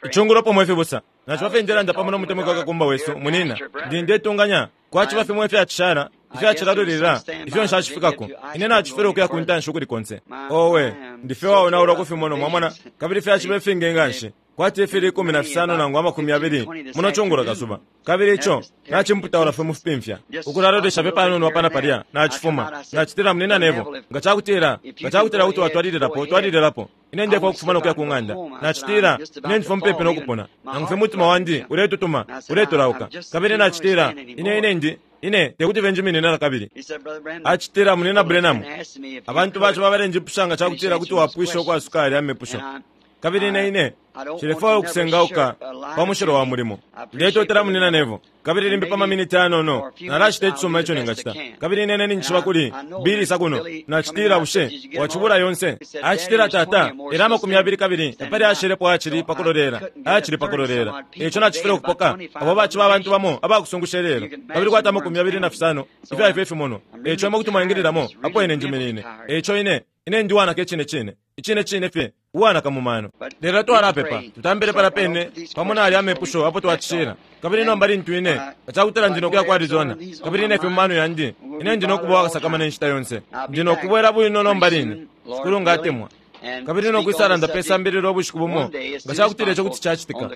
Icungulopo mwe fibusa. Naciba fye ndelanda pamo no mutemwikwa kakumba wesu, munina. Ndi ndetunganya kwaciba fimo ifyacishala ifyacilalulila ifyo nshacifikako. Ine nacifwile ukuya ku ntanshi ukuli konse. Owe, ndi fye uwaonaulwa ku fimono, mwamona, kabili fyaciba ifingi nganshi, kwati ifili 15 nangu 20 muno cungulo kasuba. Kabili ico nacimputaula fye mu fipimfya. Ukulalolesha fye panono apa na palya, nacifuma. Nacitila, Munina Neville, nga cakutila, nga cakutila kuti watwalililapo, twalililapo. Ine ndefwaya ukufuma no kuya ku ng'anda. Nacitila, Ine ndifye mupepi no kupona. Nangu fye mutima wandi uletutuma, uletolauka. Kabili nacitila, Ine, ine ndi, ine tekuti fye njiminine nakabili. Acitila, Munina Branham, abantu baciba balenjipusha nga cakutila kuti wapwisha ukwasuka yalya mepusho. Kabili ine, ine nshilefwaya ukusengauka pa mushilo wa mulimo. Ndetotela Munina Neville. Kabili limbi pa maminiti ayanono, nalacita icisuma ico ningacita. Kabili ine, ine ninjishiba kuli Billy isa kuno. Nacitila, Bushe wacibula yonse? Acitila, Tata, ela 20 kabili tapali ayashelepo ayacili pa kulolela, ayacili pa kulolela. Eico nacifwile ukupoka abo baciba abantu bamo abakusungusha ilelo, kabili kwati 25 ifya ifyo ifimonwa. Eico imwe kuti mwaingililamo apo ine njiminine. Eico ine, ine ndi uwanaka icine cine, icine cine fye. uwanaka mu mano. Lelo twalapepa, tutambile palya pene pamo na yalya amepusho apo twacishila. Kabili nomba lintu ine, nga cakutila ndi no kuya ku Arizona, kabili ine fye mu mano yandi, ine ndi no kuba uwakasakamana inshita yonse. Ndi no kubwela bwino nomba line, Shikulu nga atemwa, kabili no kwisalanda pe sambililo ubushiku bumo, nga cakutila ico kuti cacitika,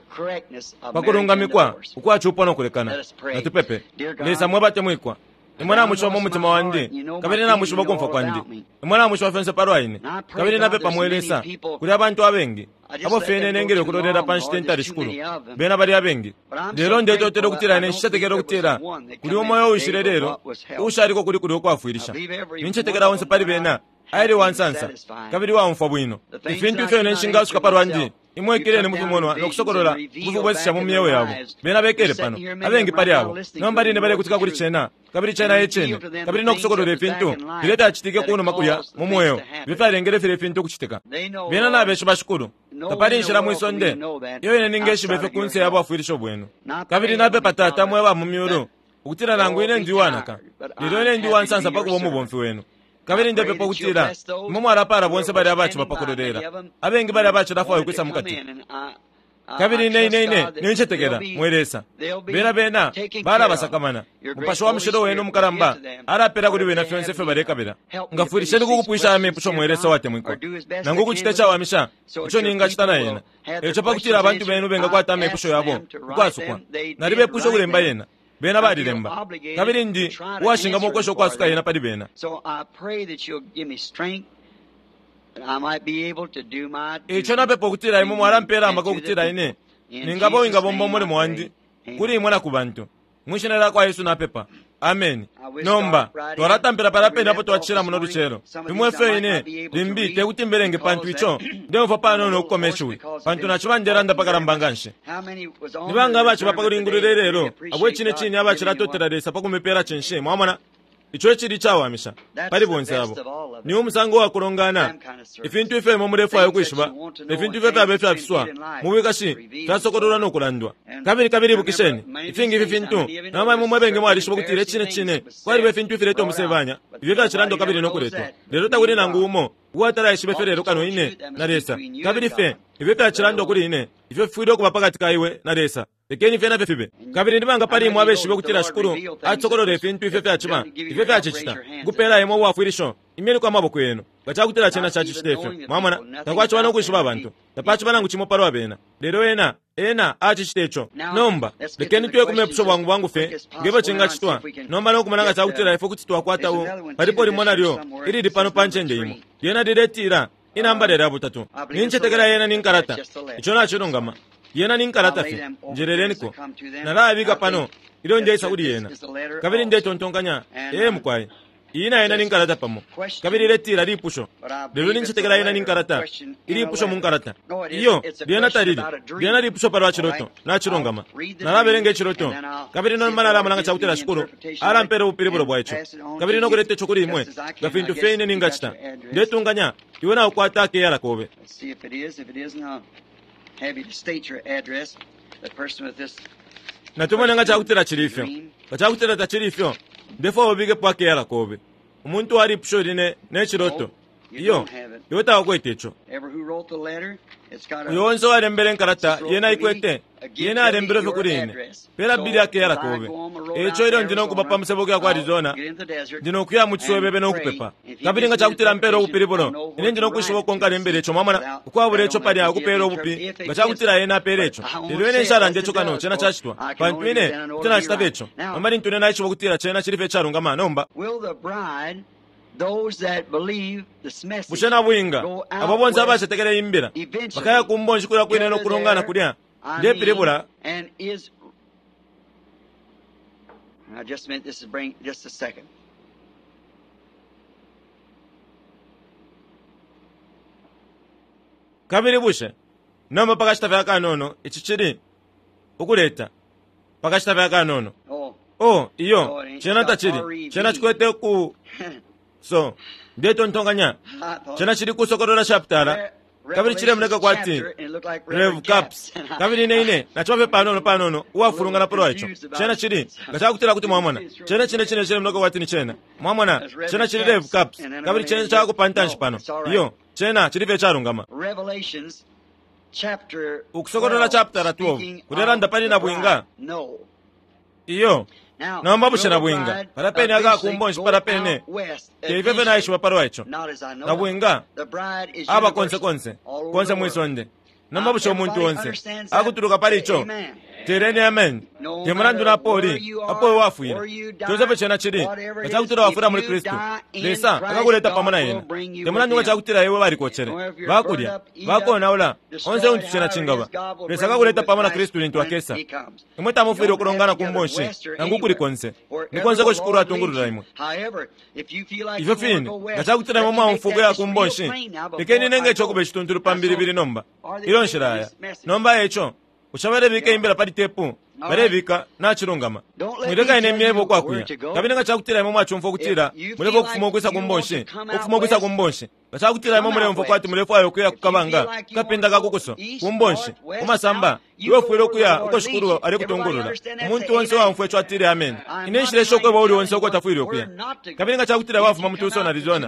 pa kulungamikwa ukwa cupo no kulekana. Natupepe. Lesa mwe batemwikwa, Imwe namwishiba mu mutima wandi, kabili namwishiba ukumfwa kwandi. Imwe namwishiba fyonse palwa ine. Kabili napepa, mwe Lesa, kuli abantu abengi, abo fye ine nengele ukulolela pa nshita intali, Shikulu. Bena bali abengi. Lelo ndetotela ukutila ine nshicetekela ukutila kuli umo uyo uwishile lelo uushaliko kuli kulya ukwafwilisha. Nincetekela onse pali bena aile uwansansa kabili uwaumfwa bwino. Ifintu ifyo ine nshingasuka palwandi, Imwe ikeleni mu fimonwa no kusokolola ukufibwesesha mu myeo yabo. Bena bekele pano, abengi pali abo, nomba line balekutika kuli cena, kabili cena e Cine, kabili no kusokolola ifintu filya ifyacitike kunuma kulya mu mweo, ifyo fyalengele filya ifintu ukucitika. Bena nabeshiba, Shikulu. Tapali inshila mwi sonde iyo ine ningeshiba ifyo kunse ya bwafwilisho Bwenu. Kabili napepa, Tata mwe ba mu Myulu, ukutila nangu ine ndi uwanaka, lelo ine ndi uwansansa pa kuba umubomfi Wenu. Kabili ndepepa ukutila Imwe mwalapaala bonse balya abaciba pa kulolela, abengi balya abacilafwaya ukwisa mukati. Kabili ine, ine, ine nincetekela, mwe Lesa, bena, bena balabasakamana. Mupashi wa Mushilo Wenu umukalamba alapela kuli bena fyonse ifyo balekabila. Ngafwilisheni ku kupwisha aya mepusho, mwe Lesa uwatemwikwa, nangu ukucita icawamisha ico ningacita na yena. Eico pakutila abantu benu bengakwata amepusho yabo ukwasukwa, nalibepwisha ukulemba yena. Bena balilemba, kabili ndi uwashingamwa ukwesha ukwasuka yena pali bena. Eico napepa ukutila Imwe mwalampela amaka ukutila ine ningaba uwingabomba umulimo wandi kuli Imwe na ku bantu. Mwi Shina lyakwa Yesu napepa. Ameni. Nomba, twalatampila palya pene apo twacishila muno lucelo. Fimo ifyo ine limbi tekuti mbelenge pantu ico ndeumfwa panono ukukoma ishiwi, pantu naciba ndelanda pakalamba nganshi. Ni banga abaciba pa kulingulula ilelo abo icine cine abacilatotela Lesa pa kumipela cinshi? Mwamona? Ico icili icawamisha pali bonse abo ni umusango wa kulongana. Ifintu ifyo imwe mulefwaya ukwishiba ne fintu ifyo fyaba ifyafiswa mu bwikashi fyasokololwa no kulandwa. Kabili, kabili ibukisheni, ifingi ifi fintu, nomba imwe mwe bengi mwalishiba ukutila icine cine kwaliba ifintu ifileta umusebanya ifyo fyacilandwa kabili no kuletwa, lelo takuli nangu umo uwatalaishiba ifyo lelo kano ine na Lesa. Kabili fye ifyo fyacilandwa kuli ine, ifyo fifwile ukuba pakati ka iwe na Lesa, lekeni fyena fye fibe. Kabili ni banga pali imwe abeshibe ukutila Shikulu acisokolola ifintu ifyo fyaciba, ifyo fyacicita, ukupela imwe ubwafwilisho? Imyeniko amaboko yenu nga cakutila cena cacicita ifyo. Mwamona, takwaciba no kwishiba abantu, tapaciba nangu cimo palwa bena, lelo Ena, Ena acicita ico. Nomba, lekeni tuye ku mepusho bwangu bwangu fye nge fyo cingacitwa nomba no kumona nga cakutila ifwe kuti twakwata u, palipo limo nalyo ilili pano pa ncende imo. Lyena liletila, Inambala lya butatu. Nincetekela yena ni nkalata. Ico nacilungama. Yena ni nkalata fye. Njeleleniko. Nalabika pano ilyo ndeisa kuli yena. Kabili ndetontonkanya, ee mukwai, iyi na yena ni nkalata pamo. Kabili iletila lipusho. Lelo nincetekela yena ni nkalata, ilipusho mu nkalata. Iyo, lyena talili. Lyena lipusho palwa ciloto. Nacilungama. Nalabelenga iciloto, kabili nomba nalamona nga cakutila Shikulu alampela ubupilibulo bwa ico, kabili no kuleta ico kuli imwe nga fintu fye ine ningacita. Ndetunganya iwe naukwata akeyala kobe. Natumone nga cakutila cili ifyo. Nga cakutila tacili ifyo, ndefwaya ubikepo akeyala kobe. Umuntu walipusho line ne ciloto. Iyo, iwe tawakwete ico. Uyo onse uwalembele inkalata, yena aikwete, yena alembele fye kuli ine. Pela bili akeyala kobe. Eico ilyo ndi nokuba pa musebo ukuya ku Arizona, ndi nokuya mu ciswebebe no kupepa. Kabili nga cakutila mpela ubupilibulo, ine ndi nokwishiba uko nkalembela ico, mwamona, ukwabula ico palya ukupela ubupi, nga cakutila ena apela ico. Lelo ine nshalanda ico kano cena cacitwa, pantu ine kuti nacita fye ico. Nomba lintu ine naishiba ukutila cena cili fye icalungama, nomba. Bushe nabwinga, abo bonse abacetekela iyi mbila, bakaya ku mbonshi kulya kwine no kulongana kulya? Ndepilibula. Kabili bushe, nomba pakashita fye akanono, ici cili, ukuleta, pakashita fye akanono. Oh, iyo, cena tacili. Cena cikwete ku so ndetontonkanya cena cili kusokolola chapitala kabili cilemoneka kwati Rev Caps kabili ine ine naciba fye panono panono uwafulungana palwa ico. Cena cili nga cakutila kuti mwamona cena cine cine cilemoneka kwati ni cena. Mwamona cena cili Rev Caps kabili cena cakupa ntanshi pano. Iyo, cena cili fye icalungama. Ukusokolola chapitala 12 kulelanda pali nabwinga. Iyo. Nomba bushe nabwinga palya pene aka kumbonshi palya pene te ifyo fye naishiba palwa ico. Nabwinga aba konse konse, konse mwi sonde. Nomba bushe umuntu onse akutuluka pali ico? Teleni amen. Te mulandu na apo uli, apo iwe wafwila, conse fye cena cili, nga cakutila wafwila muli Kristu, Lesa akakuleta pamo na ena. Te mulandu nga cakutila iwe balikocele, bakulya, bakonaula, onse untu cena cingaba, Lesa akakuleta pamo na Kristu lintu akesa. Imwe tamufwile ukulongana ku mbonshi nangu ukuli konse. Ni konse uko Shikulu atungulula imwe. Ifyo fine, nga cakutila imwe mwaumfwa ukuya ku mbonshi, lekeni nenge ico ukuba icituntulu pa mbilibili nomba, ilyo nshilaya. Nomba eico, bushe balebika imbila pali tepu? Balebika, nacilungama. Mwileka ine myebe ukwakuya. Kabili nga cakutila imwe mwacumfwa ukutila mulefwaya ukufuma ukwisa ku mbonshi, ukufuma ukwisa ku mbonshi, nga cakutila imwe muleumfwa kwati mulefwaya ukuya ku kabanga, ku kapinda ka kukuso, ku mbonshi, ku masamba, iwe ufwile ukuya uko Shikulu alekutungulula. Umuntu onse uwaumfwa ico atile ameni. Ine nshilesha ukweba uuli onse uko tafwile ukuya. Kabili nga cakutila wafuma mu Tucson, Arizona,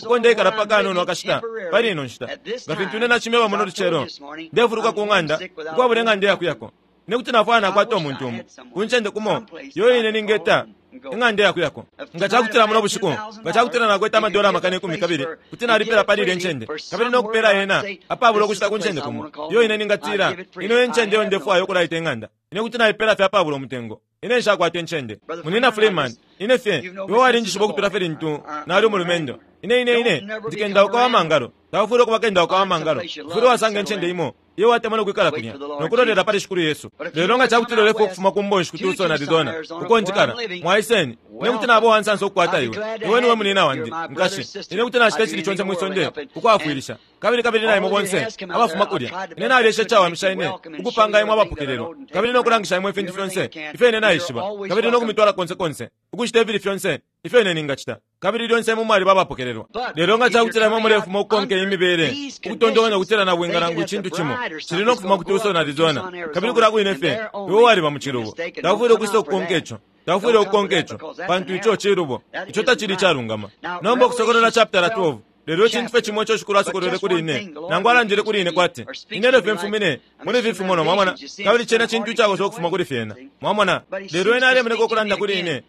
uko ndeikala pa kanono akashita pali ino nshita, nga fintu ine nacimyeba muno lucelo, ndefuluka ku ng'anda, ukwabula ing'anda iyakuyako. Ine kuti nafwaya nakwata umuntu umo, ku ncende kumo, iyo ine ningeta ing'anda iyakuyako. Nga cakutila muno bushiku, nga cakutila nakwete amadola 10,000, kuti nalipila pali ilya ncende, kabili no kupela yena apabula ukushita ku ncende kumo, iyo ine ningatila, Ino e ncende iyo ndefwaya ukulaita ing'anda. Ine kuti naipela fye apabula umutengo. Ine nshakwata incende. Munyina Freeman, ine fye, iwe walinjishiba ukutula fye lintu nali umulumendo. Ine, ine, ine ndi kendauka wa mangalo. Taufwile ukuba kendauka wa mangalo. Ufwile wasanga incende imo iyo watemwa no kwikala kulya, no kulolela pali Shikulu Yesu. Lelo nga ca kutila ulefwaya ukufuma ku mbonshi ku Tucson, Arizona, uko njikala, mwaiseni. Ine kuti naba uwansansa ukukwata iwe. Iwe niwe munina wandi, nkashi. Ine kuti nacita icili conse mwi sonde ukwafwilisha. Kabili, kabili na imwe bonse abafuma kulya, ine nalyesha icawamisha ine ukupanga imwe abapokelelwa, kabili no kulangisha imwe ifintu fyonse ifyo ine naishiba, kabili no kumitwala konse konse, ukucita ifili fyonse ifyo ine ningacita. Kabili lyonse imwe mwaliba abapokelelwa. Lelo nga cakutila imwe mulefuma ukukonka iyi mibele, ukutontonkanya ukutila nabwinga nangu icintu cimo cili no kufuma ku Tucson, Arizona, kabili kulya kwine fye, iwe waliba mu cilubo. Taufwile ukwisa ukukonka ico. Taufwile ukukonka ico, pantu ico cilubo. Ico tacili icalungama. Nomba Ukusokolola chapitala 12. Lelo icintu fye cimo ico Shikulu asokolwele kuli ine, nangu alandile kuli ine kwati, Ine elyo fye mfumine muli ifi fimonwa, mwamona, kabili cena cintu icakosa ukufuma kuli fyena. Mwamona? Lelo Ena alemoneka ukulanda kuli ine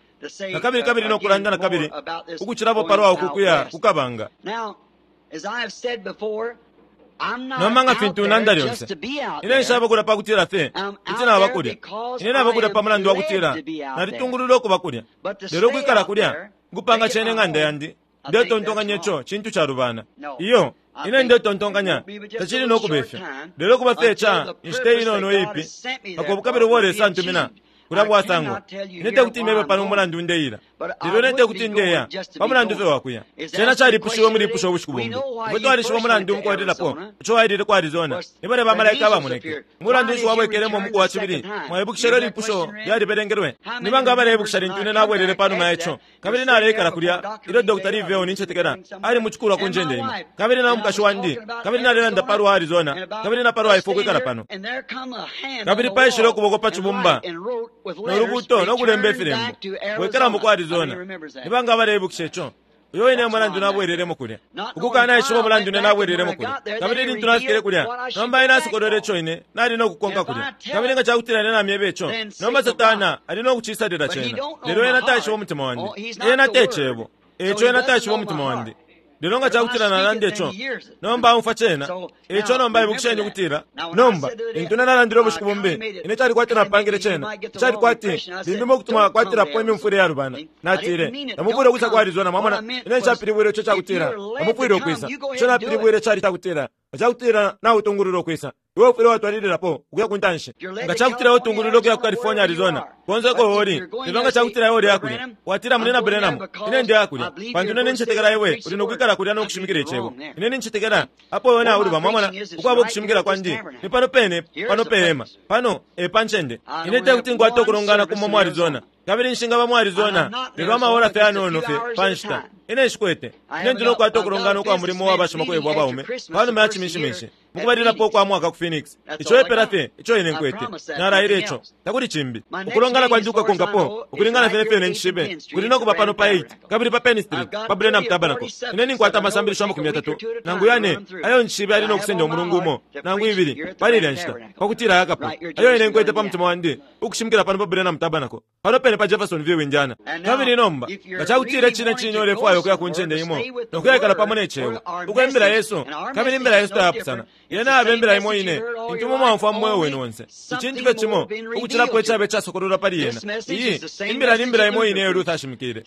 nakabili kabili no kulanda nakabili ukucilapo palwa uku kuya ku kabanga. Nomba nga fintu nanda lyonse, ine nshaba kulya pa kutila fye kuti naba kulya. Ine naba kulya pa mulandu wa kutila nalitungululwa ukuba kulya. Lelo ukwikala kulya, ukupanga cena ing'anda yandi, Ndetontonkanya ico cintu calubana. Iyo, ine ndetontonkanya tacili no kuba ifyo. Lelo kuba fye ica inshita inono iipi, mpaka ubukabilo ubo Lesa antumina kulya bwasangwa. Ine tekuti imebe pano umulandu ndeila. Lelo ine tekuti ndeya pa mulandu fye wa kuya. Cena calipushiwe mu lipusho ubushiku bumbi. Ifwe twalishiba umulandu mukwalilapo ico wailile ku Arizona. Ni balya ba malaika abamoneke. Mulandu nshi wabwekelemo umuku wa cibili? Mwaibukisha ilyo lipusho lyalibelengelwe? Ni banga abaleibukisha lintu ine nabwelele panuma ya ico? Kabili naleikala kulya ilyo Dr. Lee Vayle, nincetekela, ali mucikulwa ku ncende imo. Kabili na mukashi wandi, kabili nalelanda palwa Arizona, kabili na palwa ifwe ukwikala pano. Kabili paishile ukuboko pa cibumba, no lubuuto no kulemba ifilembo, Bwekelamo ku Arizona. Ni banga abaleibukisha ico? Uyo wine mulandu nabwelelemo kulya. Ukukanaishiba umulandu ine nabwelelemo kulya. Kabili lintu nafikile kulya, nomba ena asokolwele ico ine nali no kukonka kulya. Kabili nga cakutila ine namyeba ico, nomba Satana ali no kucisalila cena. Lelo ena taishiba umutima wandi. Ena te Cebo. Eico ena taishiba umutima wandi. Lelo nga cakutila nalanda ico, nomba aumfwa cena. Eico nomba ibukisheni ukutila, nomba, lintu ine nalandile ubushiku bumbi, ine cali kwati napangile cena, cali kwati limbi mo kuti mwakwatilapo imyumfwile iyalubana. Natile, Tamufwile ukwisa ku Arizona, mwamona. Ine nshapilibwile ico cakutila tamufwile ukwisa. Ico napilibwile cali cakutila, nga cakutila nautungulula ukwisa, Iwe ufwile watwalililapo ukuya ku ntanshi. Nga cakutila utungulwile ukuya ku California, Arizona, konse uko uli, lelo nga cakutila iwe uleya kulya, watila, Munyina Branham, ine ndeya kulya, pantu ine nincetekela iwe uli no kwikala kulya no kushimikila Icebo. Ine nincetekela apo iwe nauluba, mwamona, ukwaba ukushimikila kwandi ni pano pene pano pe hema. Pano e pa ncende. Ine tekuti nkwate ukulongana kumo mu Arizona. Kabili nshingaba mu Arizona lelo amaora fye ayanono fye pa nshita. Ine nshikwete. Ine ndi no kukwata ukulongana ukwa mulimo wa bashimakwebo abaume panuma ya Cimishiminshi, mukubalilapo ukwa mwaka ku Phoenix. Ico epela fye ico ine nkwete. Nalaile ico. Takuli cimbi. Ukulongana kwandi ukukakonkapo, ukulingana fye ne fyo ine njishibe, kuli no kuba pano pa 8, kabili pa Penn Street, pa Branham Tabernacle. Ine ninkwata amasambilisho 30 nangu yane ayo njishibe yali no kusenda umulungu umo nangu ibili pali ilya nshita, pakutila ayakapwe, ayo ine nkwete pa mutima wandi ukushimikila pano pa Branham Tabernacle. Pano pene pa Jeffersonville, Indiana. Kabili nomba, nga cakutila icine cine ulefwaya ukuya ku ncende imo no kuyaikala pamo ne Cebo, uko Imbila yesu, kabili Imbila yesu tayapusana, yena yaba Imbila imo ine intu imwe mwaumfwa mu mweo wenu onse. Icintu fye cimo ukucilapo icaba icasokololwa pali yena. Iyi Imbila ni Mbila imo ine iyo Luther ashimikile,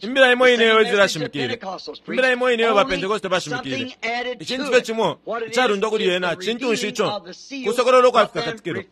Imbila imo ine iyo Wesley ashimikile, Imbila imo ine iyo ba Pentekoste bashimikile. Icintu fye cimo icalundwa kuli yena cintu nshi ico? Kusokolola ukwa Fikakatikilo.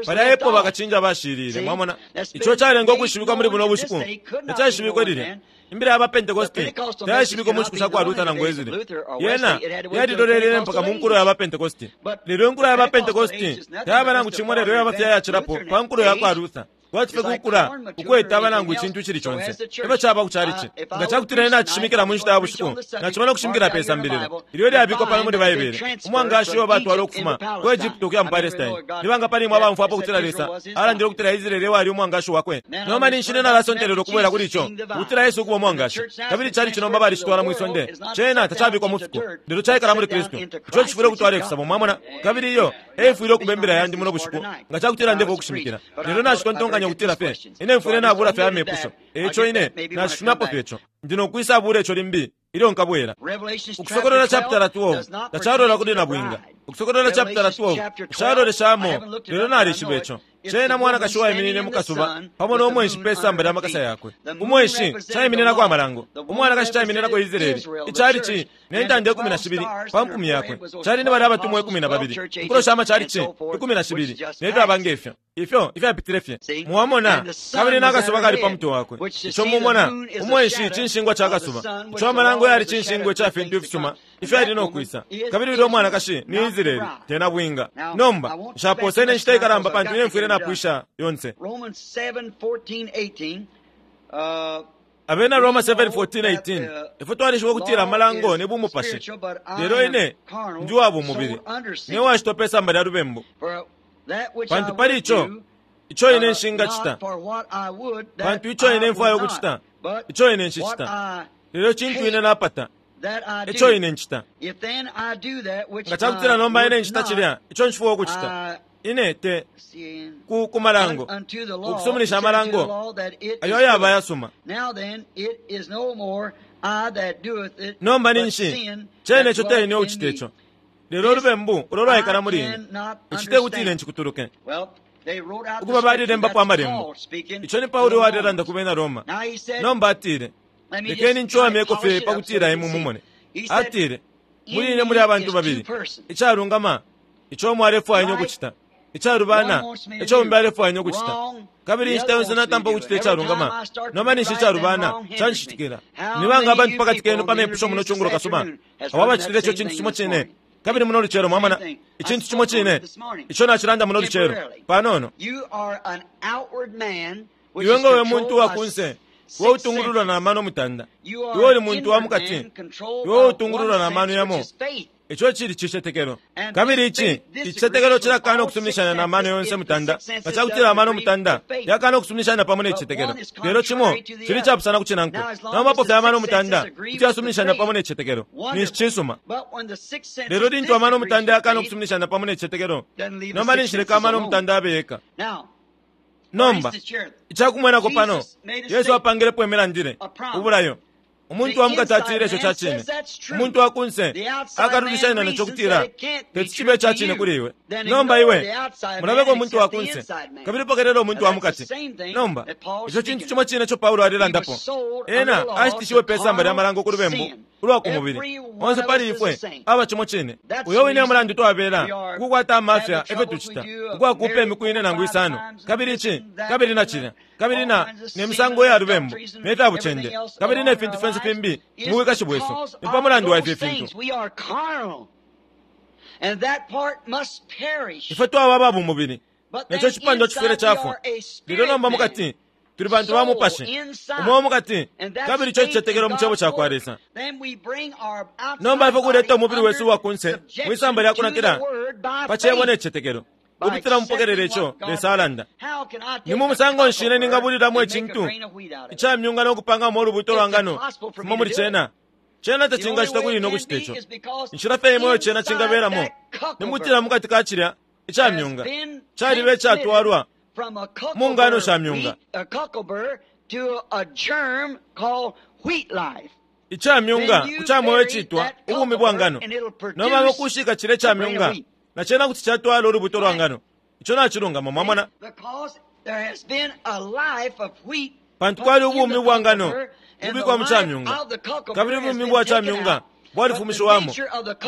Palya epo bakacinja bashilile. Mwamona? Ico calenga ukwishibikwa muli buno bushiku tacaishibikwe lilya. Imbila ya ba Pentekoste tayaishibikwe mu nshiku sha kwa Luther nangu Wesley. Yena yalilolelele mpaka mu nkulo ya ba Pentekoste. Lelo inkulo ya ba Pentekoste tayaba nangu cimo lelo yaba fye iyacilapo pa nkulo ya kwa Luther. Kwati fye kukula ukwetaba nangu icintu icili conse. Efyo caba ku chalichi. Nga cakutila ine nacishimikila mu nshita ya bushiku, naciba no kushimikila pe sambililo ilyo ilyabikwa pano muli Baibele, umwangashi uo batwala ukufuma ku Egypto ukuya mu Palestine. Ni banga pali imwe abaumfwapo ukutila Lesa alandile ukutila Israele ewali umwangashi wakwe? Nomba ninshi ine nalasontelela ukubwela kuli ico, ukutila Yesu ukuba umwangashi. Kabili ichalichi nomba balicitwala mwi sonde. Cena tacabikwa mu fiko, lelo caikala muli Kristu. Ico cifwile ukutwala ifisabo, mwamona. Kabili iyo eifwile ukuba imbila yandi muno bushiku, nga cakutila ndefwaya ukushimikila. Lelo nacitontonkanya ukutila fye ine mfwile nabula fye amepusho, eico ine nacifumyapo fye ico. Ndi no kwisa bula ico limbi ilyo nkabwela. Ukusokolola chapitala 12 tacalola kuli nabwinga. Ukusokolola chapitala 12 nshaloleshamo, lelo nalishiba ico. Cena mwanakashi uwaiminine mu kasuba pamo no mwenshi pe samba lya makasa yakwe. Umwenshi caimininako amalango, umwanakashi caimininako Israele, icalici, ne ntanda 12 pa mpumi yakwe. Cali ni balya abatumwa 12, inkulo sha macalici 12, ne fyaba nge fyo. Ifyo ifyapitile fye. Mwamona? Kabili na kasuba kali pa mutwe wakwe. Ico mumona, umwenshi cinshingwa ca kasuba. Ico amalango yali cinshingwa ica fintu ifisuma ifyali no kwisa. Kabili ulya umwanakashi ni Israele, te nabwinga. Nomba, nshapoosene inshita ikalamba pantu ine mfwile napwisha yonse. Abena Roma 7:14, 18, Ifwe twalishiba ukutila amalango ni bumupashi, lelo ine ndi uwa bumubili, ne washitwa pe samba lya lubembu. Pantu pali ico, ico ine nshingacita, pantu ico ine mfwaya ukucita, ico ine nshicita, lelo cintu ine napata, eco ine ncita. Nga cakutila nomba ine ncita cilya ico nshifwaya ukucita, ine te ku, ku malango, ukusuminisha amalango ayo ayaba ayasuma. Nomba ninshi cene ico te ine ucita ico, lelo ulubembu ulo lwaikala muli ine. Ici te kuti ine ncikutuluke. Ukuba balilembapo amalembo. Ico ni Paulo uwalelanda ku bena Roma. Nomba atile, Lekeni ncowamyeko fye pa kutila imwe mumone. Atile, Muli ine muli abantu babili, icalungama ico umo alefwaya ine ukucita, icalubana ico umbi alefwaya ine ukucita. Kabili inshita yonse natampa ukucita icalungama, nomba ninshi icalubana canshitikila. Ni banga abantu pakati kenu pa mepusho muno cungulo kasuba abo abacitile ico cintu cimo cine? Kabili muno lucelo, mwamona, icintu cimo cine ico nacilanda muno lucelo, panono. Iwe nga we muntu wa kunse, we utungululwa na mano mutanda. Iwe uli muntu wa mukati, iwe utungululwa na mano yamo, Ico cili cicetekelo. Kabili ici icicetekelo cilakana ukusuminishanya na mano yonse mutanda, nga ca kutila amano mutanda yakana ukusuminishanya pamo ne cicetekelo. Lelo cimo cili icapusana ku cinankwe. Nomba apo fye amano mutanda kuti yasuminishanya pamo ne cicetekelo, ninshi cisuma. Lelo lintu amano mutanda yakana ukusuminishanya pamo ne cicetekelo, nomba ninshi leka amano mutanda abe yeka. Nomba, ica kumwenako pano, Yesu apangilepo imilandile, ubulayo. Umuntu wa mukati atile ico ca cine. Umuntu wa kunse akalulishanya naco kutila teti cibe ica cine kuli iwe. Nomba iwe mulabeko umuntu wa kunse kabili pokelela umuntu wa mukati. Nomba ico cintu cimo cine ico Paulo alelandapo. Ena ashitishiwe pe samba lya malango ku lubembu ulwa ku mubili. Onse pali ifwe aba cimo cine. Uyo wine e mulandu twabela ukukwata amafya efyo tucita, ukwakuupa imiku ine nangu isano, kabili ici, kabili na cilya, kabili na, ne misango ya lubembu, ne fya bucende, kabili ne fintu fyonse fimbi mu bwikashi bwesu. Ni pa mulandu wa ifi fintu. Ifwe twaba aba bumubili, ne co cipandwa cifwile cafwa. Lelo nomba mukati tuli bantu ba mupashi, umweo mukati, kabili ico cicetekelo mu Cebo cakwa Lesa. Nomba ifwe kuleta umubili wesu uwa kunse mwi samba lya kunakila pa Cebo ne cicetekelo, ukupitila mupokelela ico Lesa alanda. Ni mu musango nshi ine ningabulilamo icintu ica myunga no kupangamo ulubuto lwa ngano fuma muli cena? Cena tacingacita kuli ine ukucita ico. Inshila fye imo iyo cena cingabelamo ni mukutila mukati ka cilya ica myunga caliba icatwalwa mu ngano sha myunga. Ica myunga ku ca mweo iciitwa ubumi bwa ngano. Nomba ngo kushika cilya ica myunga, na cena kuti catwala ulubuto lwa ngano. Ico nacilungama, mwamona. Pantu kwali ubumi ubwa ngano ukubikwa mu ca myunga, kabili ubumi bwa ca myunga bwalifumishiwamo,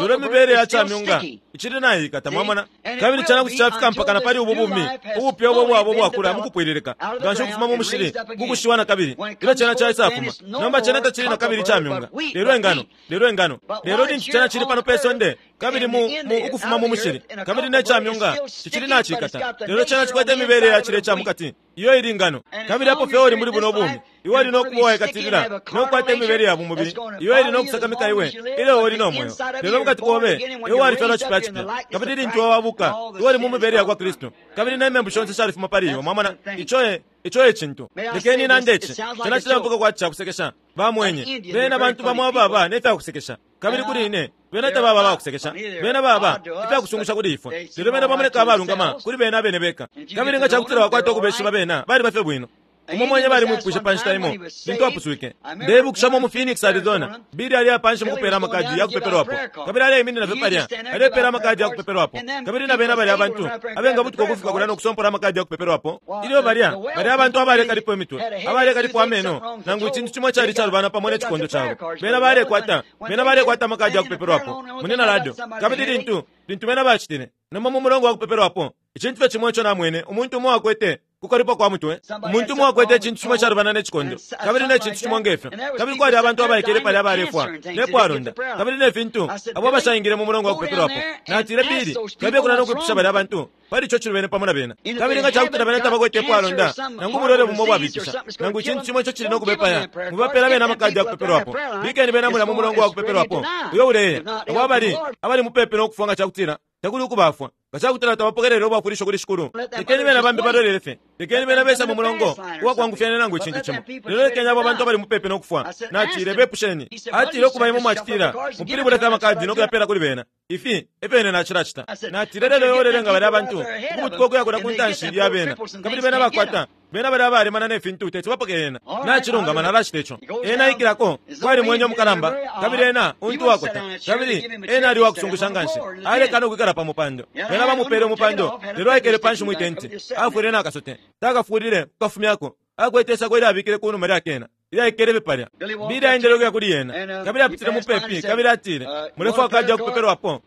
lelo imibele ya ca myunga icili naiikata. Mwamona? Kabili cena kuti cafika mpaka na pali ubu bumi ubupya ubo bwaba ubwakula mukupwililika nganshi ukufuma mu mushili ku kushiwa nakabili, ilyo cena caisafuma. Nomba cena tacili nakabili ica myunga, lelo ingano, lelo ingano. Lelo lintu cena cili pano pe sonde, kabili mu, mu, ukufuma mu mushili, kabili ne ca myunga cicili nacikata, lelo cena cikwete imibele ya cilya ica mukati, iyo ili ngano. Kabili apo fye uli muli buno bumi, iwe uli no kuba uwaikatilila no kukwata imibele ya bumubili iyo ili no kusakamika iwe ilyo uli no mweo. Lelo mukati kobe iwe walifyalwa cipya cipya, kabili lintu wabuka, iwe uli mu mibele ya kwa Kristu, kabili ne membu shonse shalifuma pali iwe. Mwamona? Ico e, ico e cintu. Lekeni nande ici. Cena cileumfwika kwati ca kusekesha. Ba mwenye, bena bantu bamo ababa ne fya kusekesha. Kabili kuli ine, bena tababa abakusekesha. Bena baba ifyakusungusha kuli ifwe. Lelo bena bamoneka abalungama kuli bena abene beka. Kabili nga cakutila wakwata ukubeshiba bena, baliba fye bwino. Umo mwenye balimwipwishe pa nshita imo lintu apuswike. Ndeibukishamo mu Phoenix, Arizona, Billy aliya panshi mukupela amakadi yakupepelwapo. Kabili aleiminina fye palya, alepela amakadi yakupepelwapo. Kabili na bena balya abantu abengabutuka ukufika kulya no kusompola amakadi yakupepelwapo. Ilyo balya, balya abantu abalekalipo imitwe, abalekalipo ameno, nangu icintu cimo icali icalubana pamo ne cikondo cabo. Bena balekwata, bena balekwata amakadi yakupepelwapo, Munyina Ruddell. Kabili lintu, lintu bena bacitile, nomba mu mulongo wa kupepelwapo, icintu fye cimo ico namwene, umuntu umo akwete kukalipwa kwa mutwe, umuntu umo akwete icintu cimo icalubana ne cikondo, kabili ne cintu cimo nge fyo. Kabili kwali abantu abaikele palya abalefwa ne pwalonda, kabili ne fintu, abo abashaingile mu mulongo wa kupepelwapo. Natile, Billy, kabiye kulya no kwipusha balya bantu pali ico cilubene pamo na bena. Kabili nga ca kutila bena tabakwete ipwalonda, nangu ubulwele bumo ubwabipisha, nangu icintu cimo ico cili no kubepaya, mwibapela bena amakadi ya kupepelwapo. Bikeni bena mulya mu mulongo wa kupepelwapo uyo uleya, abo abali, abali mupepi no kufwa nga ca kutila takuli ukubafwa. Nga ca kutila tabapokelele ubwafwilisho kuli Shikulu, lekeni bena bambi balolele fye. Lekeni bena bese mu mulongo uwa kwangufyanya nangu icintu cimo. Lelo lekeni abo bantu abali mupepi no kufwa. Natile, Bepusheni. Atile, Ukuba imwe mwacitila, mupilibule fye amakadi no kuyapela kuli bena. Ifi e fyo ine nacilacita. Natile, Lelo iwe ulelenga balya bantu ukubutuka ukuya kulya ku ntanshi ya bena, kabili bena bakwata, bena balya abalemana ne fintu teti bapoke yena. Nacilungama, nalacita ico. Ena aikilako, kwali mwenye umukalamba, kabili ena untu uwakota, kabili ena ali uwakusungusha nganshi. Alekana ukwikala pa mupando. Bena bamupele umupando, lelo aikele panshi mwi tenti. Afwile na kasote. Takafulile kukafumyako. Akwete isako ilyo abikile ku numa lya kena, ilyaikele fye palya. Billy aendele ukuya kuli yena, kabili apitile mupepi, kabili atile, Mulefwaya kadi ya kupepelwapo?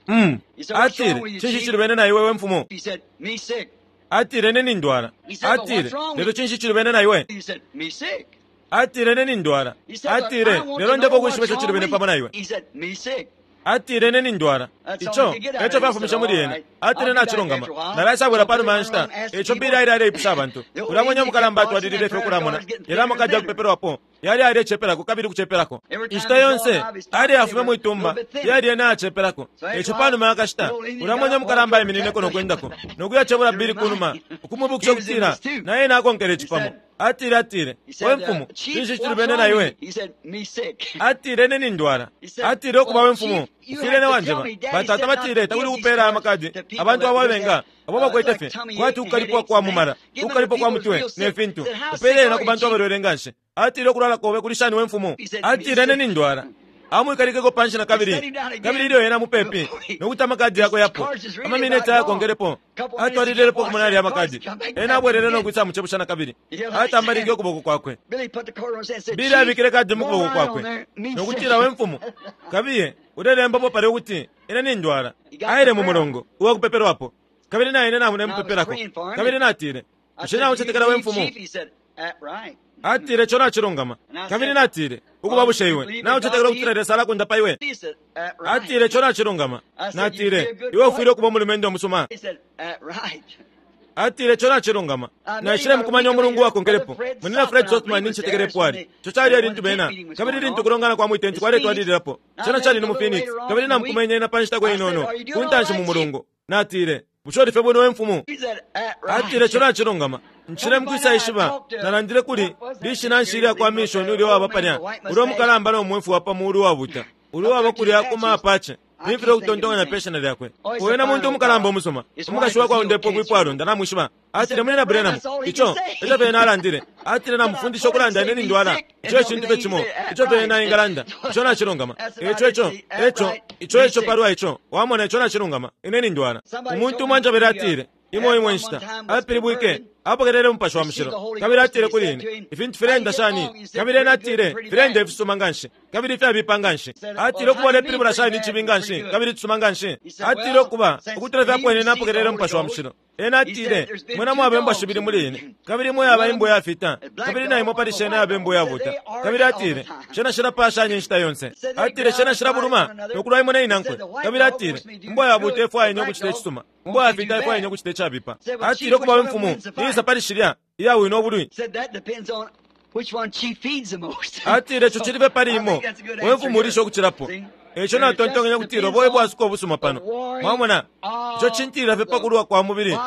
Mm. Atile, Cinshi cilubene na iwe, we mfumu? Atile, Ine nindwala. Atile, Lelo cinshi cilubene na iwe? Atile, Ine nindwala. Atile, Lelo ndefwaya ukwishiba ico cilubene pamo na iwe. Atile, Ine nindwala. Ico eco fyafumishe muli ena. Atile, Nacilungama, nalaisabwela panuma ya nshita. Eico Billy aile aleipusha abantu. Ulya mwenye umukalamba atwalilile fye ukulamona, lelo amakadi yakupepelwapo yali yalecepelako kabili ukucepelako. Inshita yonse aleyafume mwi tumba, yali yena ayacepelako. Eico panuma ya kashita, ulya mwenye umukalamba aiminineko no kwendako, no kuyacebula Billy kunuma, ukumwibukisha ukutila na ena akonkele ici pamo. Atile, atile, We mfumu, cinshi cilubene na iwe? Atile, Ine nindwala. Atile, Ukuba, we mfumu, ufwile ne wanjeba. Batata batile takuli ukupeela aya makadi abantu abo abenga abo bakwete fye kwati ukukalipwa kwa mumala, ukukalipwa kwa mutwe, ne fintu. Upeele yena ku bantu abalwele nganshi. Atile, Ukulwala kobe kuli shani, we mfumu? Atile, Ine nindwala. Amwikalikeko panshi na kabili, kabili ilyo ena mupepi no kuti amakadi yakwe yapwe, amamineti ayakonkelepo, atwalililepo ukumona yalya amakadi. Ena abwelele no kwisamucebusha na kabili. Atambalike ukuboko kwakwe. Billy abikile kadi mu kuboko kwakwe no kutila, We mfumu, kabiye ulelembapo palya ukuti ine nindwala. Aile mu mulongo uwa kupepelwapo, kabili na ine namulemupepelako. Kabili natile, Bushe naucetekela, we mfumu? Atile, Ico nacilungama. Kabili natile, Ukuba, bushe iwe naucetekela ukutila Lesa alakundapa iwe? Atile, Ico nacilungama. Natile, Iwe ufwile ukuba umulumendo umusuma. Atile, Ico nacilungama. Naishile mukumanya umulungu uwakonkelepo, Munyina Fred Sothmann, nincetekela epo ali. Ico cali e lintu bena, kabili lintu ukulongana kwa mwitenti kwaletwalililapo. Cena cali ni mu Phoenix, kabili namukumenye ena pa nshitako inono ku ntanshi mu mulungu. Natile, Bushe uli fye bwino, we mfumu? Atile, Ico nacilungama. Nshile mukwisaishiba, nalandile kuli lishina nshi ilya kwa mishoni ulya uwaba palya, ulya umukalamba no mwefu wa pa muulu uwabuta, ulya uwaba kulya ku ma Apache. Nimfilwa ukutontonkanya pe shina lyakwe. Uyo ena muntu umukalamba umusuma. Umukashi wakwe aundepwe kwipwalonda, namwishiba. Atile, Munyina Branham, ico eco fye ena alandile. Atile, Namufundisha ukulanda ine nindwala. Ico e cintu fye cimo ico fye ena engalanda. Ico nacilungama. Ico eco, eco, ico eco palwa ico. Wamona, ico nacilungama. Ine nindwala. Umuntu umo anjebele atile, Imo imo inshita, apilibwike, apokelele Umupashi wa Mushilo, kabili atile kuli ine, Ifintu fileenda shani? Kabili ena atile, Fileenda ifisuma nganshi, kabili ifyabipa nganshi. Atile, Ukuba, ulepilibula shani icibi nganshi kabili icisuma nganshi? Atile, Ukuba, ukutula fye apo ine napokelele Umupashi wa Mushilo. Ena atile, Mwena mwaba imbwa shibili muli ine, kabili imo yaba imbwa iyafita, kabili na imo pali shena yaba imbwa iyabuta. Kabili atile, Shena shilapaashanya inshita yonse. Atile, Shena shilabuluma no kulwa imo ne inankwe. Kabili atile, Imbwa yabuta ifwaya ine ukucita icisuma, imbwa yafita ifwaya ine ukucita icabipa. Atile, Ukuba, we mfumu, niisa pali shilya iyawina ubulwi? Atile, Ico cili fye pali imo, we mfumu ulisha ukucilapo. Eico natontonkenye ukutila ubo e bwasuko ubusuma pano. Mwamona? Ico cintilila fye pa kulwa kwa mubili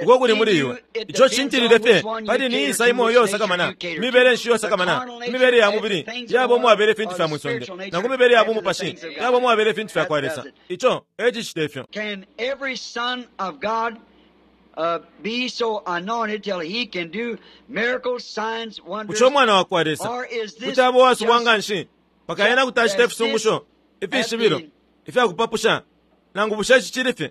uko kuli muli iwe. Ico cintilile fye pali ni isa imo iyo usakamana, mibele nshi iyo usakamana, imibele ya mubili yaba umwabela ifintu fya mwi sonde, nangu mibele ya bumupashi yaba umwabela ifintu fya kwa Lesa. Ico e cicita ifyo. Can every son of God be so anointed till he can do miracles, signs, wonders? Bushe umwana wa kwa Lesa Or is this kuti aba uwasubwa just nga nshi mpaka ena kuti acita ifisungusho, ifishibilo, ifya kupapusha? Nangu bushe ici cili fye?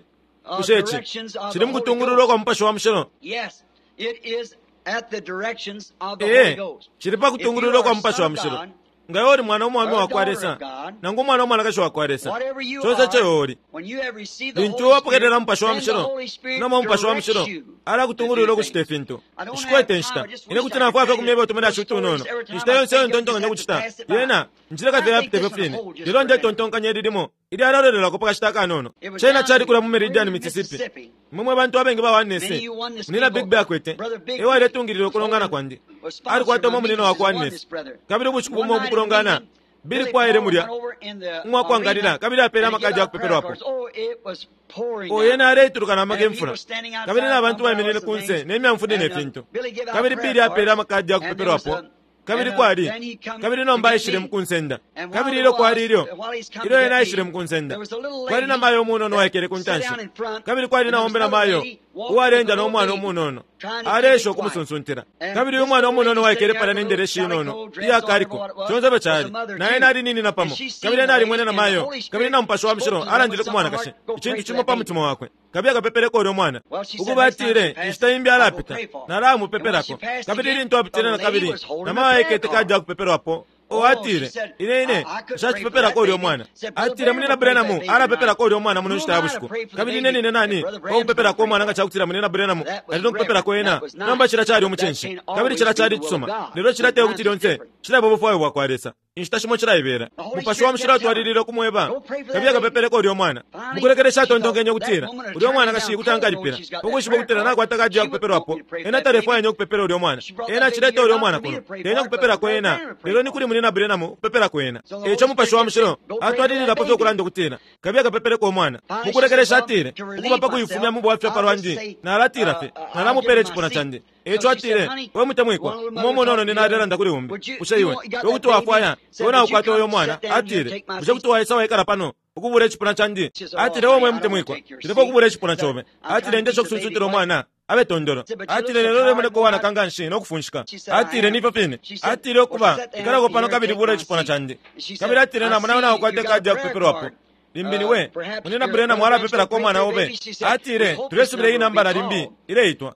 Bushe ici directions of cili the mu Holy kutungululwa Ghost? kwa Mupashi wa Mushilo? Yes, it is at the directions of the Holy Ee, Ghost. cili pa If you kutungululwa are kwa a Mupashi son wa of Mushilo. God, Nga iwe uli mwana umwaume or a wa kwa daughter Lesa, of God, nangu umwana umwanakashi wa kwa Lesa, whatever you conse ico are, iwe uli, when you have received the lintu Holy wapokelela Spirit, Mupashi wa then the Mushilo, Holy Spirit nomba Umupashi wa directs Mushilo you to do alakutungulula ukucita things. ifintu. I don't have Nshikwete time. inshita. I just Ine wish kuti I could nafwaya fye tell you kumyeba utumilyashi those stories utunono. every time Inshita I yonse iyo think of, just ntontonkanya have to ukucita, pass it by. yena nshileka I fye think yapite this fyo one fine. will hold just Lelo for a minute. ndetontonkanya ili limo ilyalolelelwako pa kashita akanono. It was Cena down cali in kulya mu Meridian, Meridian, Mississippi. Mississippi. Imwe mwe bantu abengi ba Oneness, Many you oneness Munyina people, Bigby akwete, Brother Bigby e waletungilila was ukulongana holding, kwandi. was sponsored Alikwata my umo munina meetings wa as kwa oneness Oneness. brother. Kabili ubushiku One bumo night in the mukulongana, meeting, Billy Billy kwaile Paul mulya went over in the umwa kwangalila arena kabili apele and he gave amakadi ya out prayer kupepelwapo. cards. Oh, it was pouring O yena down. aleituluka na maka And imfula. people standing Kabili outside na bantu baiminine umbrellas and kunse things. ne myamfudi ne And fintu. Billy gave out Kabili prayer Billy apele cards. amakadi ya And there was kupepelwapo. a, Kabili and kwali, then he come kabili to nomba get aishile me. mukunsenda. And while Kabili there ilyo kwali was, ilyo, while he's come to ilyo get ena aishile me, mukunsenda, there was a little kwali na lady mayo umunono that uwaikele ku sat ntanshi. down in front, Kabili kwali and na there was ombe na another mayo lady walked with a uwaleenda no little mwana baby, umunono. trying to keep Aleesha it quiet. ukumusunsuntila. And Kabili uyu this mwana little umunono lady uwaikele sitting there palya with ne a little ndelesi inono calico dress iya on, or kaliko, what it was, conse fyo was a cali. mother Na ena too. ali ninina And pamo. she seen Kabili the ena lady, alimwene na and the mayo. Holy Kabili Spirit na Mupashi wa spoke Mushilo to the woman alandile ku something on her mwanakashi. heart, go pray Icintu for cimo that pa baby. mutima wakwe. Kabili akapepeleko ulya mwana. Well, she said Ukuba next time she atile, passed, inshita imbi I will alapita. pray for her. And when she Nalamupepelako. passed Kabili again, lintu the apitile na lady kabili, was holding na a mayo prayer aikete kadi card. ya kupepelwapo. O Oh, she atile, said, ine ine, I couldn't pray for that nshacipepelako ulya baby. mwana. Said, Brother Atile, Branham Munyina will pray for that Branham baby tonight. alapepelako ulya mwana muno Who nshita am ya I to bushiku. pray for the Kabili ine baby nine if nani, Brother wa Branham's gonna kupepelako pray umwana for nga it? cakutila Munyina Branham That was ali no kupepelako reverent. ena. That was Nomba nice. cila cali But that umucinshi. can't Kabili always cila be cali the will of icisuma. God. Lelo cila te kuti Sometimes it's lyonse different. cilaba ubufwayo bwa kwa Lesa. Inshita shimo cilaibela. Mupashi wa Mushilo atwalilile ukumweba, Kabiye kapepeleko ulyo mwana. Mukulekelesha atontonkenye ukutila, Ulyo mwanakashi kuti ankalipila, pa kwishiba ukutila nakwata kadi ya kupepelwapo. Ena talefwaya ine ukupepela ulyo mwana. Ena acileta ulyo mwana kuno, te ine ukupepelako ena, lelo ni kuli Munyina Branham ukupepelako ena. E ico Mupashi wa Mushilo atwalililapo fye ukulanda ukutila, Kabiye kapepeleko umwana. Mukulekelesha atile, Ukuba pa kuifumya mu bwafya pa lwandi, nalatila fye, Nalamupela icipuna candi. E ico atile, We mutemwikwa, umo umunono nina alelanda kuli umbi, bushe iwe, iwe kuti wafwaya, iwe naukwata uyo mwana? Atile, Bushe kuti waisa waikala pano, ukubula icipuna candi? Atile, O mwe mutemwikwa, nshilefwaya ukubula icipuna cobe. Atile, Ndesha ukusunsuntila umwana abe tondolo. Atile, Lelo ulemoneka uwanaka nganshi no kufunshika. Atile, Ni ifyo fine. Atile, Ukuba, ikalako pano kabili bula icipuna candi. Kabili atile, Namona iwe naukwata ikadi ya kupepelwapo. Limbi ni we, Munyina Branham walapepelako umwana obe. Atile, Tulesubila iyi nambala limbi ileitwa.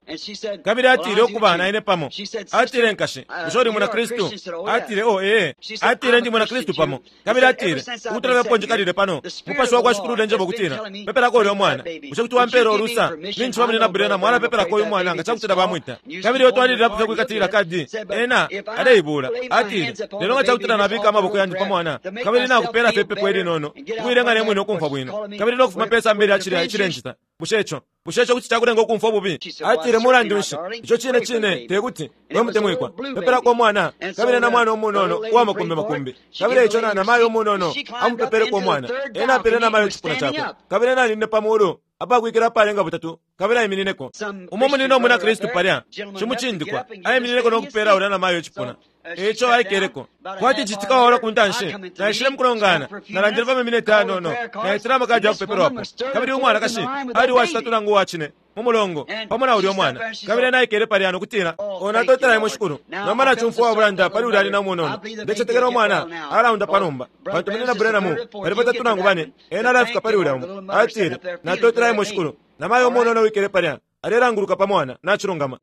Kabili atile, Ukuba, na ine pamo. Atile, Nkashi, bushe uli mwina Kristu? Atile, Oh, ee. Atile, Ndi mwina Kristu pamo. Kabili atile, Ukutula fye apo njikalile pano, Mupashi wakwa Shikulu ulenjeba ukutila, Pepelako ulya umwana. Bushe kuti wampela ulusa? Ninjishiba Munyina Branham alapepelako uyu mwana nga cakutila bamwita. Kabili iwe twalililapo fye ukwikatilila kadi. Ena aleibula. Atile, Lelo nga cakutila nabika amaboko yandi pa mwana, kabili nakupela fye ipepo ilinono, ukuilenga ne mwine ukumfwa bwino, kabili no kufuma pe samba ilya cilya icilencita, bushe ico, bushe ico kuti cakulenga ukumfwa ububi? Atile, Mulandu nshi, ico cine cine te kuti, we mutemwikwa, pepelako umwana, kabili na mwana umunono uwa makumbi makumbi. Kabili eico na, namayo umunono amupepeleko umwana. Ena apele namayo icipuna cakwe, kabili ena aninine pa mulu apakwikila apalenga butatu kabili aiminineko. Umo munina umwina Kristu palya, shimucindikwa, aiminineko no kupela ulya namayo icipuna. Eico aikeleko. Kwati citika wa ora ku ntanshi, naishile mukulongana, nalandile pa mamineti ayanono, naitile amakadi ya kupepelwapo. Kabili umwanakashi ali uwacitatu nangu uwacine mu mulongo, pamo na ulya umwana. Kabili ena aikele palya no kutila, Oh, natotela Imwe, Shikulu. Nomba nacumfwa uwabulanda pali ulya nyina umunono. Ndecetekela umwana alaundapwa nomba, pantu Munyina Branham pali batatu nangu bane, ena alafika pali ulya umo. Atile, Natotela Imwe, Shikulu. Namayo umunono uwikele palya, alelanguluka pa mwana. Nacilungama.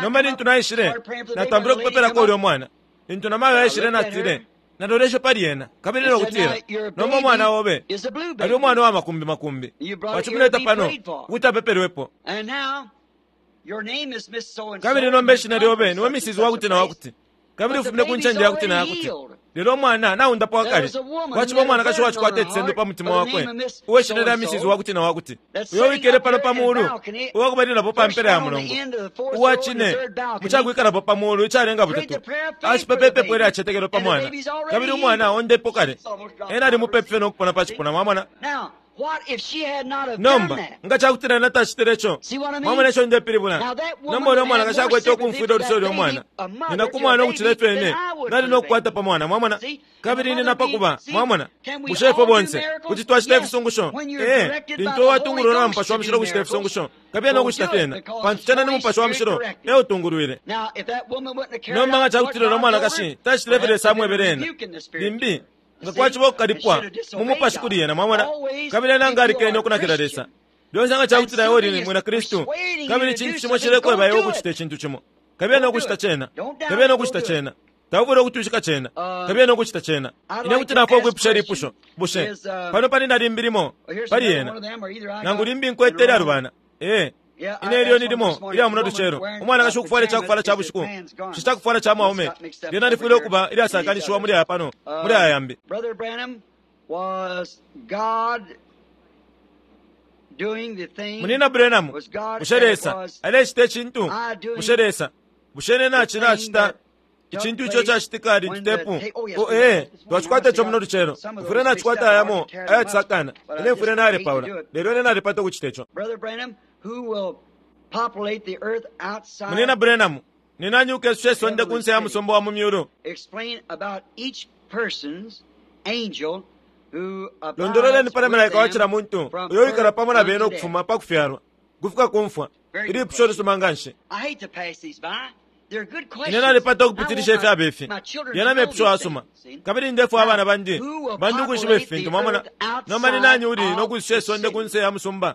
Nomba lintu naishile, natampile ukupepelako ulya umwana. Lintu namayo aishile, natile, Naloleshe pali ena, kabili no kutila, Nomba umwana obe ali umwana uwa makumbi makumbi. Wacimuleta pano ukuti apepelwepo. Kabili nomba ishina lyobe niwe Mrs. Wakuti na wakuti, kabili ufumine ku ncende yakuti na yakuti. Lelo umwana naundapwa kale. Kwaciba umwanakashi uwacikwata icisendo pa mutima wakwe, uwe shina lya Mrs. Wakuti na wakuti, uyo wikele pano pa mulu, uwakubalilapo pa mpela ya mulongo, uwa cine, mu cakwikalapo pa mulu icalenga butatu, acipepa ipepo ilya cicetekelo pa mwana, kabili umwana aondepo kale. Ena ali mupepi fye no kupona pa cipuna. Mwamona? Nomba, nga ca kutila ena tacitile co, mwamona ico ndepilibula? Nomba ulya mwanakashi akwete ukumfwila uluse ulya mwana, nyina ku mwana ukucila ifyo ine nali no kukwata pa mwana, mwamona? Kabili ine na pa kuba, mwamona? Bushe ifwe bonse kuti twacita ifisungusho? Ee, lintu uwatungululwa na Mupashi wa Mushilo ukucita ifisungusho, kabiye no kucita fyena, pantu cena ni Mupashi wa Mushilo e utungulwile. Nomba nga ca kutila ulya mwanakashi tacitile ifyo Lesa amwebele ena, limbi nga kwaciba ukukalipwa mu mupashi kuli ena, mwamona, kabili ena nga alikene ukunakila Lesa. Lyonse nga cakutila iwe uli mwina Kristu, kabili icintu cimo cilekweba iwe ukucita icintu cimo, kabiye no kucita cena, kabiye no kucita cena. Taufwile ukutwishika cena, kabiye no kucita cena. Ine kuti nafwaya ukwipusha ilipusho, bushe pano pali na limbi limo pali yena, nangu limbi nkwete ilyalubana? Ee. Ine ilyo ni limo ilya muno lucelo, umwanakashi ukufwala icakufwala ca bushiku, bushe cakufwala ca mwaume, lyena lifwile ukuba ilyasakanishiwa muli aya pano, muli aya yambi. Munyina Branham, bushe Lesa alecita icintu? Bushe Lesa, bushe ine nacilacita icintu ico cacitika lintu tepu? Oh, ee, twacikwata ico muno lucelo. Mfwile nacikwata ayamo ayacisakana. Ine mfwile nalepaula, lelo ine nalipata ukucita ico. Munyina Branham, ni nani ukesusha isonde kunse ya musumba wa mu myulu? Londololeni pali malaika wa cila muntu uyo wikala pamo na bena ukufuma pa kufyalwa ukufika ku mfwa. Ilipusho lisuma nga nshi. Ine nalipata ukupitilisha ifyaba ifi. Yena mepusho ayasuma. Kabili ndefwaya abana bandi, bandi ukwishiba ifi fintu, mwamona. Nomba ni nani uli no kwisusha isonde kunse ya musumba?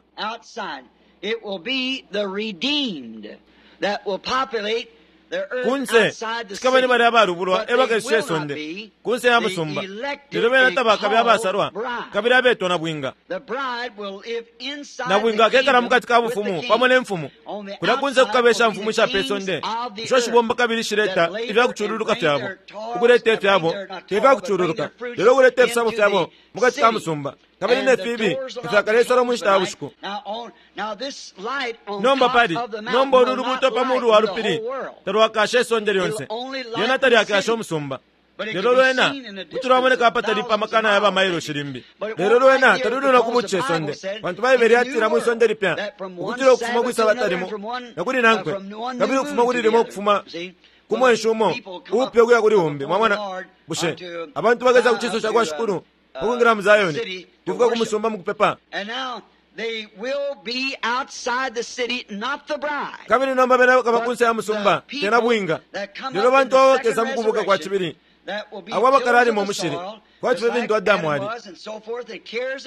Kunse cikaba ni balya abalubulwa e bakesha isonde kunse ya musumba, lelo bena tabakabe abasalwa kabili abetwa nabwinga. Nabwinga akekala mukati ka bufumu pamo ne mfumu. Kulya kunse kukaba ishamfumu isha pe sonde isho shibomba kabili shileta ifya kucululuka fyabo, ukuleta ifyabo, te fya kucululuka, lelo ukuleta ifisabo fyabo mukati ka musumba, kabili ne fibi tafyakalesala mu nshita ya bushiku. Nomba pali nomba ulu lubuuto pa mulu wa lupili talwakashe isonde lyonse, lyena talyakashe umusumba. Lelo lwena kuti lwamoneka apatali pa makana ya bamailoshi limbi, lelo lwena taluli no kubuca isonde, pantu Baibele yatila mwi sonde lipya ukutila ukufuma kwi sabata limo na kuli nankwe, kabili ukufuma kuli limo ukufuma ku mwenshi umo uupya ukuya kuli umbi. Mwamona? Bushe abantu bakesa ku ciso ca kwa Shikulu ukwingila mu Zayoni kuvuka ku musumba mu kupepa? Kabili nomba bena bakaba kunse ya musumba, te nabwinga, lelo bantu abo bakesa mu kubuka kwa cibili, abo abakalaalima umushili kwati fye fintu Adamu ali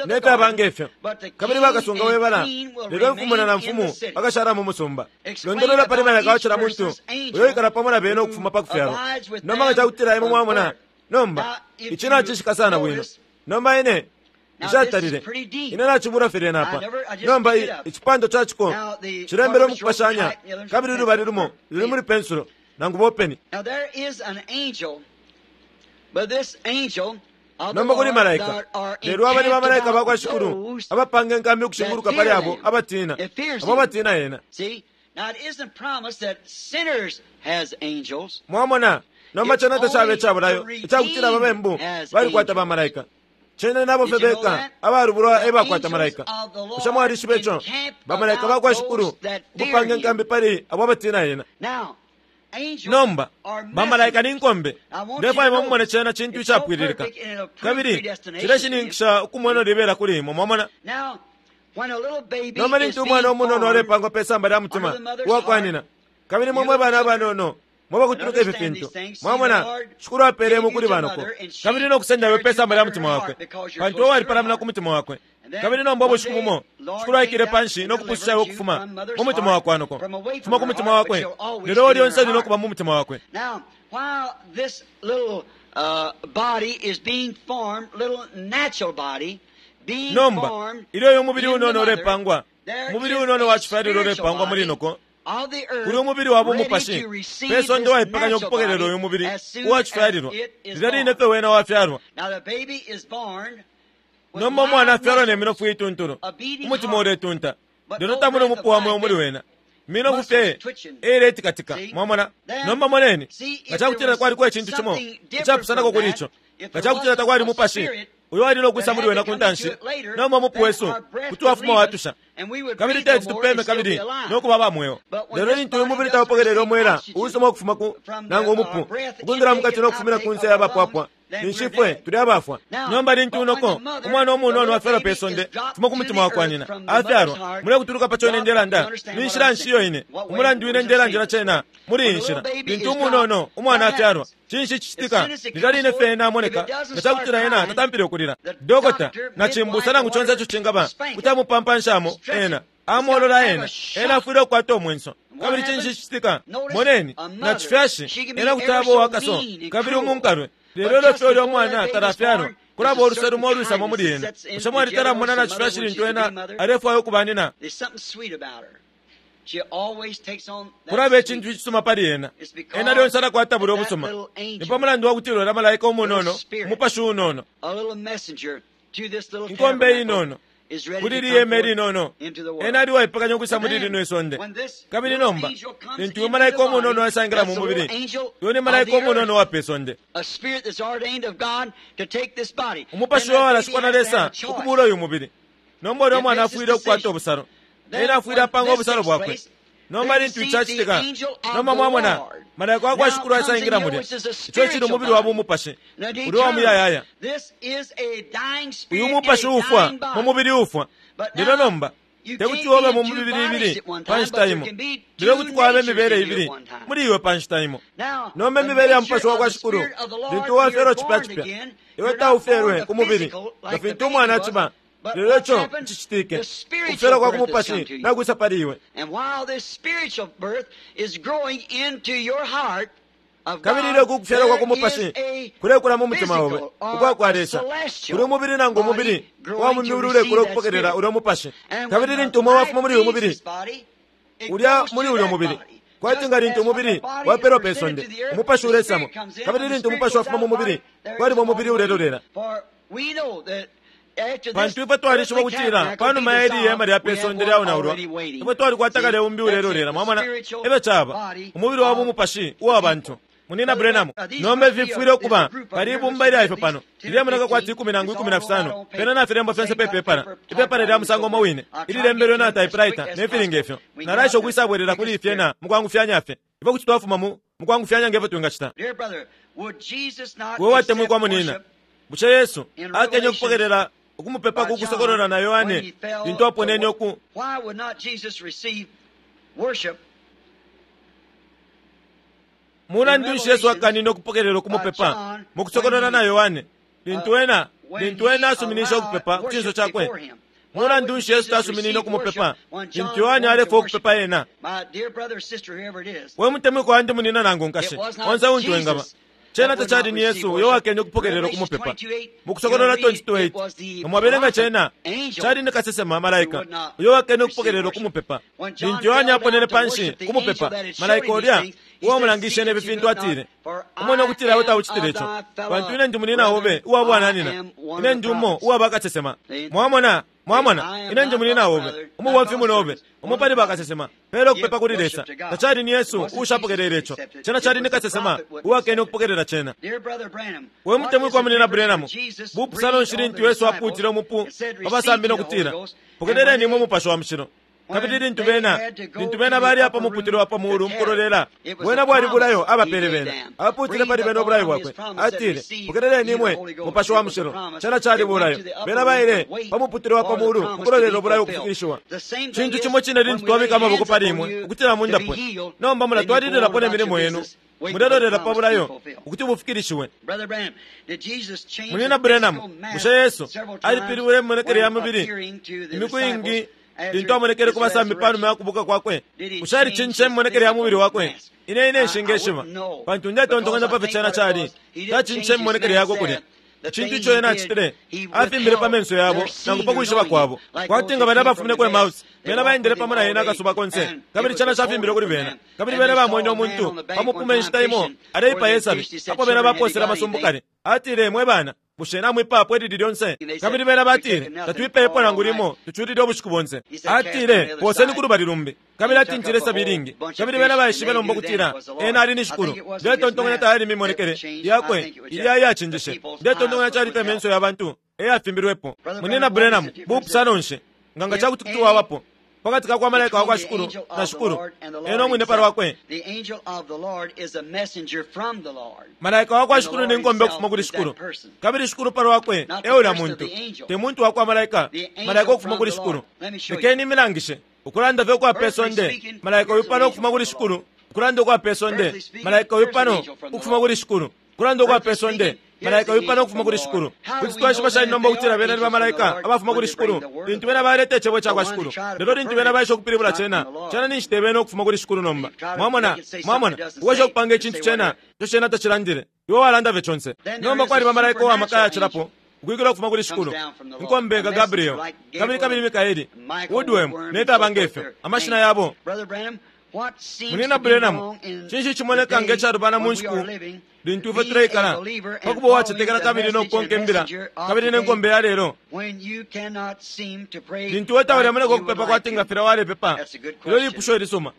ne fyaba nge fyo, kabili bakasunga we bala, lelo imfumu na namfumu bakashala mu musumba. Londolola pali malaika wa cila muntu uyo ikala pamo na bena ukufuma pa kufyalwa. Nomba nga ca kutila imwe mwamona, nomba ici nacishika sana bwino. Nomba ine nshatalile, ine nacibula fye lyena apa. Nomba icipando ca ciko cilembelwe mu kupashanya, kabili ulubali lumo luli muli pensulo nangu bopeni. Nomba kuli malaika, lelo aba ni bamalaika ba kwa Shikulu abapanga inkambi ukushinguluka pali abo abatina, abo abatina ena. Mwamona, nomba cena tacaba ica bulayo icakutila ababembu balikwata bamalaika. Cena nabo fye beka abalubulwa e bakwata malaika. Bushe mwalishiba ico? Bamalaika ba kwa Shikulu ukupanga inkambi pali abo abatina ena. Nomba bamalaika ni nkombe. Ndefwaya imwe mumone cena cintu icapwililika, kabili cileshininkisha ukumwena libela kuli imwe. Mwamona? Nomba lintu umwana umunono alepangwa pe samba lya mutima uwa kwa nyina, kabili mwe mwe bana abanono mwabakutuluka ifi fintu, mwamona, Shikulu apele imwe kuli banoko, kabili no kusenda iwe pe samba lya mutima wakwe, pantu walipalamina ku mutima wakwe. Kabili nomba ubushiku bumo Shikulu aikile panshi no kupususha iwe ukufuma mu mutima wakwa noko, kufuma ku mutima wakwe, lelo lyonse ali no kuba mu mutima wakwe. Nomba ilyo uyu mubili unono ulepangwa, umubili unono wa cifyalilwa ulepangwa muli noko, kuli umubili wa bumupashi pe sonde waipekanya ukupokelela uyu mubili uwa cifyalilwa lilya line fye wena wafyalwa. Nomba umwana afyalwa ne minofu iituntulu, umutima uletunta, lelo tamuli umupu wa mweo muli wena, minofu fye eiletikatika. Mwamona? Nomba moneni, nga ca kutila kwaliko icintu cimo icapusanako kuli ico, nga ca kutila takwali mupashi uyo ali no kwisa muli wena ku ntanshi, nomba umupu wesu kuti wafuma watusha, kabili teti tupeme kabili no kuba aba mweo. Lelo lintu uyu mubili taupokelele umwela uusuma ukufuma ku nangu umupu ukwingila mukati no kufumina ku nse ya bapwapwa, ninshi ifwe tuli abafwa. Nomba lintu unoko umwana umunono afyalwa pe sonde fuma ku mutima wa kwa nyina, afyalwa, mulekutuluka pa co ine ndelanda, ni nshila nshi iyo ine, umulandu ine ndelandila cena muli iyi nshila. Lintu umunono umwana afyalwa, cinshi cicitika? Lilya line fye ena amoneka, nga ca kutila ena tatampile ukulila, dokota na cimbusa nangu conse ico cingaba kuti amupampanshamo ena, amolola ena, ena afwile ukukwata umwenso. Kabili cinshi cicitika? Moneni, na cifyashi ena kuti aba uwakaso kabili umunkalwe, lelo ilyo fye ulya umwana talafyalwa, kulaba uluse lumo ulwisamo muli ena. Bushe mwalitala mumona na cifyashi lintu ena alefwaya ukuba nina? Kulaba icintu icisuma pali ena. Ena lyonse alakwata bulya ubusuma. Ni pa mulandu wa kutila ulya malaika umunono, umupashi unono, inkombe inono, kuli liyeme linono, ena ali uwaipekanya ukwisa muli lino isonde. Kabili nomba lintu uyu malaika umunono aisangila mu mubili, uyu ni malaika umunono uwa pe sonde, umupashi uyo walashikwa na Lesa ukubula uyu mubili. Nomba ulya mwana afwile ukukwata ubusalo, ena afwile apanga ubusalo bwakwe. Nomba lintu icacitika, nomba mwamona malaika wa kwa Shikulu aisangila mulya, ico cili umubili wa bumupashi uli wa muyayaya. Uyu mupashi uufwa mu mubili uufwa, lelo nomba te kuti ube mu mibili ibili pa nshita imo, lelo kuti kwaba imibele ibili muli iwe pa nshita imo. Nomba imibele ya mupashi wa kwa Shikulu lintu wafyalwa cipya cipya, iwe taufyelwe ku mubili nga fintu umwana aciba. Lelo ico cicitike, ukufyalwa kwa ku mupashi nakwisa pali iwe. Kabili ilyo uku kufyalwa kwa ku mupashi kulekula mu mutima obe ukwa kwa Lesa, kuli umubili nangu umubili uwa mu myulu ulekula ukupokelela ulya mupashi. Kabili lintu umo wafuma muli uyu mubili, ulya muli ulya mubili, kwati nga lintu umubili wapelwa pe sonde, umupashi ulesamo. Kabili lintu umupashi wafuma mu mubili, kwaliba umubili ulelolela. Pantu ifwe twalishiba ukutila panuma ya ili ihema lya pe sonde lyaonaulwa, ifwe twalikwata kale umbi ulelolela. Mwamona efyo caba, umubili wa bumupashi uwa bantu. Munina Branham, nomba ifi fifwile ukuba pali ibumba ilya ifyo pano, lilemoneka kwati ikumi nangu 15, pena nafilembwa fyonse pe pepala, ipepala lya musango umo wine, ililembelwe na typewriter ne fili nge fyo. Nalaesha ukwisabwelela kuli ifyena mukwangufyanya fye. Ifwe kuti twafuma mu mukwangufyanya nge fyo twingacita. We watemwikwa munina, bushe Yesu akenye ukupokelela ukumupepa ku kusokolola na Yohane lintu aponene uku Mulandu nshi Yesu akanine ukupokelela ukumupepa mu kusokolola na Yohane lintu ena lintu ena asuminishe ukupepa ku cinso cakwe? Mulandu nshi Yesu tasuminine ukumupepa lintu Yohane alefwaya ukupepa ena? We mutemwikwa wandi munina nangu nkashi, onse untu engaba, cena tacali ni Yesu uyo wakenye ukupokelela ukumupepa. Mu Kusokolola 22:8, nga mwabelenga cena, cali ni kasesema, malaika, uyo wakenye ukupokelela ukumupepa. Lintu Yohane aponene panshi kumupepa, malaika ulya uwamulangishe ne fi fintu atile, Umone ukutila iwe taucitile ico, pantu ine ndi munina obe uwa bwananyina, ine ndi umo uwa bakasesema. Mwamona? Mwamona, ine ndi munina obe, umubomfi munobe, umo pali bakasesema. Pela ukupepa kuli Lesa. Tacali ni Yesu uushapokelele ico. Cena cali ni kasesema uwakene ukupokelela cena. We mutemwikwa Munina Branham, bupusano nshi lintu Yesu apuutile umupu pa basambi no kutila, Pokeleleni imwe Mupashi wa Mushilo. Kabili lintu bena, lintu bena bali apa muputule wa pa muulu mukulolela, bwena bwali bulayo abapele bena. Apuutile pali bena ubulayo bwakwe. Atile, Pokeleleni imwe Mupashi wa Mushilo. Cena cali bulayo. Bena baile pa muputule wa pa muulu mukulolela ubulayo ukufikilishiwa. Cintu cimo cine lintu twabika amaboko pali imwe ukutila mundapwe. Nomba mulatwalililapo ne milimo yenu, mulelolela pa bulayo ukuti bufikilishiwe. Munyina Branham, bushe Yesu alipilibwile imimonekele ya mubili imiku iingi lintu amonekele ku basambi pa numa ya kubuuka kwakwe? Bushe alicincishe imimonekele ya mubili wakwe? Ine, ine nshingeshiba, pantu ndetontonkanya pa fyo cena cali. Tacincishe imimonekele yakwe kulya. Icintu ico ena acitile, afimbile pa menso yabo nangu pa kwishiba kwabo, kwati nga balya abafumine ku Emmaus, bena baendele pamo na ena akasuba konse, kabili cena cafimbilwe kuli bena. Kabili bena bamwene umuntu bamupuma inshita imo aleipaya isabi, apo bena baposele amasumbu kale. Atile, Mwe bana, bushe namwipayapo ilili lyonse? Kabili bena batile, Tatwipayepo nangu limo, tuculile ubushiku bonse. Atile, Poseni ku lubali lumbi. Kabili atintile isabi ilingi. Kabili bena baishibe nomba ukutila ena ali ni Shikulu. Ndetontonkanya tayali mimonekele yakwe ilya iyacinjishe. Ndetontonkanya cali fye menso ya bantu e yafimbilwepo. Munyina Branham, bupusano nshi, nga nga cakuti kuti wabapo, pakati ka kwa malaika wa kwa Shikulu na Shikulu ena umwine pa lwakwe? Malaika wa kwa Shikulu ni nkombe ukufuma kuli Shikulu, kabili Shikulu pa lwakwe e ulya muntu, te muntu wa kwa malaika, malaika ukufuma kuli Shikulu. Lekeni imilangishe. Ukulanda fye ukwa pe sonde, malaika uyu pano ukufuma kuli Shikulu. Ukulanda ukwa pe sonde, malaika uyu pano ukufuma kuli Shikulu. Ukulanda ukwa pe sonde, malaika uyu pano ukufuma kuli Shikulu. Kuti twaishiba shani nomba ukutila bena ni bamalaika abafuma kuli Shikulu lintu bena baleta Icebo cakwa Shikulu, lelo lintu bena baesha ukupilibula Cena, cena ninshi te bena ukufuma kuli Shikulu nomba. Mwamona? Mwamona? Ukwesha ukupanga icintu cena ico cena tacilandile. Iwe walanda fye conse. Nomba kwaliba malaika uwa maka ayacilapo ukwikila ukufuma kuli Shikulu, inkombe nga Gabriel, kabili kabili Mikaeli, Woodworm, ne fyaba nge fyo, amashina yabo. Munyina Branham, cinshi icimoneka nge calubana mu nshiku lintu ifwe tuleikala, pa kuba uwacetekela kabili no kukonka imbila kabili ne nkombe ya lelo? Lintu iwe taulemoneka ukupepa kwati nga filya walepepa, ilyo lipusho ilisuma.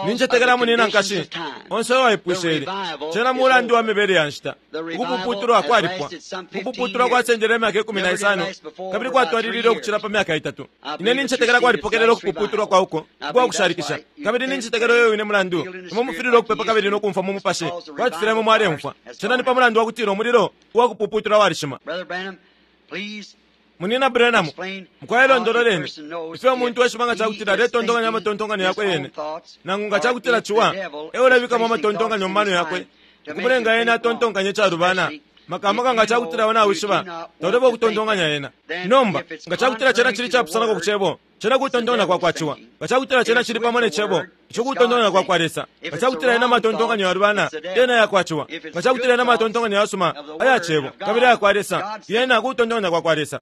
Nincetekela munina nkashi onse uwaipwishe ili. Cena mulandu wa mibele ya nshita. Ukupuputulwa kwalipwa. Ukupuputulwa kwasendele imyaka 15 kabili kwatwalilile ukucila pa myaka itatu. Ine nincetekela kwalipokelela ukupuputulwa kwa uko ukwa kushalikisha. Kabili nincetekela uyo wine mulandu imwe mufililwe ukupepa kabili no kumfwa mu mupashi kwati filya imwe mwaleumfwa. Cena ni pa mulandu wa kutila umulilo uwa kupuputula walishima. Munyina Branham, mukwai londololeni ifyo umuntu eshiba nga ca kutila aletontonkanya amatontonkanyo yakwe yene, nangu nga ca kutila Ciwa e ulebikamo amatontonkanyo mu mano yakwe ukumulenga ena atontonkanye icalubana. Maka nga cakutila iwe nawishiba, taulefwaya ukutontonkanya yena. Nomba, nga cakutila cena cili icapusanako ku Cebo, cena kutontonkanya kwakwa ciwa. Nga cakutila cena cili pamo ne Cebo, ico kutontonkanya kwakwa Lesa. Nga cakutila yena matontonkanyo yalubana, yena yakwa ciwa. Nga cakutila yena matontonkanyo yasuma aya Cebo kabili ayakwa Lesa, yena kutontonkanya kwakwa Lesa.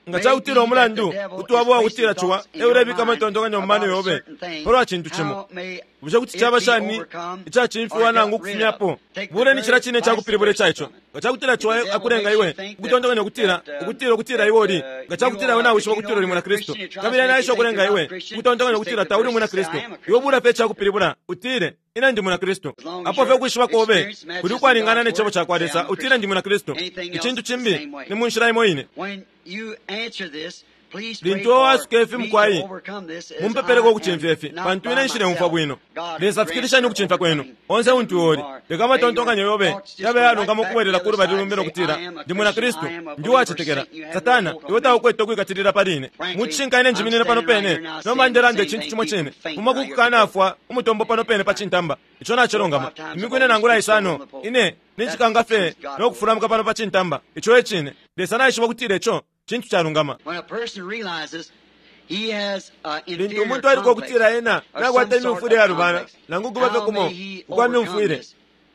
Nga cakutila umulandu kuti waba uwakutila ciwa e ulebika amatontonkanyo mu mano yobe pa lwa cintu cimo, bushe kuti caba shani icacimfiwa nangu ukufumyapo? Buleni cilya cine icakupilibula ica ico. Nga cakutila ciwa akulenga iwe ukutontonkanya ukutila, ukutila, ukutila iwe uli, nga cakutila iwe nawishiba ukutila uli Mwinakristu, kabili ena aesha ukulenga iwe ukutontonkanya ukutila tauli Umwinakristu, iwe bula fye icakupilibula, utile, Ine ndi Mwinakristu. Apo fye ukwishiba kobe kuli ukwalingana ne Cebo cakwa Lesa, utile ndi Mwinakristu. Icintu cimbi ni mu nshila imo ine. Lintu iwe waasuka ifi, mukwai, mumpepeleko ukucimfya ifi, pantu ine nshileumfwa bwino. Lesa fikilisheni ukucimfya kwenu, onse untu iwe uli. Leka amatontonkanyo yobe yabe ayalungama ukubwelela ku lubali lumbi no kutila, Ndi Mwinakristu. Ndi uwacetekela. Satana, iwe taukwete ukwikatilila pali ine. Mu cishinka ine njiminine pano pene nomba ndelanda icintu cimo cine. Fuma ku kukanafwa umutombo pano pene pa cintamba. Ico nacilungama. Imiku ine nangula isano, ine ninjikanga fye no kufulamuka pano pa cintamba. Ico e cine. Lesa naishiba ukutila ico cintu calungama. Lintu umuntu ailuka ukutila ena nakwata imyumfwile iyalubana, nangu ukuba fye kumo ukwa myumfwile,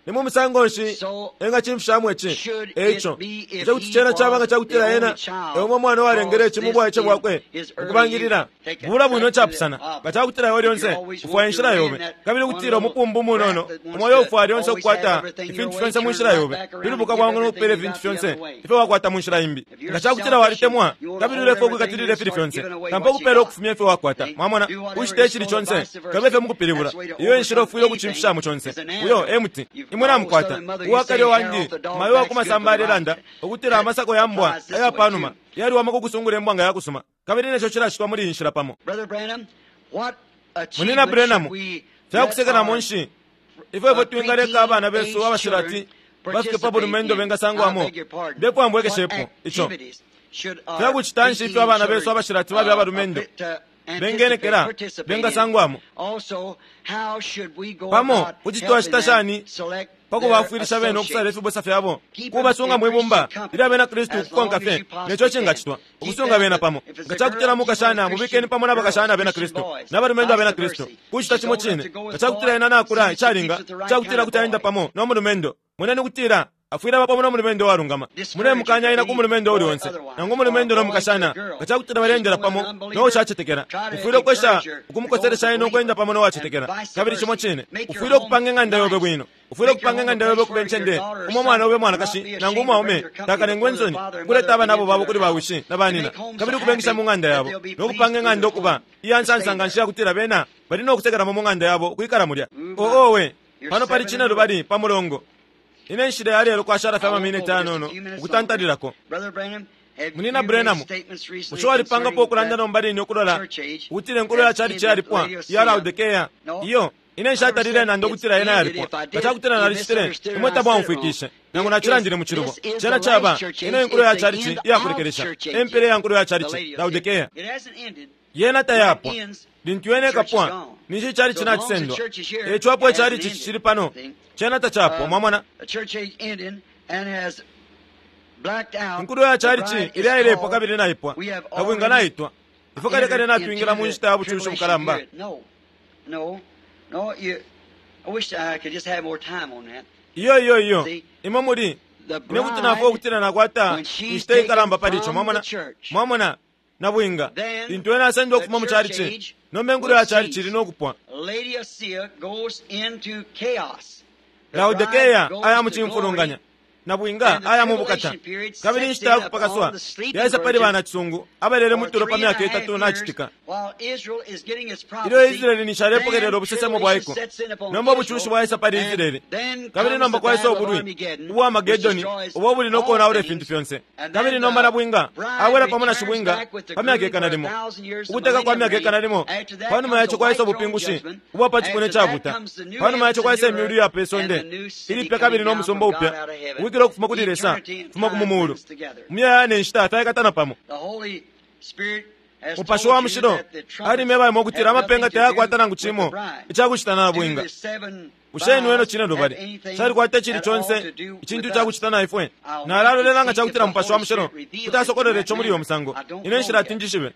ni mu musango nshi engacimfishamo ici? Eico, bushe kuti cena caba nga cakutila ena e umo mwana uwalengele ici mu bwaice bwakwe mukubangilila? Bula bwino icapusana nga cakutila iwe lyonse ufwaya inshila yobe, kabili ukutila umupumbu umunono umo uyo ufwaya lyonse ukukwata ifintu fyonse mu nshila yobe, pilubuka bwangu no kupela ifintu fyonse ifyo wakwata mu nshila imbi. Nga cakutila walitemwa kabili ulefwaya ukwikatilila ifili fyonse, tampa ukupela ukufumya ifyo wakwata. Mwamona? Ucite icili conse, kabe fye mukupilibula. Iyo e nshila ufwile ukucimfishamo conse. Uyo e muti. Imwe namukwata. Uwakale wandi, mayo wa ku masamba alelanda ukutila amasako ya mbwa aya pa numa yaliwama ku kusungula imbwa nga yakusuma, kabili ne co cilacitwa muli iyi nshila pamo. Munyina Branham, fya kusekelamo nshi ifyo ifwe twingaleka abana besu abashilati bafike pa bulumendo bengasangwamo? Ndefwaya mbwekeshepo ico. Fya kucita nshi ifyo abana besu abashilati babe abalumendo bengenekela bengasangwamo? Pamo kuti twacita shani pa kubafwilisha bene ukusala ifibusa fyabo, kubasunga mwi bumba ilya Bena Kristu ukukonka fye ne co cingacitwa, ukusunga bena pamo? Nga ca kutila mukashana, mubikeni pamo na bakashana Abena Kristu na balumendo Abena Kristu. Kucita cimo cine, nga ca kutila ena nakula icalinga ica kutila kuti aenda pamo no mulumendo, moneni ukutila afwile aba pamo no mulumendo uwalungama. Mulemukanya ena ku mulumendo uuli onse, nangu umulumendo no mukashana, nga ca kutila baleendela pamo no ushacetekela. Ufwile ukwesha ukumukoselesha ena ukwenda pamo no wacetekela. Kabili cimo cine, ufwile ukupanga ing'anda yobe bwino. Ufwile ukupanga ing'anda yobe ukuba incende umo umwana obe umwanakashi nangu umwaume takalengwe insoni ukuleta abanabo babo kuli bawishi na banina, kabili ukubengisha mu ng'anda yabo, no kupanga ing'anda ukuba iya nsansa nga nshi iya kutila bena bali no kusekelamo mu ng'anda yabo ukwikala mulya. Oh, owe! Pano pali cinelubali pa mulongo. Ine nshila ya lelo kwashala fye amaminiti ayanono ukutantalilako. Munyina Branham, bushe walipangapo ukulanda nomba line ukulola ukutila inkulo ya chalichi yalipwa iya Laodikea? Iyo, ine nshatalile nanda ukutila yena yalipwa. Nga cakutila nalicitile, imwe tamwaumfwikishe, nangu nacilandile mu cilubo. Cena caba, ino inkulo ya chalichi iya kulekelesha, e mpela ya nkulo ya chalichi, Laodikea. Yena tayapwa. Lintu yena ikapwa, ninshi ichalichi nacisendwa. Eico apo ichalichi cicili pano, cena tacapwa. Mwamona? Inkulo ya chalichi ilya ilepwa kabili naipwa. Kabwinga naitwa. Ifwe kale kale natwingila mu nshita ya bucushi bukalamba. Iyo, iyo, iyo. Imwe muli. Ine kuti nafwaya ukutila nakwata inshita ikalamba pali ico. Mwamona? Mwamona? Nabwinga, lintu ena asendwa ukufuma mu chalichi, nomba inkulo ya chalichi ili no kupwa. Laodikea aya mu cimfulunganya, nabwinga aya mu bukata, kabili inshita ya kupakaswa yaisa pali banacisungu abalele mu tulo pa myaka itatu na citika. Ilyo Israele ninshi alepokelela ubusesemo bwa iko, nomba ubucushi bwaisa pali Israele, kabili nomba kwaisa ubulwi ubwa Armagedoni ubo ubuli no konaula ifintu fyonse. Kabili nomba nabwinga abwela pamo na shibwinga pa myaka ikana limo, ukuteka kwa myaka ikana limo. Pa numa ya ico kwaisa ubupingushi ubwa pa cipuna icabuta. Pa numa ya ico kwaisa imyulu iya pe sonde ilipya kabili no musumba upya uwikila ukufuma kuli Lesa, ukufuma ku mu mulu. Umuyayaya ne nshita fyaikatana pamo. Mupashi wa Mushilo alimyeba imwe ukutila amapenga tayakwata nangu cimo icakucita na nabwinga. Bushe inweno cine lubali calikwata icili conse icintu icakucita na ifwe? Nalalolela nga cakutila Mupashi wa Mushilo kuti asokolole ico muli uyo musango. Ine nshilati njishibe.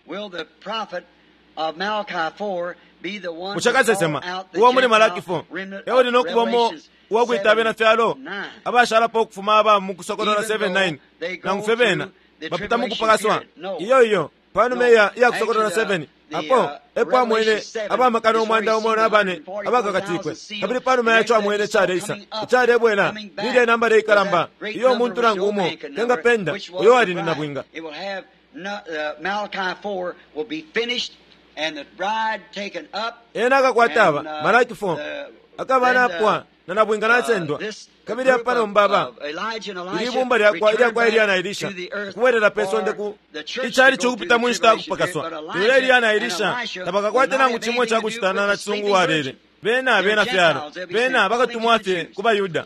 Bushe kasesema uwa muli Malaki 4 e uli no kubamo uwakwita abena fyalo abashalapo ukufuma aba mu Kusokolola 7:9, nangu fye bena bapita mu kupakaswa? Iyo, iyo. Panuma iya iya Kusokolola 7, apo epo amwene abamakana 14,000 abakakatikwe. Kabili panuma yaco amwene caleisa, icalebwela, nilya inambala ikalamba iyo umuntu nangu umo tengapenda, uyo wali ni nabwinga. Ena akakwata aba, Malaki 4, akaba napwa na nabwinga nasendwa. Kabili apa nomba aba ili ibumba lyakwa ilyakwa Eliya na Elisha ukubwelela pe sonde ku icali cokupita mu nshita yakupakaswa. Lelo Eliya na Elisha tabakakwate nangu cimo icakucita na nacisungu uwalele. Bena abena fyalo, bena bakatumwa fye ku baYuda.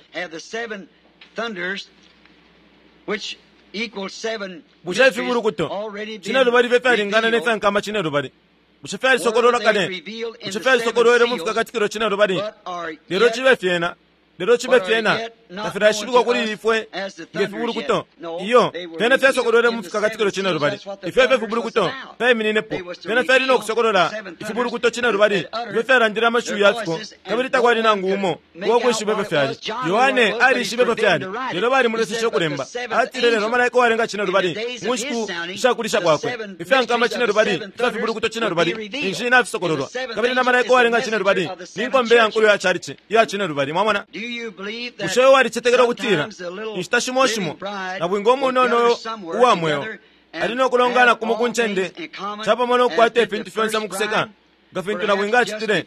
Bushe ifibulukuto cinelubali fye fyalingana ne fyankama cinelubali? Bushe fyalisokololwa kale? Bushe fyalisokolwele mu fikakatikilo cinelubali? Lelo cibe fyena, lelo cibe fyena tafilaishibikwa kuli ifwe nge fibulukuto. Iyo, fyena fyasokolwele mu fikakatikilo cinelubali. Ifyo efyo fibulukuto fyaimininepo. Fyena fyali no kusokolola ifibulukuto cinelubali ifyo fyalandile amashiwi ya fiko, kabili takwali nangu umo uwakwishiba ifyo fyali. Yohane alishibe ifyo fyali, lelo balimuleseshe ukulemba. Atile, lelo malaika uwalenga cinelubali mu nshiku ishakulisha kwakwe, ifyankama cinelubali ifya fibulukuto cinelubali ninshi nafisokololwa, kabili na malaika uwalenga cinelubali ni nkombe ya nkulu ya chalichi iya cinelubali. Mwamona? Bushe walicetekela ukutila inshita shimo shimo nabwinga umunono uwa mweo ali no kulongana kumo ku ncende capamo no kukwata ifintu fyonse mu kuseka nga fintu nabwinga acitile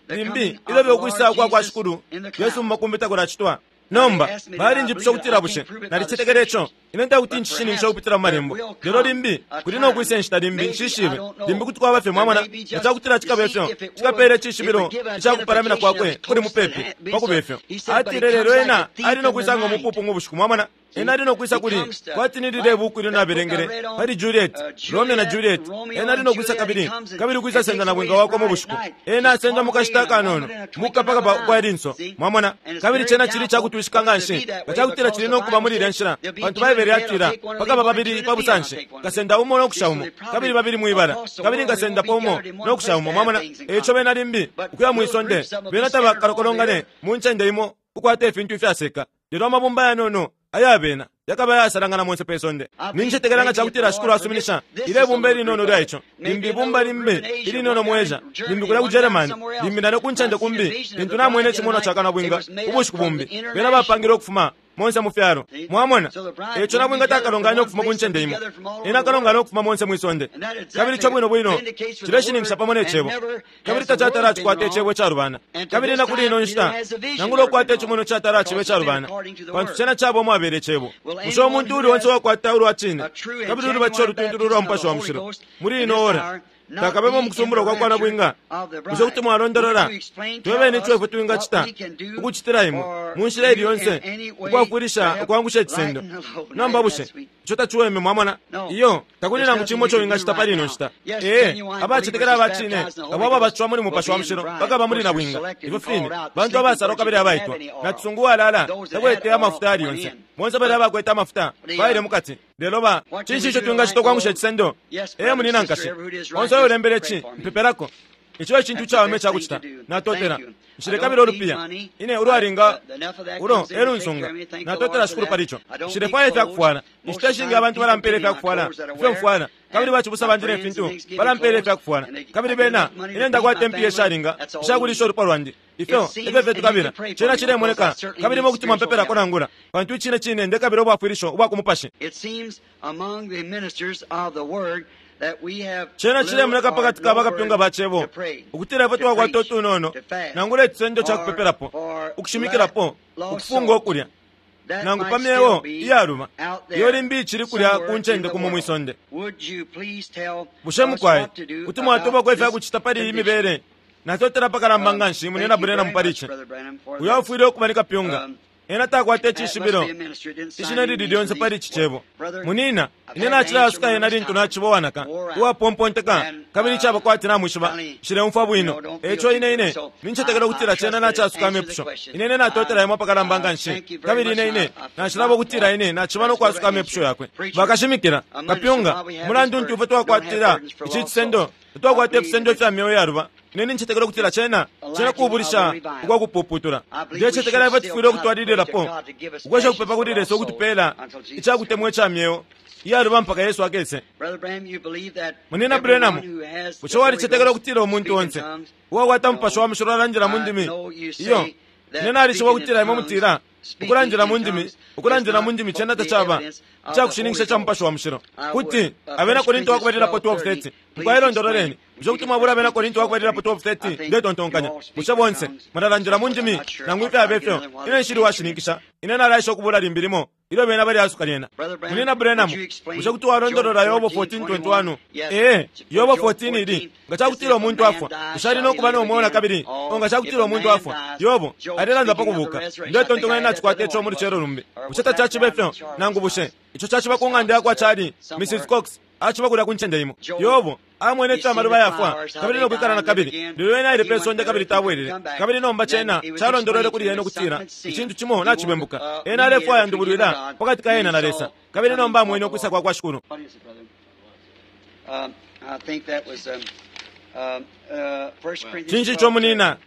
limbi ilyo ukwisa kwa kwa Shikulu Yesu mu makumbi takulacitwa? Nomba balinjipusha ukutila bushe nalicetekela ico. Ine ntakuti ncishiningisha ukupitila mu malembo, lelo limbi kuli no kwisa inshita limbi, nshishibe, limbi kuti kwaba fye. Mwamona? Nga cakutila cikaba ifyo, cikapela icishibilo icakupalamina kwakwe kuli mupepi pa kuba ifyo. Atile, lelo ena ali no kwisa ngo mupupu mu bushiku. Mwamona? Ena ali no kwisa kuli kwati ni lile buku ilyo nabelengele pali Juliet, Romeo na Juliet. Ena ali no kwisa kabili, kabili kwisa senda nabwinga wakwe mu bushiku. Ena asenda mu kashita akanono, mukapakapa kwa linso. Mwamona? Kabili cena cili cakutwishika nganshi nga cakutila cili no kuba muli ilya nshila, pantu Baibele yatila pakaba babili pa busanshi, nkasenda umo no kusha umo, kabili babili mwibala, kabili nkasendapo umo no kusha umo. Mwamona? Eico bena limbi ukuya mwi sonde, bena tabakalokolongane mu ncende imo ukwata ifintu ifyaseka, lelo amabumba yanono aya bena yakaba ayasalangana monse pe sonde. Nincetekela nga cakutila Shikulu asuminisha ile bumba ilinono lya ico, limbi ibumba limbi ilinono mu Asia, limbi kulya ku Germany, limbi nalyo ku ncende kumbi, lintu namwene icimonwa ca kanabwinga ubushiku bumbi, bena bapangile ukufuma monse mu fyalo. Mwamona? Eico nabwinga takalonganya ukufuma ku ncende imo. Ena akalongana ukufuma monse mwi sonde. Kabili ico bwino bwino cileshininkisha pamo ne Cebo. Kabili tacatala acikwata icebo icalubana. Kabili na kuli ino nshita, nangula ukukwata icimonwa icatala aciba icalubana, pantu cena caba umwabela Icebo. Bushe umuntu uuli onse uwakwata ulwa cine kabili ulubatisho ulutuntulu ulwa Mupashi wa Mushilo muli ino ora takabemo mu kusumbulwa kwa kwa nabwinga? Bushe kuti mwalondolola twebeni ico ifwe twingacita ukucitila imwe mu nshila ili yonse ukwafwilisha ukwangusha icisendo? Nomba bushe ico taciweme? Mwamona? Iyo, takuli nangu cimo ico wingacita pali ino nshita. Ee, abacetekela aba cine abo ababatishiwa muli Mupashi wa Mushilo bakaba muli nabwinga. Ifyo fine, bantu abasalwa kabili abaitwa. Nacisungu uwalala takwete amafuta ayali yonse. Bonse balya abakwete amafuta baile mukati. Lelo ba, cinshi ico twingacita ukwangusha icisendo? Ee, munina nkashi, onse uyo ulembele ici, mpepelako. Ico e cintu icawama icakucita. Natotela. Nshilekabila ulupiya. Ine ulwalinga ulo e lunsunga. Natotela Shikulu pali ico. Nshilefwaya ifyakufwala. Inshita ishingi abantu balampela ifyakufwala ifyo mfwala, kabili bacibusa bandi ne fintu balampela ifyakufwala. Kabili bena, ine ndakwata impiya ishalinga ishakulisha ulupwa lwandi. Ifyo efyo fye tukabila. Cena cilemoneka, kabili imwe kuti mwampepelako nangula, pantu icine cine ndekabila ubwafwilisho ubwa ku mupashi. Cena cilemoneka pa kati ka bakapyunga ba Cebo ukutila ifwe twakwata utunono nangula icisendo ca kupepelapo, ukushimikilapo, ukufunga ukulya, nangu pa myeo iyaluba iyo limbi icili kulya ku ncende kumo mwi sonde. Bushe mukwai kuti mwatobako ifya kucita pali iyi mibele? Natotela apakalamba nganshi, Munyina Branham, pali ici. Uyo afwile ukuba ni kapyunga. Ena takwata icishibilo ishina lili lyonse pali ici cebo. Munina, ine nacilayasuka ena lintu naciba uwanaka, uwapomponteka, kabili icaba kwati namwishiba, nshileumfwa bwino. Eico ine ine nincetekela ukutila cena nacasuka amepusho. Ine ine natotela imwe apakalamba nganshi, kabili ine ine nacilaba ukutila ine naciba no kwasuka amepusho yakwe. Bakashimikila, kapyunga, mulandu nti ifwe twakwatila ici cisendo, tatwakwata ifisendo ifya myeo iyaluba. Ine nincetekela ukutila cena cena kubulisha ukwa kupuputula. Ndecetekela ifwe tufwile ukutwalililapo ukwesha kupepa kuli Lesa ukutupela icakutemwa ica myeo iyaluba mpaka Yesu akese. Munina Branham, bushe walicetekela ukutila umuntu onse uwakwata Mupashi wa Mushilo alandila mu ndimi? Iyo, ine nalishiba ukutila imwe mutila ukulandila mu ndimi, ukulandila mu ndimi cena tacaba icakushininkisha ca Mupashi wa Mushilo. Kuti Abena Korinto wakubalilapo 12:30 mukwayilondololeni. Bushe kuti mwabula Abena Korinto wakubalilapo 12:30? Ndetontonkanya bushe bonse mulalandila mu ndimi nangu ifyaba ifyo? Ine nshili washininkisha. Ine nalaisha ukubula limbi limo ilyo bena balyasuka lyena. Munina Branham, bushe kuti walondolola Yobo 14:21? Ee, Yobo 14 ili nga cakutila umuntu afwa, bushe ali no kuba no mweo na kabili? O nga cakutila umuntu afwa, Yobo alelanda pa kubuka. Ndetontonkanya nacikwata ico mu lucelo lumbi. Bushe tacaciba ifyo? Nangu bushe ico caciba ku ng'anda yakwa Charlie, Mrs. Cox aciba kulya ku ncende imo. Yobo amwene ifyo amaluba yafwa kabili no kwikala na kabili, lelo ena aile pe sonde kabili tabwelele. Kabili nomba cena calondolwele kuli ena ukutila icintu cimo nacibembuka. Ena alefwaya ndubulwila pakati ka ena na Lesa, kabili nomba amwene ukwisa kwa kwa Shikulu. Cinshi ico munina?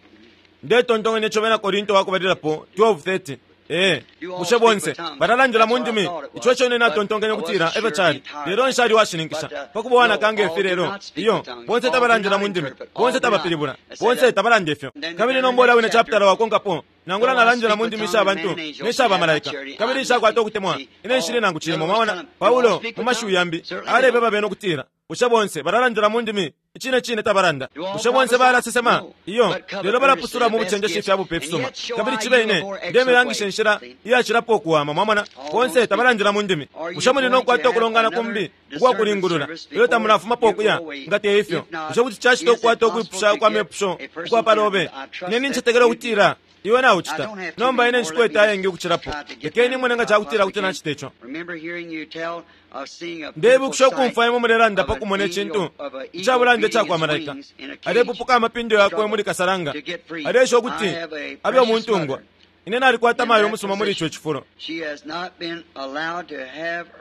Ndetontonkanya ico Bena Korinto wakubalilapo 12:30. Ee, bushe bonse balalandila mu ndimi? Ico eco ine natontonkanya ukutila efyo cali, lelo nshali washininkisha pakuba uwanaka nge fi lelo. Iyo, bonse tabalandila mu ndimi, bonse tabapilibula, bonse tabalanda ifyo. Kabili nomba ulya wine chapitala wakonkapo, nangula nalandila mu ndimi isha bantu ne sha bamalaika, kabili nshakwata ukutemwa, ine nshili nangu cimo. Mwamona, Paulo mu mashiwi yambi alebeba bena ukutila bushe bonse balalandila mu ndimi? Icine cine tabalanda. Bushe bonse balasesema? Iyo, lelo balapusula mu bucenjeshi ifya bupe ifisuma. Kabili cibe ine ndemilangisha inshila iyacilapo ukuwama. Mwamona, bonse tabalandila mu ndimi. Bushe muli no kukwata ukulongana kumbi ukwa kulingulula ilyo tamulafumapo ukuya? Nga te ifyo, bushe kuti cacita ukukwata ukwipusha kwa mepusho ukwa palobe? Ine nincetekela ukutila iwe naucita. Nomba ine nshikwete ayengi ukucilapo. Lekeni imwene nga cakutila kuti nacita ico. Ndeibukisha ukumfwa imwe mulelanda pa kumona icintu icabulanda icakwa malaika alepupuka amapindo yakwe muli kasalanga, aleesha ukuti abe umuntungwa. Ine nalikwata mayo umusuma muli ico cifulo.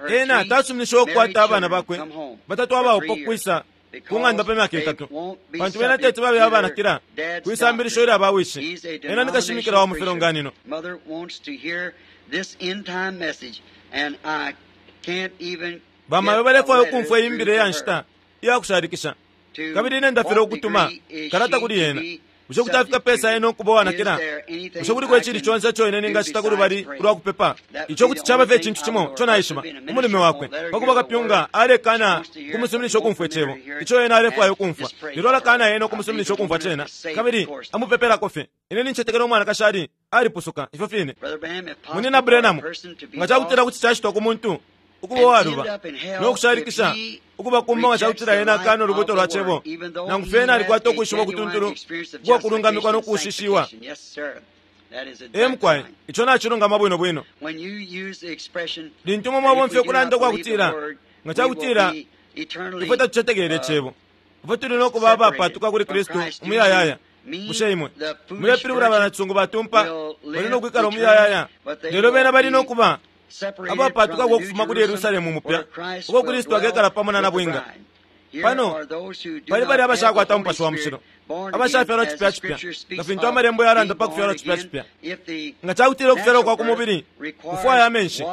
Ena tasuminishiwe ukukwata abana bakwe batatu abaupa ukwisa ku ng'anda pa myaka itatu, pantu bena teti babe abanakila kwisambilisho ilya bawishi. Ena ni kashimikila wa mu filonganino. Bamayo balefwaya ukumfwa iyi mbila iya nshita iya kushalikisha, kabili ine ndafilwa ukutuma kalata kuli yena. Bushe kuti afika pesa ena ukuba uwanakila? Bushe kuliko icili conse ico ine ningacita ku lubali ulwa kupepa? Ico kuti caba fye icintu cimo ico naishiba. Umulume wakwe, pa kuba kapyunga, alekana ukumusuminisha ukumfwa icebo ico ena alefwaya ukumfwa, lelo alakana ena ukumusuminisha ukumfwa cena, kabili amupepelako fye. Ine nincetekela umwanakashi ali alipusuka ifyo fine. Munina Branham, nga cakutila kuti cacitwa ku muntu ukuba uwaluba no kushalikisha ukuba kumba nga cakutila ena akana ulubuto lwa cebo, nangu fye ena alikwata ukwishiba ukutuntulu ukwa kulungamikwa no kushishiwa. Ee mukwai, ico nacilungama bwino bwino. Lintu imwe mwabomfya ukulanda ukwa kutila nga cakutila ifwe tatucetekele icebo, ifwe tuli no kuba abapatuka kuli Kristu umuyayaya. Bushe imwe mulepilibula banacisungu batumpa bali no kwikala umuyayaya, lelo bena bali no kuba abapatukako ukufuma kuli Yerusalemu mupya, uko Kristu akekala pamo na nabwinga. Pano pali bali abashakwata Umupashi wa Mushilo, abashafyalwa cipya cipya, nga fintu amalembo yalanda pa kufyalwa cipya cipya. Nga cakutila ukufyalwa kwa ku mubili kufwaya amenshi,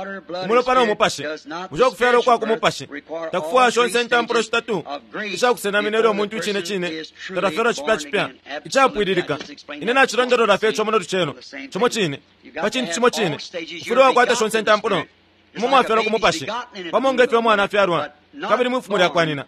umulopa no mupashi, bushe ukufyalwa kwa ku mupashi takufwaya shonse intampulo shitatu ishakusenamina ilyo umuntu icine cine tatafyalwa cipya cipya icapwililika? Ine nacilondolola fye ico muno lucelo, cimo cine pa cintu cimo cine. Ufwile wakwata shonse intampulo. Imwe mwafyalwa ku mupashi pamo nge fyo umwana afyalwa, kabili mwifumo lyakwa nyina,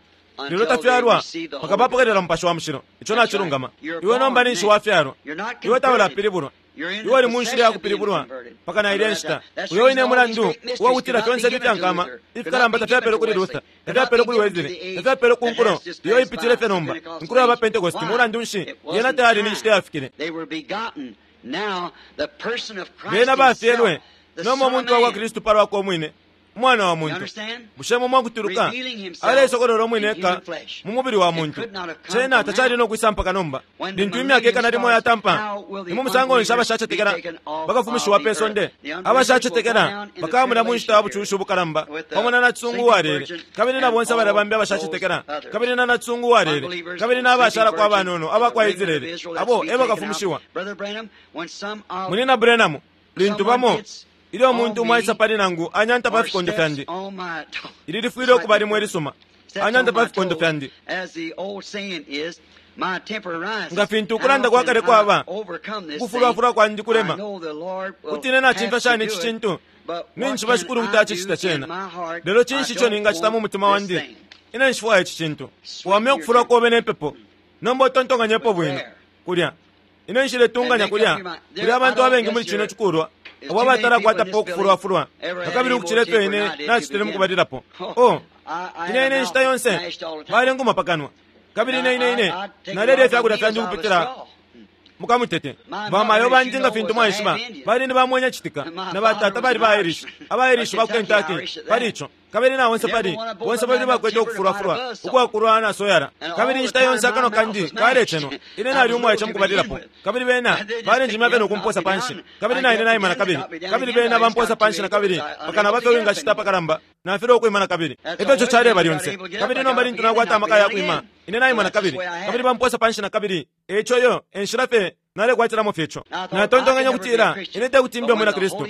lelo tafyalwa mpaka bapokelela Mupashi wa Mushilo. Ico nacilungama. Iwe nomba ninshi wafyalwa, iwe taulapilibulwa, iwe uli mu nshila ya kupilibulwa mpaka na ilya nshita. Uyo wine mulandu uwakutila fyonse ifi fyankama ifikalamba tafyapelwe kuli Luther, tafyapelwe kuli Wesley, tafyapelwe ku nkulo iyo ipitile fye nomba, inkulo ya ba Pentecost. Mulandu nshi yena tayali ni nshita yafikile? Bena bafyelwe nomba umuntu wa kwa Kristu pa lwakwe umwine, Umwana wa muntu. Bushe mwe mwakutuluka? Aleisokolola umwine eka mu mubili wa muntu. Cena tacali no kwisa mpaka nomba. Lintu imyaka ikana limo yatampa, ni mu musango nshi abashacetekela bakafumishiwa pe sonde? Abashacetekela bakaba mulya mu nshita ya bucushi ubukalamba pamo na nacisungu uwalele, kabili na bonse balya bambi abashacetekela, kabili na nacisungu uwalele, kabili na abashalako abanono aba kwa Israele, abo e bakafumishiwa. Munyina Branham, lintu bamo ilyo umuntu umo aisa pali nangu anyanta pa fikondo fyandi, ili lifwile ukuba limo ilisuma, anyanta pa fikondo fyandi. Nga fintu ukulanda kwa kale kwaba, ukufulwafulwa kwandi kulema. Kuti ine nacimfya shani ici cintu? Ninjishiba Shikulu kuti acicita cena. Lelo cinshi ico ningacita mu mutima wandi? Ine nshifwaya ici cintu. Wamya ukufulwa kobe ne pepo. Nomba utontonkanyepo bwino. Kulya. Ine nshiletunganya kulya kuli abantu abengi muli cino cikulwa abo abatalakwatapo ukufulwafulwa nakabili ukucila ifyo ine nacitile mukubalilapo. Oh, ine ine inshita yonse balenguma pa kanwa, kabili ine ine ine nalelya ifyakulya fyandi ukupitila mukamutete. Bamayo bandi, nga fintu mwaishiba, bali ni bamwenya citika, na batata bali ba Irish, aba Irish ba ku Kentucky, pali ico. Kabili na bonse pali bonse babili bakwete ukufulwafulwa ukwakulwa na soyala. Kabili inshita yonse akanwa kandi kalecenwa. Ine nali umwaice mukubalilapo, kabili bena balenjimya fye no kumposa panshi, kabili na ine naima nakabili, kabili bena bamposa panshi nakabili, mpaka naba fye uwingacita apakalamba, nafilwa ukwima nakabili. Efyo ico caleba lyonse. Kabili nomba lintu nakwata amaka ya kwima, ine naima nakabili, kabili bamposa panshi nakabili. Eico iyo e nshila fye nalekwatilamo fye ico. Natontonkenye ukutila ine te kuti mbe Umwina Kristu.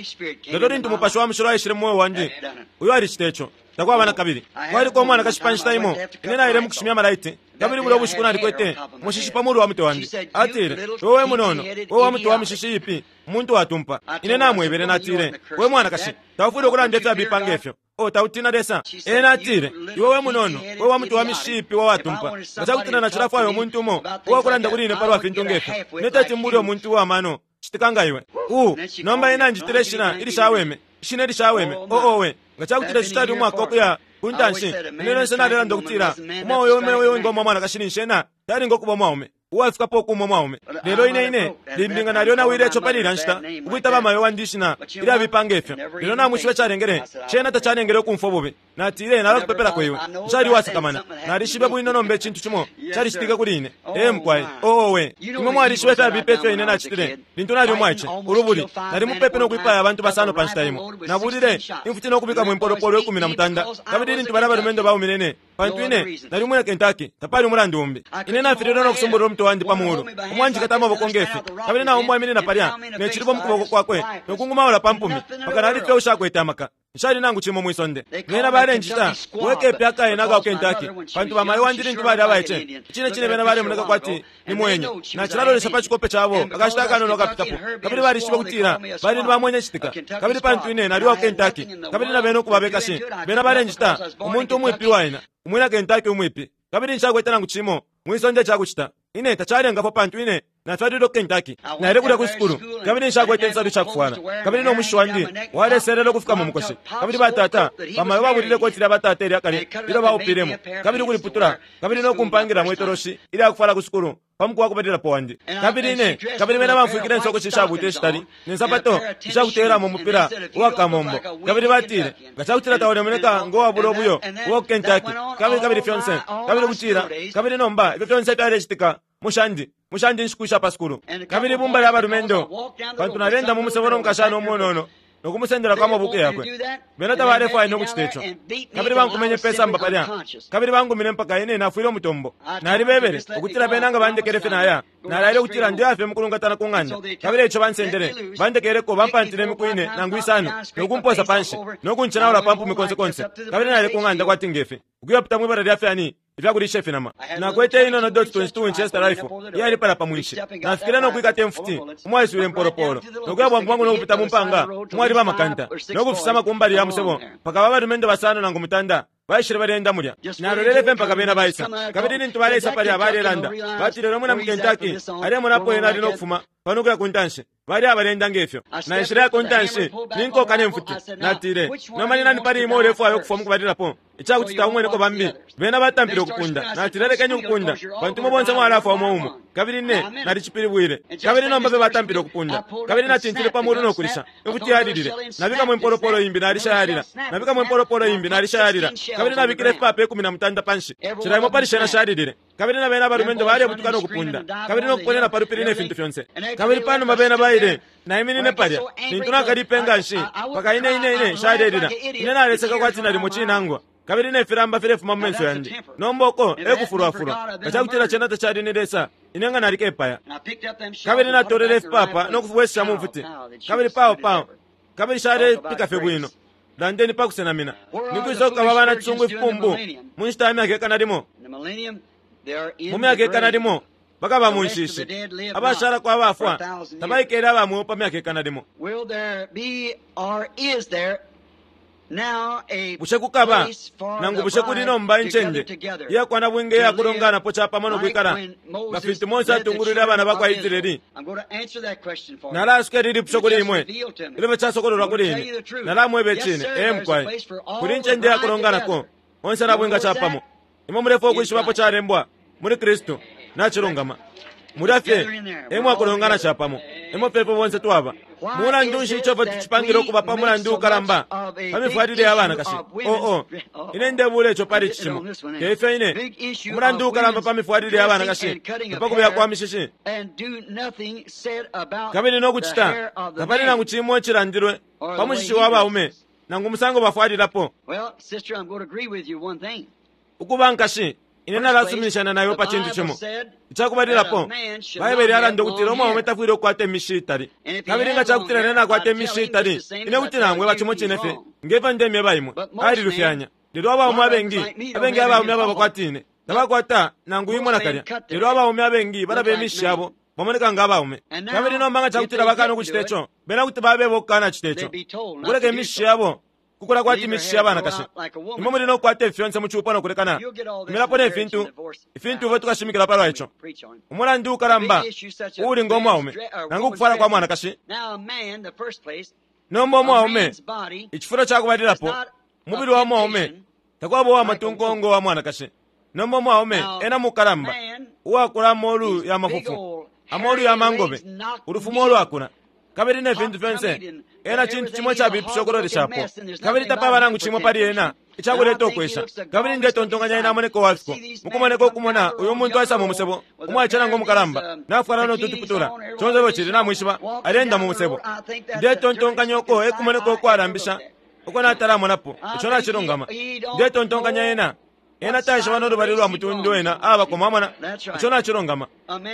Lelo lintu Mupashi wa Mushilo aishile mu mweo wandi, uyo alicita ico. Takwaba na kabili. Kwaliko umwanakashi pa nshita imo, ine naile mu kushimya amalaiti, kabili bulya bushiku nalikwete umushishi pa mulu wa mutwe wandi. Atile, Iwe we munono, we wa mutwe wa mishishi iipi, umuntu watumpa. Ine namwebele, natile, We mwanakashi, taufwile ukulanda ifyabipa nge fyo. Oh, tautina Lesa? Ena atile, Iwe we munono, we wa mutwe wa mishishi iipi we watumpa. Nga cakutila nacilafwaya umuntu umo uwakulanda kuli ine palwa fintu nge fyo, ine teti mbule umuntu uwa mano citika nga iwe. Uh, nomba ena anjitile ishina ilishaweme, ishina ilishaweme. Oh, owe, nga cakutila ici cali umwaka ukuya ku ntanshi, ine lyonse nalelanda ukutila umwaume ume uyo wingoma umwanakashi ninshi ena talinga ukuba umwaume uwafikapo ukuuma umwaume. Lelo ine, ine limbi nga nalyonawile ico pali ilya nshita, ukwita bamayo wandi ishina ilyabipa nge fyo. Lelo namwishiba icalengele? Cena tacalengele ukumfwa ububi. Natile, Nalakupepelako iwe. Nshali uwasakamana. Nalishibe bwino nomba icintu cimo calicitike kuli ine. Ee, mukwai. Oo, owe. Imwe mwalishiba ifyabipa ifyo ine nacitile lintu nali umwaice, ulubuli. Nali mupepi no kwipaya abantu basano pa nshita imo. Nabulile imfuti no kubikamo impolopolo 13, kabili lintu balya balumendo baumine ine, pantu ine nali umwina Kentucky, tapali umulandu umbi. Ine nafililwe no kusumbulula umutwe wandi pa mulu, umo anjikata amaboko nge fi, kabili na umo aiminina palya ne cilibo mu kuboko kwakwe no kungumaula pa mpumi, mpaka nali fye ushakwete amaka. Nshali nangu cimo mwi sonde. Bena balenjita we kepi akaena aka ku Kentucky, pantu bamayo wandi lintu bali abaice, icine cine bena balemoneka kwati ni mwenye. Nacilalolesha pa cikope cabo akashita akanono akapitapo, kabili balishibe ukutila bali ni bamwenye citika. Kabili pantu ine nali uwa ku Kentucky, kabili na bena ukuba abekashi, bena balenjita umuntu umwipi uwaina, umwina Kentucky umwipi. Kabili nshakwete nangu cimo mwi sonde icakucita. Ine tacalengafwa pantu ine nafyalilwe ku Kentucky. Naile kulya ku sukulu, kabili nshakwete insalu ishakufwala, kabili no mushishi wandi waleselela ukufika mu mukoshi. Kabili batata, bamayo babulile ikoti lya batata ilya kale ilyo baupilemo, kabili ukuliputula, kabili no kumpangilamo itoloshi ilya kufwala ku sukulu pa muku wa kubalilapo wandi. Kabili ine, kabili bena bamfwikile insokoshi ishabuuta ishitali, ne nsapato ishakuteyelamo umupila uwa kamombo. Kabili batile, Nga cakutila taulemoneka ngo wabula ubuyo uwa ku Kentucky, kabili, kabili fyonse, kabili ukutila, kabili nomba ifyo fyonse fyalecitika mushandi, mushandi inshiku isha pa sukulu. Kabili ibumba lya balumendo, pantu naleenda mu musebo no mukashana umunono, no kumusendelako amabuku yakwe. Bena tabalefwaya no kucita ico. Kabili bankumenye pe samba palya, kabili bangumine mpaka ine nafwile umutombo. Nalibebele ukutila bena nga bandekele fye naya. Nalaile ukutila ndeya fye mukulungatana ku ng'anda. Kabili eico bansendele, bandekeleko, bampantile imiku ine nangu isano, no kumposa panshi, no kuncenaula pa mpumi konse konse. Kabili naile ku ng'anda kwati nge fi, ukuyapita mwi bala lya fyani ifya kulisha ifinama. Nakwete iinono dot 22 Winchester rifle iyali palya pa mwinshi. Nafikile no kwikata imfuti umwaiswile impolopolo, no kuya bwangu bwangu no kupita mu mpanga umwali bamakanta, no kufisama ku mbali ya musebo mpaka aba balumendo basano nangu mutanda baishile baleenda mulya. Nalolele fye mpaka bena baisa. Kabili lintu baleisa palya balelanda, batile, Ulya mwina mu Kentucky alemona apo ena ali no kufuma. pano ukuya ku ntanshi. Bali abalenda nge fyo. Naishile ku ntanshi, ninkoka ne mfuti. Natile, Nomba ni nani pali imwe ulefwaya ukufwa mukubalilapo, icakuti taumweneko bambi? Bena batampile ukupunda. Natile, Lekeni ukupunda, pantu imwe bonse mwalafwa umo umo. Kabili ine nalicipilibwile. Kabili nomba fye batampile ukupunda. Kabili natintile pa mulu no kulisha. Imfuti yalilile. Nabikamo impolopolo imbi, nalisha yalila. Nabikamo impolopolo imbi, nalisha yalila. Kabili nabikile ifipapa 13 panshi. Cila imo pali shena shalilile. Kabili na bena abalumendo balebutuka no kupunda, kabili no kuponena pa lupili ne fintu fyonse. Kabili panuma bena baile, naiminine palya, lintu nakalipe nganshi, mpaka ine, ine, ine nshalelila. Ine naleseka kwati nalimo cinangwa, kabili ne filamba filefuma mu menso yandi. Nomba uko e kufulwafulwa. Nga cakutila cena tacali ni Lesa, ine nga nalikepaya. Kabili natolele ifipapa no kufibwesesha mu mfuti, kabili pao pao, kabili shalepika fye bwino. Landeni pa kusenamina. Ni kwisa kukaba abana cisungu ifipumbu mu nshita ya myaka ikana limo? Mu myaka ikana limo bakaba mu nshishi. Abashalako abafwa tabaikele aba mweo pa myaka ikana limo. Bushe kukaba nangu bushe kuli nomba incende iyakwa nabwinga iya kulonganapo capamo no kwikala nga fintu Mose atungulwile abana ba kwa Israeli? Nalaasuka ili lipusho kuli imwe ilyo casokololwa kuli ine. Nalamweba icine. Ee mukwai, kuli incende iya kulonganako onse nabwinga capamo. Imwe mulefwaya ukwishibapo calembwa muli Kristu. Nacilungama. Mulya fye e mwakulongana capamo, emo fye ifwe bonse twaba. Mulandu nshi ico ifwe tucipangile ukuba pa mulandu ukalamba pa mifwalile ya banakashi? Oh, oh, ine ndebuula ico pali ici cimo. Te ifyo ine. Umulandu ukalamba pa mifwalile ya banakashi na pa kubeya kwa mishishi. Kabili no kucita, tapali nangu cimo icilandilwe pa mushishi wa baume nangu umusango bafwalilapo. Ukuba nkashi, ine nalasuminishana na iwe pa cintu cimo. Icakubalilapo, Baibele yalanda ukutila umwaume tafwile ukukwata imishi itali. Kabili nga cakutila ine nakwata imishi itali, ine kuti namweba cimo cine fye nge fyo ndemyeba imwe. Alilufyanya. Lelo abaume abengi, abengi abaume ababa kwati ine, tabakwata nangu imo nakalya. Lelo abaume abengi balaba imishi yabo, bamoneka nga abaume. Kabili nomba nga cakutila bakana ukucita ico, bena kuti babeba ukukana cita ico. Ukuleka imishi yabo kukula kwati mishishi ya banakashi. Imwe muli no kukwata ifi fyonse mu cupo no kulekana, imilapo ne fintu, ifintu ifyo tukashimikila palwa ico. Umulandu ukalamba uuli ngo mwaume, nangu ukufwala kwa mwanakashi. Nomba umwaume, icifulo ca kubalilapo, umubili wa mwaume takwaba uwa matunko ngo wa mwanakashi. Nomba umwaume ena mukalamba, uwakula amolu ya mafufu, amolu ya mangobe, ulufumo ulwakula. Kabili ne fintu fyonse, ena cintu cimo icabipisha ukuloleshapo, kabili tapaba nangu cimo pali ena icakuleta ukwesha. Kabili ndetontonkanya ena amoneka uwafiko mukumoneka ukumona uyu muntu aisa mu musebo, umwaice nangu umukalamba, nafwala no tutuputula, conse ifyo cili, namwishiba, aleenda mu musebo. Ndetontonkanya uko e kumoneka ukwalambisha uko natalamonapo. Ico nacilungama. Ndetontonkanya ena Ena taishiba no lubali lwa mutundu ena abako, mwamona. Ico nacilungama.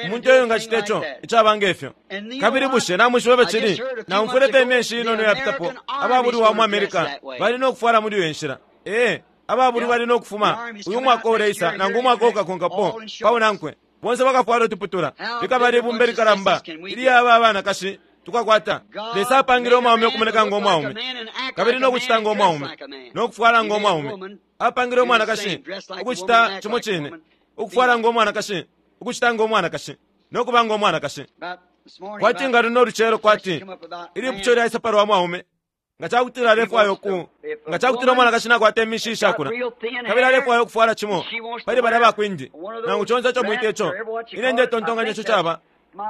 Umuntu eyo ngacita ico icaba nge fyo. Kabili bushe namwishiba ifyo cili? Naumfwile fye imyeshi inono iyapitapo, ababulwi wa mu America bali no kufwala muli iyo nshila. Ee, ababulwi bali no kufuma uyu mwaka uleisa nangu umwaka ukakonkapo pa unankwe. Bonse bakafwala utuputula. Likaba libumba ilikalamba ilya aba abanakashi tukakwata. Lesa apangile umwaume ukumoneka ngo mwaume, kabili no kucita ngo mwaume, no kufwala ngo mwaume. Apangile umwanakashi ukucita cimo cine, ukufwala ngo mwanakashi, ukucita ngo mwanakashi, no kuba ngo mwanakashi. Kwati nga luno lucelo, kwati ilipusho lyaisa palwa mwaume, nga cakutila alefwaya uku, nga cakutila umwanakashi nakwata imishi ishakula, kabili alefwaya ukufwala cimo pali balya bakwindi, nangu conse ico mwita ico, ine ndetontonkanya ico caba,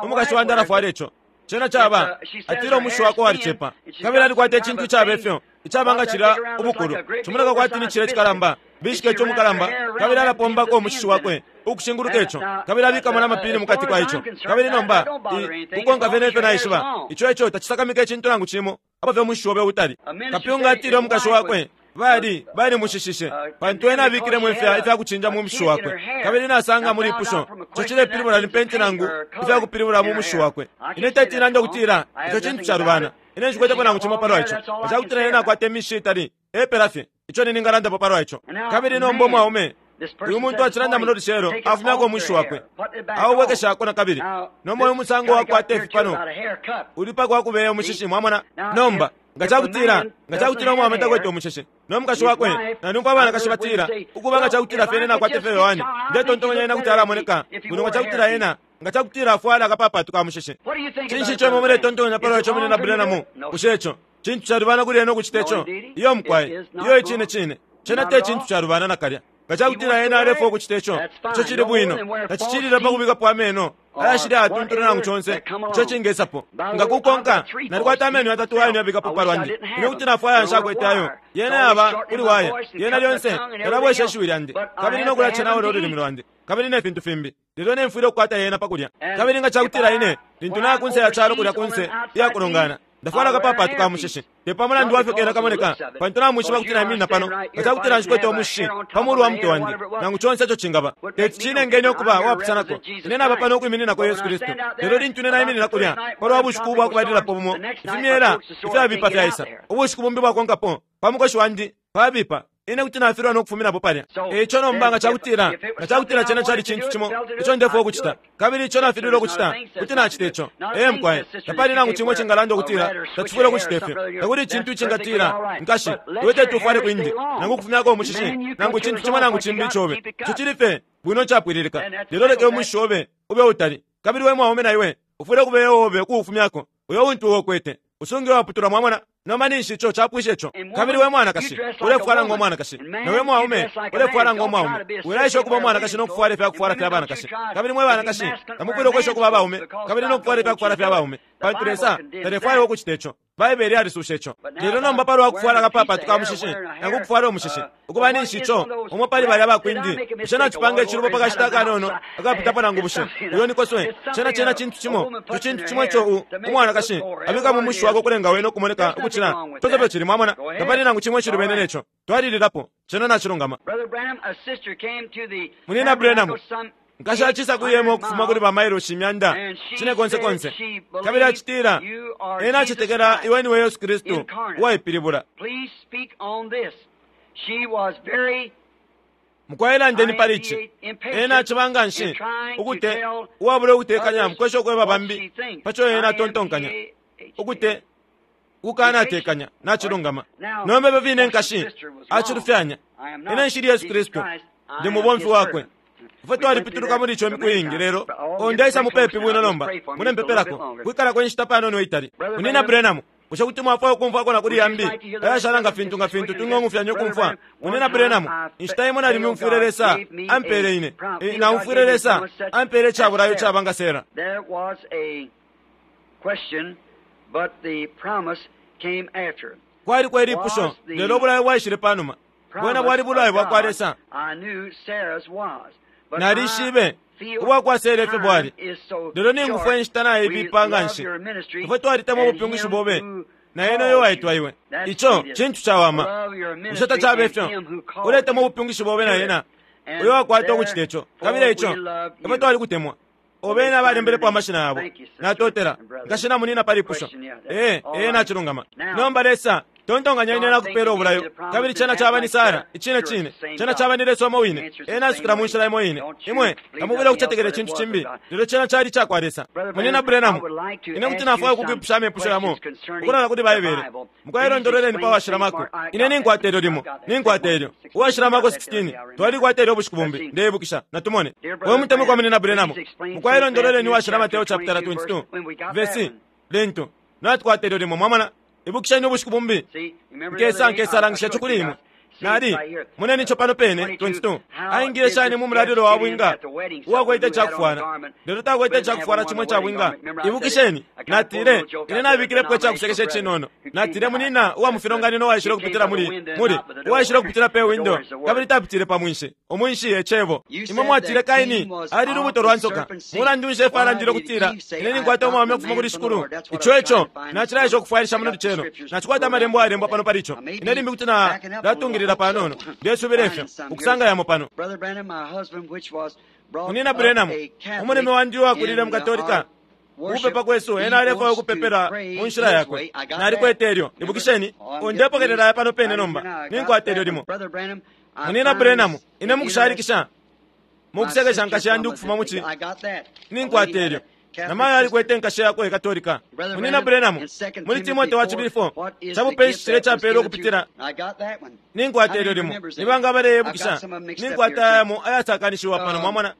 umukashi wandi alafwala ico. Cena caba, atile umushi wakwe walicepa, kabili alikwata icintu icaba ifyo, icaba nga cilya ubukulu, cimoneka kwati ni cilya icikalamba, bishiketi umukalamba, kabili alapombako umushishi wakwe ukushinguluka ico, kabili abikamo na mapini mukati kwa ico. Kabili nomba, i, kukonka fye nefyo naishiba, ico ico tacisakamika icintu nangu cimo, apo fye umushishi obe utali. Kapyunga atile umukashi wakwe, Bali, balimushishishe, pantu ena abikilemo ifya, ifya kucinja mu mushishi wakwe. Kabili nasanga mu lipusho, ico cilepilibula ni penti nangu ifya kupilibula mu mushishi wakwe. Ine teti nande ukutila ico cintu calubana. Ine nshikwetepo nangu cimo palwa ico. Nga cakutila ena nakwata imishishi itali, epela fye, ico ningalandapo palwa ico. Kabili nomba umwaume, uyu muntu acilanda muno lucelo, afumyako umushishi wakwe, aubwekeshako nakabili. Nomba uyu musango wakwata ifi pano, uli pa kwa kubeya umushishi, mwamona. Nomba, nga cakutila, nga cakutila umwaume takwete umushishi, no mukashi wakwe, na numfwa abanakashi batila, ukuba nga cakutila fye ena nakwata ifyo Yohane, ndetontonkanya ena kuti alamoneka bwino nga cakutila ena. nga ca kutila afwala akapapatu ka mushishi. Cinshi ico imwe muletontonkanya palwa ico, Munyina Branham? Bushe ico cintu calubana kuli ena ukucita ico? Iyo, mukwai. Iyo, icine cine. Cena te cintu calubana nakalya. Nga ca kutila ena alefwaya ukucita ico, ico cili bwino. Tacicilile pa kubikapo ameno ayashili ayatuntulu nangu conse ico cingesapo. Nga kukonka, nalikwata ameno yatatu ayo nabikapo pa lwandi. Ine kuti nafwaya nshakwete ayo. Yena yaba kuli waya. Yena lyonse yalabwesha ishiwi lyandi, kabili no kulacenaula ululimi lwandi, kabili ne fintu fimbi. Lelo ine mfwile ukukwata yena pa kulya. Kabili nga ca kutila ine, lintu naya kunse ya calo kulya kunse iya kulongana, Ndafwala akapapatu ka mushishi, te pa mulandu wa fyo kena kamoneka, pantu namwishiba kuti naiminina pano, nga ca kutila nshikwete umushishi pa mulu wa mutwe wandi, nangu conse ico cingaba, teti cinenge ukuba uwapusanako. Ine naba pano ukwimininako Yesu Kristu. Lelo lintu ine naiminina kulya, palwa bushiku ubwa kubalilapo bumo, ifimyela ifyabipa fyaisa. Ubushiku bumbi bwakonkapo, pa mukoshi wandi pabipa, Ine kuti nafilwa no kufuminapo palya. E ico nomba nga cakutila, nga cakutila cena cali cintu cimo ico ndefwaya ukucita, kabili ico nafililwe ukucita, kuti nacita ico. Ee, mukwai. Tapali nangu cimo icingalanda ukutila tacifwile ukucita ifyo. Takuli icintu icingatila, Nkashi, iwe teti ufwale kwindi, nangu ukufumyako umushishi, nangu icintu cimo nangu cimbi icobe. Ico cili fye bwino icapwililika. Lelo leka umushishi obe ube utali. Kabili we mwaume na iwe ufwile ukubeya uobe ukuufumyako, uyo untu iwe ukwete. Usunge uwaputulwa, mwamona. Nomba ninshi ico capwisha ico. Kabili we mwanakashi, ulefwala ngo mwanakashi, na we mwaume, ulefwala ngo mwaume. Wilaesha ukuba umwanakashi no kufwala ifya kufwala fya banakashi. Kabili mwe banakashi, tamufwile ukwesha ukuba abaume, kabili no kufwala ifya kufwala fya baume, pantu Lesa talefwaya iwe ukucita ico. Baibele yalisuusha ico. Lelo nomba palwa kufwala akapapatu ka mushishi, nangu ukufwala umushishi, ukuba ninshi ico, umo pali balya bakwindi, bushe nacipanga icilubo pa kashita akanono akapitapo nangu bushe uyo ni koswe? Cena, cena cintu cimo, ico cintu cimo ico u, umwanakashi abika mu mushishi wakwe ukulenga wene ukumoneka ukucila fyonse ifyo cili. Mwamona? Tapali nangu cimo icilubene ne co. Twalililapo. Cena nacilungama. Munyina Branham, nkashi acisa kwi hema ukufuma kuli ba mailoshi imyanda cine konse konse, kabili acitila ena acetekela iwe niwe Yesu Kristu uwaipilibula. Mukwai landeni pali ici. Ena aciba nganshi ukute uwabula ukutekanya mukwesha ukweba bambi paco ena atontonkanya. Ukute ukukanatekanya nacilungama. Nomba ifyo fine nkashi acilufyanya. Ine nshili Yesu Kristu, ndi mubomfi wakwe. Ifwe twalipituluka muli ico imiku iingi, lelo oh, ndeisa mupepi bwino nomba. Mulempepelako, kwikalako inshita panono itali. Munyina Branham, bushe kuti mwafwaya ukumfwako na kuli yambi ayashala nga fintu nga fintu twingong'ufyanya ukumfwa? Munyina Branham, inshita imo nalimyumfwile Lesa ampele ine, naumfwile Lesa ampele ica bulayo icaba nga Sarah. There was a question, but the promise came after. Kwaliko ilipusho, lelo ubulayo bwaishile panuma. Bwena bwali bulayo bwa kwa Lesa. Nalishibe ubwa kwa Sera ifyo bwali, lelo ningufwa inshita naibipa nganshi. Ifwe twalitemwa ubupyungishi bobe na ena uyo waitwa iwe. Ico cintu cawama. Bushe tacabe fyo? Uletemwa ubupyungishi bobe na ena uyo wakwata ukucita ico. Kabili eico ifwe twalikutemwa. O bena abalembelepo amashina yabo. Natotela, nkashi na munina pa lipusho. Ee, ee, nacilungama. Nomba Lesa, tontonkanya ine nakupela ubulayo, kabili cena caba ni Sara, icine cine. Cena caba ni Lesa umo wine. Ena asukila mu nshila imo ine. Imwe tamufwile ukucetekela icintu cimbi, lelo cena cali icakwa Lesa. Munyina Branham, ine kuti nafwaya ukukwipusha amepusho yamo ukulanda kuli Baibele. Mukwai londololeni pa Washila Marko. Ine ninkwata ilyo limo. Ninkwata ilyo. Uwashila Marko 16. Twalikwata ilyo ubushiku bumbi, ndeibukisha. Natumone. We mutemwikwa Munyina Branham, mukwai londololeni Uwashila Mateo chapitala 22, vesi, lintu natukwata ilyo limo. Mwamona? Ibukisheni ubushiku bumbi, nkesa nkesalangisha ico kuli imwe. Nali, moneni ico pano pene, 22. Aingile shani mu mulalilo wa bwinga uwakwete icakufwala, lelo takwete icakufwala cimo ica bwinga? Ibukisheni, natile, ine nabikilepo icakusekesha icinono. Natile, Munina uwa mu filonganino uwaishile ukupitila muli, muli, uwaishile ukupitila pe windo, kabili tapitile pa mwinshi. Umwinshi e Cebo. Imwe mwatile Kaini ali lubuto lwa nsoka. Mulandu nshi Efa alandile ukutila, Ine ninkwata umwaume ukufuma kuli Shikulu? Ico eco nacilaesha ukufwailisha muno lucelo. Nacikwata Amalembo ayalembwa pano pali ico. Ine limbi kuti na latungilila panono, ndesubila ifyo, ukusanga yamo pano. Munyina Branham, umulume wandi uwakulile mu Katolika, Ukupepa kwesu, ena alefwaya ukupepela mu nshila yakwe. Nalikwete ilyo. Ibukisheni, ndepokelela aya pano pene nomba. Ninkwata ilyo limo. Munyina Branham, ine mukushalikisha, mukusekesha nkashi yandi ukufuma mu ci. Ninkwata ilyo. Namayo alikwete nkashi yakwe Katolika. Munina Branham, muli Timote wa cibili 4, cabupe nshi cilya capelwe ukupitila? Ninkwata ilyo limo. Nibanga abaleyebukisha? Ninkwata yamo ayasakanishiwa pano, mwamona.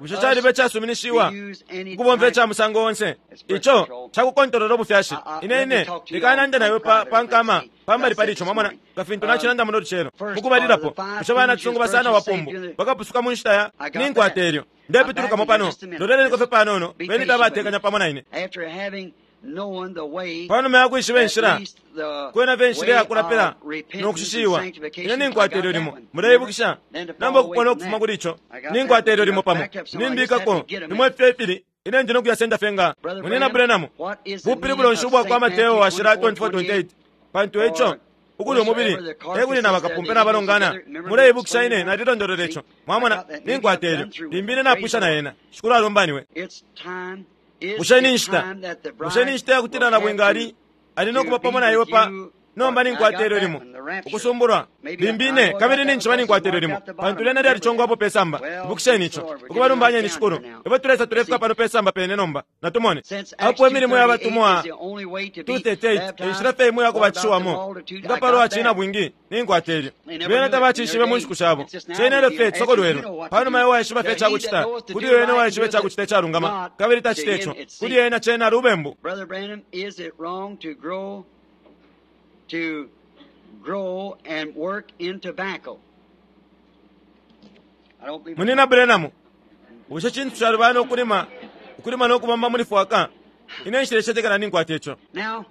Bushe caliba icasuminishiwa ukubomfya ica musango onse? Ico cakukontolola ubufyashi. Ine, ine, lekanande na iwe pa, pa nkama, pambali pali ico, mwamona, nga fintu nacilanda muno lucelo. Mukubalilapo, bushe banacisungu basana wapumbu bakapusuka mu nshita ya? Ninkwata ilyo. Ndepitulukamo pano. Loleleniko fye panono, beni fye abatekanya pamo na ine. Panuma ya kwishiba inshila, kwena fye inshila ya kulapila no kushishiwa, ine ninkwata ilyo limo. Muleibukisha? Nomba ukupona ukufuma kuli ico, ninkwata ilyo limo pamo. Nimbikako limo ifyo ifili, ine ndi no kuyasenda fye nga Munyina Branham. Bupilibulo nshi ubwa kwa Mateo washila 24:28? Pantu ico ukuli umubili ekuli na bakapumpe na balongana. Muleibukisha ine nalilondolola ico. Mwamona, ninkwata ilyo. Limbi ine napwisha na yena. Shikulu alumbaniwe. Bushe ni nshita? Bushe ni nshita yakutila nabwinga ali ali no kuba pamo na iwe pa nomba ninkwata ilyo limo ukusumbulwa limbi ine kabili ninjiba ninkwata ilyo limo pantu lyena lyalicongwapo pe samba. Ibukisheni ico. Ukubalumbanyeni Shikulu. Ifwe tulesa tulefika pano pe samba pene nomba. Natumone apo imilimo ya batumwa 2:38 inshila fye imo yakubatishiwamo nga palwa cina bwingi ninkwata ilyo. Bena tabacishibe mu nshiku shabo. Cena elyo fye cisokolwelwe panuma iwe waishiba fye icakucita. Kuli wene waishiba icakucita icalungama kabili tacita ico, kuli ena cena lubembu. Brother Branham, is it wrong to grow to grow and work in tobacco? I don't believe Munina Branham, bushe cintu calubana ukulima ukulima no kubomba muli fwaka? Ine nshilecetekela ninkwata ico. Now,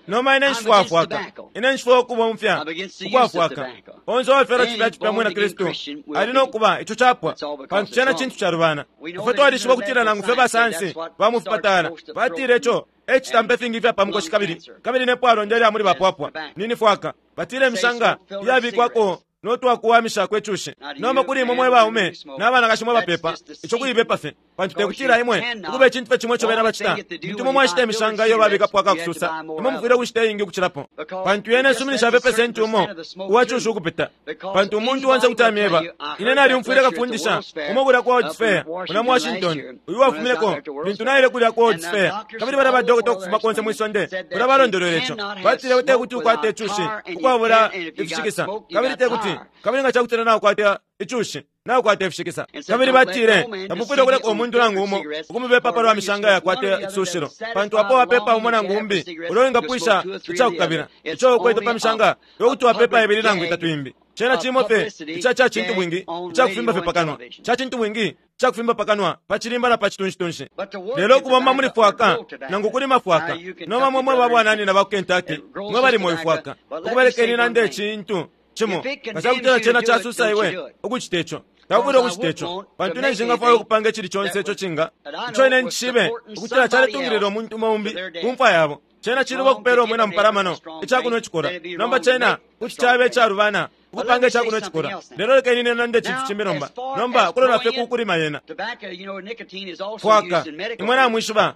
Noma ine nshifwafwaka. Ine nshifwa ukubomfya ukwafwaka. Onse uwafyalwa cipya cipya mwina Kristu ali no kuba ico capwa, pantu cena cintu calubana. Ifwe twalishiba ukutila nangu fye basayansi ba mu fipatala batile ico e citampa ifingi ifya pa mukoshi kabili kabili ne pwalonda ilya muli bapwapwa nini fwaka. Batile imishanga iyabikwako no twakuwamishako icushi. Nomba kuli imwe mwe baume na banakashi mwe bapepa, ico kuibepa fye, pantu tekutila imwe ukuba icintu fye cimo ico bena bacita. Lintu imwe mwashita imishanga iyo babikapo akakususa, imwe mufwile ukushita iingi ukucilapo, pantu yena isuminisha fye pesenti umo uwa cushi ukupita. Pantu umuntu onse kuti amyeba, ine nalyumfwile kafundisha umo kulya ku World's Fair muno mu Washington, uyu wafumineko lintu naile kulya ku World's Fair, kabili balya badokota ukufuma konse mwi sonde kulya balondolwele ico. Batile tekuti ukwate icushi ukwabula ifishikisa, kabili tekuti kabili nga cakutila naukwata icushi naukwata ifishikisa. Kabili batile tamufwile ukuleka umuntu nangu umo ukumubepa palwa mishanga yakwata icisushilo, pantu apo wapepa umo nangu umbi ulo wingapwisha icakukabila ico ukwete pa mishanga yokuti wapepa ibili nangu itatu imbi. Cena cimo fye ica ca cintu bwingi icakufimba fye pakanwa, ca cintu bwingi icakufimba pakanwa pa cilimba na pa citunshi-tunshi. Lelo ukubomba muli fwaka nangu kulima fwaka, nomba mwe mwe babwananyina ba ku Kentucky mwe balima uyu fwaka, ukubelekeni nande icintu cimo nga cakutila cena casusa iwe ukucita ico, taufwile ukucita ico, pantu ine nshingafwaya ukupanga icili conse ico cinga ico ine ncishibe ukutila caletungilila umuntu umo umbi ku mfwa yabo. Cena ciluba ukupela umwina mupalamano icakunwa icikola. Nomba cena kuti cabe icalubana ukupanga icakunwa icikola. Lelo lekeni ine nande icintu cimbi nomba. Nomba kulola fye ku kulima yena tobacco, you know, nicotine is also fwaka, used in medical. imwe namwishiba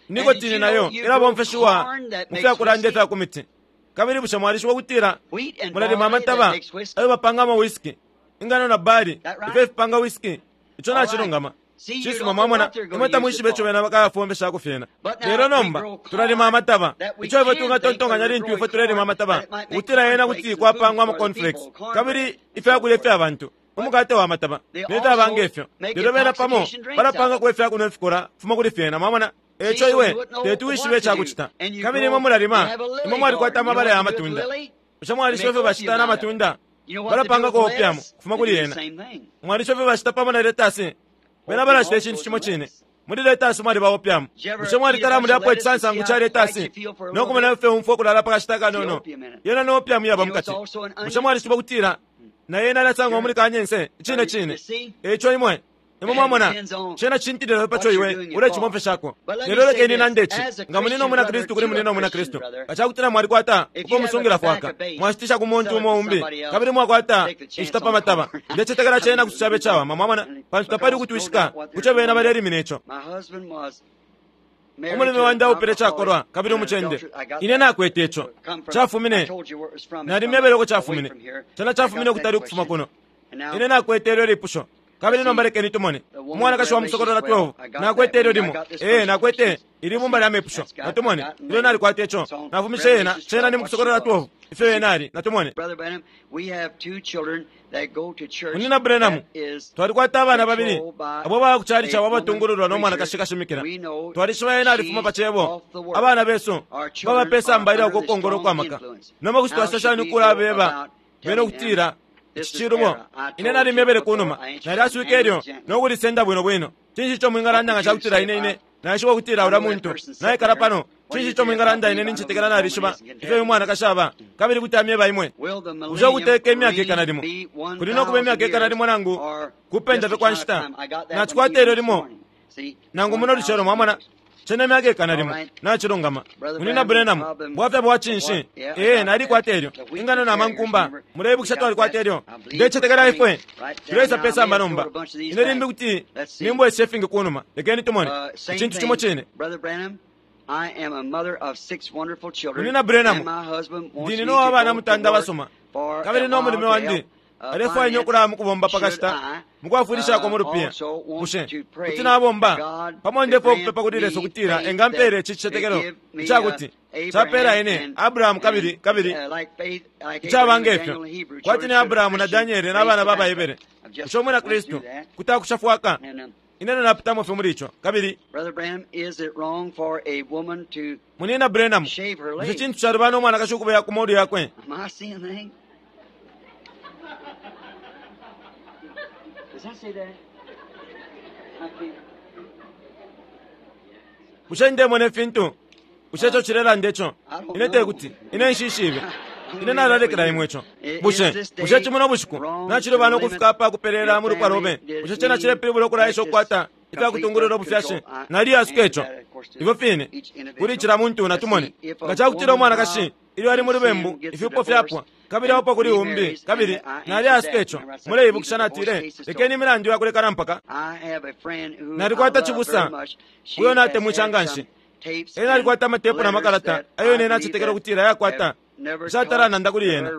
nikotini nayo ilabomfeshiwa mu fyakulanda ifya ku miti. Kabili bushe mwalishiba ukutila Wheat and mulalima barley that amataba makes whiskey. ayo bapangamo whisky, ingano na bali That right? ifyo ifipanga whisky? Ico All right. nacilungama. See, you Cisuma, don't know mwamona, what they're gonna imwe use tamwishiba it ico for. bena bakayafombeshako fyena. But now Lelo we nomba grow corn tulalima amataba that we ico ifwe can tungatontonkanya think lintu we're ifwe tulelima growing amataba corn, that it might make ukutila yena cornflakes kuti and kwapangwa food ama for the cornflakes people, corn kabili bread and ifyakulya so ifya forth. bantu umukate wa mataba They ne fyaba nge also fyo. make Lelo bena pamo intoxication drinks out balapangako of it. ifyakunwa ifikora fuma kuli fyena, mwamona. Eco See, so iwe you wouldn't know teti wishibe what to do. icakucita. And you Kabili grow, imwe mulalima, you have a imwe lily mwalikwata garden. You know amabala ya what to do with matunda. lily? Bushe They mwalishiba make ifyo bacita opium na out of it. matunda? You know what they do Balapangako with opium lettuce? kufuma They kuli do the yena. same thing. Mwalishiba ifyo bacita pamo na letasi? Bena Opium balacita also icintu goes cimo in cine. lettuce. Muli letasi mwaliba opium. Did you ever Bushe eat a mwalitala bunch of mulyapo lettuce and see icisansangu how ca tight letasi you feel for a no little kumona bit? ifyo umfwa ukulala pa kashita The kanono? opium in it. Yena no opium yaba You know it's mukati. also an Bushe onion? mwalishiba ukutila na yena alasangwa muli kanyense icine You cine? see? Eco imwe imwe And it mwamona depends on cena cintilila pa what co you're iwe doing it ulecimomfeshako. for. But let me Lelo say lekeni this, nande ici, as a nga munina Christian umwina brother Kristu kuli to a munina umwina Christian Kristu, brother, nga cakutila mwalikwata if uko you have a musungila tobacco fwaka base, mwashitisha ku muntu sell it umo to umbi somebody else, kabili mwwakwata take the chance inshita on pa the mataba, corn. ndecetekela I cena mean, kuti cabe cawama, mwamona, pantu tapali because no ukutwishika doubt what kuco they're bena doing. balelimina ico. My husband was married Umulume to an wandi aupile alcoholic cakolwa kabili and an umucende. adulterer. I got Ine that. nakwete ico. Come from, I Cafumine told you where it was from. It's from nalimyebele uko away cafumine. from here. Cena I cafumine got ukutali that ukufuma question. kuno. And now Ine nakwete ilyo lipusho. Kabili nomba lekeni tumone. Umwanakashi wa Musokolola 12, nakwete ilyo limo. Ee, nakwete ili bumba lya mepusho. Natumone. Ilyo nalikwata ico, nafumishe yena, cena ni mu Kusokolola 12, ifyo yena ali. Natumone. Munyina Branham, twalikwata abana babili abo baya ku chalichi abo abatungululwa no mwanakashi kashimikila. Twalishiba ena alifuma pa Cebo. Abana besu baba pe samba ilya uko kongolo ukwa maka. Nomba kuti twacita shani ukulabeba bena ukutila ici cilubo? Ine nalimyebele kunuma. Nalyaswike ilyo no kulisenda bwino bwino. Cinshi ico mwingalanda nga cakutila ine ine naishiba ukutila ulya muntu naikala pano? Cinshi ico mwingalanda ine nincetekela nalishiba ifyo uyu mwanakashi aba, kabili kuti amyeba imwe? Bushe ukuteka imyaka ikana limo kuli no kuba imyaka ikana limo nangu kupenda fye kwa nshita? Nacikwata ilyo limo nangu muno lucelo, mwamona. Cena myaka ikana limo. Nacilungama. Munyina Branham, bwafya bwa cinshi? Ee, nalikwata ilyo. Ingano na mankumba, muleibukisha twalikwata ilyo. Ndecetekela ifwe tuleisa pe samba nomba. Ine limbi kuti nimbwesha ifingi kunuma. Lekeni tumone. Icintu cimo cine. Munyina Branham, ndi nina uwa bana mutanda abasuma, kabili no mulume wandi alefwaya ine ukulaya mu kubomba pa kashita mukwafwilishako mu lupiya. Bushe kuti nabomba pamo? Ndefwaya ukupepa kuli Lesa ukutila engampeela ici cicetekelo icakuti capeela ine Abrahamu kabili kabili icaba nge fyo, kwati ni Abrahamu na Daniele na bana ba baHebere. Bushe Umwina Kristu kuti akusha fwaka? Ine napitamo fye muli ico. Kabili Munyina Branham, bushe cintu calubana umwanakashi ukubeya ku molu yakwe? Bushe ndemona ifintu? Bushe ico cilelanda ico? Ine tekuti. Ine nshishibe. Ine nalalekela imwe ico. Bushe, bushe cimo bushiku nacilubana ukufika apa kupeleela mu lupwa lobe? Bushe cena cilepilibula ukulaesha ukukwata ifya kutungulula ubufyashi? Naliyasuka ico. Ifyo fine, kuli cila muntu natumone. Nga cakutila umwanakashi ilyo ali mu lubembu, ifyupo fyapwa, kabili aupwa kuli umbi, kabili naliyasuka ico. Muleibukisha natile, lekeni imilandu yakulekana mpaka. Nalikwata cibusa uyo natemwisha nganshi. Ena alikwata amatepu na makalata ayo ine nacetekela ukutila yakwata. Nshatala nanda kuli yena.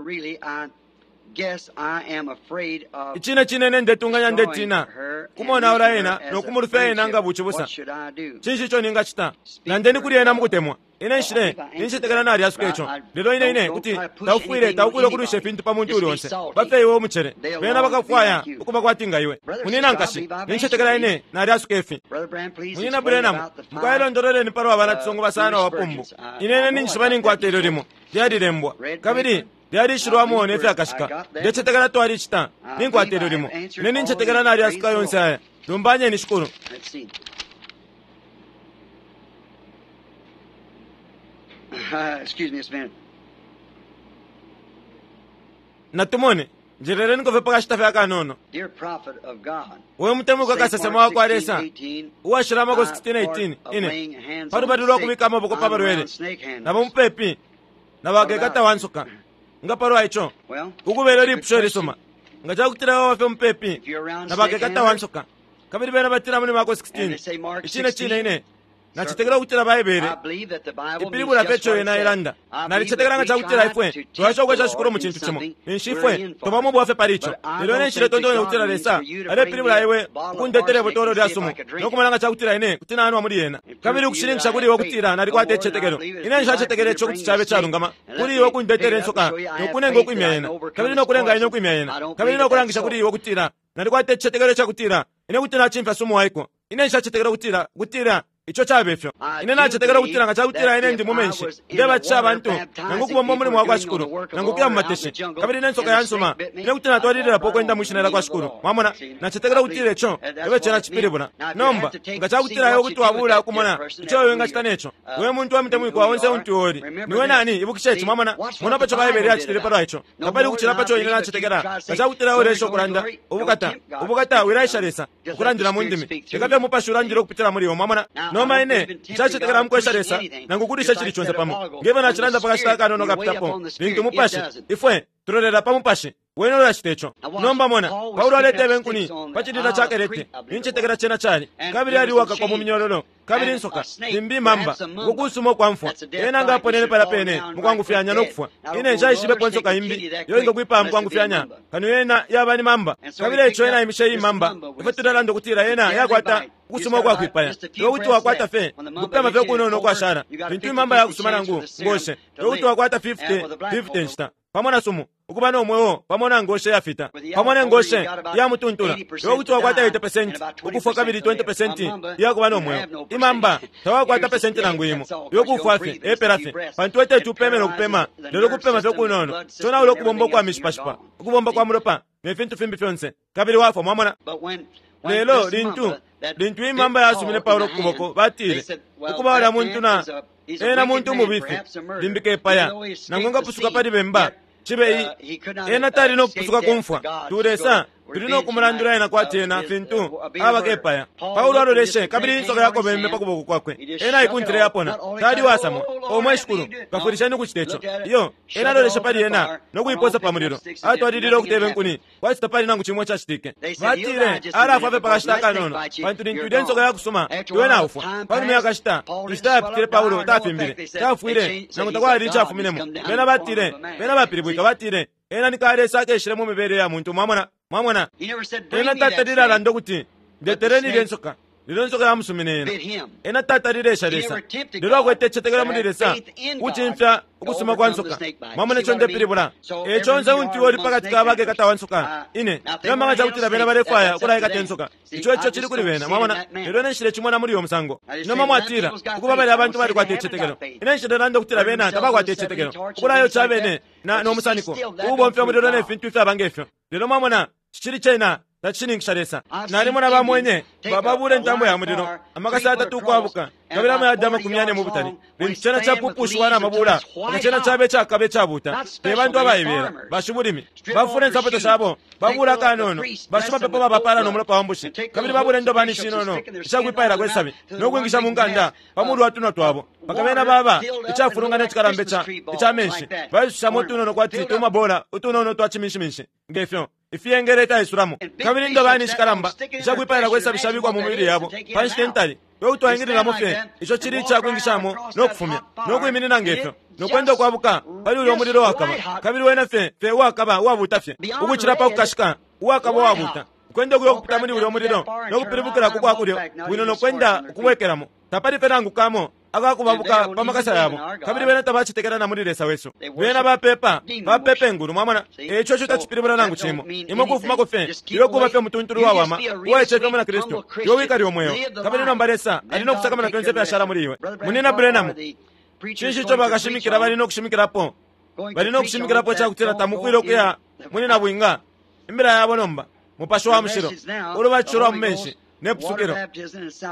Icine cine ine ndetunganya ndetina kumonaula ena no kumulufya ena nga bucibusa. Cinshi ico ningacita? Nandeni kuli ena mukutemwa. Ine nshile, nincetekela nalyasuka ico. Lelo ine ine kuti taufwile, taufwile ukulwisha ifintu pa muntu uli onse. Bafye iwe umucele. Bena bakafwaya ukuba kwati nga iwe. Munyina nkashi, nincetekela ine nalyasuka ifi. Munyina Branham, mukwai londololeni palwa banacisungu basano abapumbu. Ine ine ninjishiba ninkwata ilyo limo. Lyalilembwa. Kabili lyalishilwamo ne fyakashika. Ndecetekela twalicita. Ninkwata ilyo limo. Ine nincetekela nalyasuka yonse aya. Lumbanyeni Shikulu. Excuse me just a minute. Natumone, njeleleniko fye pa kashita fye akanono. Dear prophet of God, We mutemwikwa St. kasesema Mark wa kwa Lesa, 16:18, uwashila Marko I 16:18, part of ine laying hands pa on lubali the lwa sick, kubika amaboko pa I'm balwele, around snake handlers. na bamupepi na bakekata wa nsoka. Nga palwa ico, Well, ukubela good ilipusho question. ilisuma. Nga cakutila baba fye mupepi If you're around na snake bakekata wa handlers, nsoka, kabili bena batila muli Marko and 16, they say Mark icine cine 16, ine nacetekela ukutila Baibele I believe that the Bible means ipilibula just fye ico what it yena says. ilanda. I believe that Nalicetekela nga we cakutila try ifwe to tempt twasha the ukwesha Shikulu Lord mu in cintu cimo, something ninshi we're ifwe in for. tubamo ubwafya pali ico. But I Lelo ine don't nshile think that tontonya God ukutila means Lesa for you to bring me alepilibula a iwe bottle of ukundetela arsenic ibotolo and lya see if sumu I could drink no it. kumona nga cakutila ine kuti nanwa muli yena, And prove kabili to you that ukushininkisha I kuli iwe have faith. ukutila No nalikwata more than I icicetekelo. believe it Ine would be right for nshacetekela you to ico bring kuti the cabe snake calungama and let kuli iwe me pick ukundetela it up and insoka show you I no have kunenga faith ukwimya that I yena, can overcome kabili its no kulenga ine poison. ukwimya yena, I don't kabili believe no that that's kulangisha kuli so. iwe ukutila nalikwata icicetekelo cakutila ine kuti nacimfya sumu waiko. Ine nshacetekela ukutila ukutila ico cabe fyo. I Ine do nacetekela ukutila believe nga cakutila that ine ndi if mu I menshi was in the ndebatisha water abantu nangu baptizing ukubomba people umulimo wa and kwa doing the Shikulu work of the nangu ukuya mu Lord out in mateshi, the jungle, kabili ne and nsoka the yansuma, snake bit me, ine kuti I'd walk natwalililapo right ukwenda on mwi in shina the lya name kwa of the Shikulu. Lord. Mwamona, See, nacetekela I ukutila believe ico that that's ebe cena what it meant. cipilibula. Now, if you Nomba have to take nga to see cakutila iwe what you kuti do with wabula that dear ukumona person, ico that iwe who wingacita you're, neco, we muntu wa who mutemwikwa you onse are, untu uli remember niwe this. nani, ibukisha ici. See, Mwamona, watch mona what the paco Baibele Bible did yacitile about palwa it. ico. No Tapali more ukucila than I paco ine believe that you nacetekela try to nga say, cakutila glory, ulesha glory, ukulanda glory. Don't ubukata tempt God. ubukata wilaisha Lesa Just let the ukulandila mu Spirit ndimi, speak through leka fye you. mupashi ulandile ukupitila muli iwe. Mwamona, Now, I nomba don't ine believe in tempting God nshacetekela or mukwesha pushing Lesa anything. nangu kulisha Just cili like conse said a pamo while ago, ngefyo when the nacilanda pa kashita Spirit, akanono we wait kapitapo upon the lintu Spirit, it umupashi doesn't. ifwe tulolela pa mupashi. Wene ulacita ico. Nomba mona, Paulo aletebe inkuni pa cilila ca Kerete, nincetekela cena cali, kabili ali uwakakwa mu minyololo, kabili insoka, limbi imamba, uko kusuma ukwa mfwa. Ena nga aponene palya pene mukwangufyanya no kufwa. Ine nshaishibepo insoka imbi iyo ingakwipaya mukwangufyanya kano yena yaba ni mamba. Kabili eico ena aimishe iyi mamba, ifwe tulalanda ukutila yena yakwata ukusuma ukwakwipaya. Iwe kuti wakwata fye ukupema fye ukunono ukwashala lintu imamba yakusuma nangu ngoshe. Iwe kuti wakwata 50 50 nshita pamo na sumu, ukuba no mweo pamo na ngoshe yafita, pamo ne ngoshe ya mutuntula. Iwe kuti wakwata 80% ukufwa kabili 20% iyakuba no mweo. Imamba tawakwata pesenti nangu imo, iwe kufwa fye epela fye, pantu teti upeme no kupema, lelo kupema fye kunono conaula ukubomba ukwa mishipashipa, ukubomba kwa mulopa ne fintu fimbi fyonse, kabili wafwa. Mwamona? Lelo lintu lintu imamba yasumine Paulo kukuboko, batile ukuba ulya muntu na ena muntu umubifi, limbi kepaya nangu ngapusuka pali bemba cibe i ena tali no kupusuka kumfwa. Tulesa tuli no kumulandula ena kwati ena fintu aba kepaya. Paulo aloleshe, kabili insoka yakobeme pa kuboko kwakwe, ena aikuntile yapona. Tali wasamwa omwe shikulu, kafwilisheni ukucita ico. Iyo ena aloleshe pali ena no kuiposa pa mulilo, atwalilile ukuteba inkuni kwati tapali nangu cimo cacitike. Batile alafwa fye pakashita akanono, pantu lintu ilya insoka yakusuma iwe naufwa. Panuma yakashita inshita yapitile, Paulo tafimbile, tafwile nangu takwali icafuminemo. Bena batile, bena bapilibwika, batile ena ni kalesa akeshile mu mibele ya muntu. Mwamona? Mwamona, ena tatalile alanda ukuti ndetereni ilya nsoka, lelo insoka yamusumine ena. Ena tatalile esha Lesa, lelo akwete icitetekelo muli Lesa ukucimfya ukusuma kwa nsoka. Mwamona ico ndepilibula? Eco onse untu uli pakati ka bakekata wa nsoka, ine nomba nga cakutila bena balefwaya ukulaikata insoka, ico ico cili kuli bena. Mwamona? Lelo ine nshile cimona muli uyo musango. Nomba mwatila ukuba balya abantu balikwata icitetekelo. Ine nshilelanda ukutila bena tabakwata icitetekelo, ukulayoca bene na no musaniko uubomfya umulilo ne fintu ifyaba ngefyo. Lelo mwamona, cicili cena tacishininkisha Lesa. Nalimona bamwenye bababula intambo ya mulilo amakasa atatu ukwabuka, kabili amayadi 40 mu butali, lintu cena capupushiwa na mabula nga cena cabe icakaba icabuta. Te bantu abaibela, bashibulimi bafula insapato shabo, babula akanono, bashimapepo babapala no mulopa wa mbushi, kabili babula indobani ishinono ishakwipailako isabi no kwingisha mu nganda pa mulu wa tunwa twabo, mpaka bena baba icafulungana icikalamba ica menshi, baisushamo utunono kwati tumabola utunono twa ciminshiminshi ngefyo ifiyengele itaisulamo, kabili indobani ishikalamba ishakwipailako isabi shabikwa mu mibili yabo pa nshita intali. We kuti waingililamo fye ico cili icakwingishamo no kufumya no kwiminina ngefyo no kwenda ukwabuka pali ulya umulilo wakaba, kabili wena fye fye uwakaba uwabuta fye ukucila pa kukashika, uwakaba uwabuta, ukwenda ukuya ukupita muli ulya umulilo no kupilibukila ku kwakulyo bwino no kwenda ukubwekelamo, tapali fye nangu kamo akakubabuka pa makasa yabo, kabili bena tabacetekela na muli Lesa wesu. Bena bapepa bapepa ingulu. Mwamona, eco ico tacipilibula nangu cimo. Imwe kufumako fye iwe kuba fye mutuntulu wawama uwaicefya muna Kristu, iwe wikali umweo, kabili nomba Lesa ali no kusakamana fyonse ifyashala muli iwe. Munina Branham, cinshi ico bakashimikila bali no kushimikilapo? Bali no kushimikilapo icakutila tamufwile ukuya muli nabwinga. Imbila yabo nomba Mupashi wa Mushilo, ulubatisho lwa mu menshi ne pusukilo.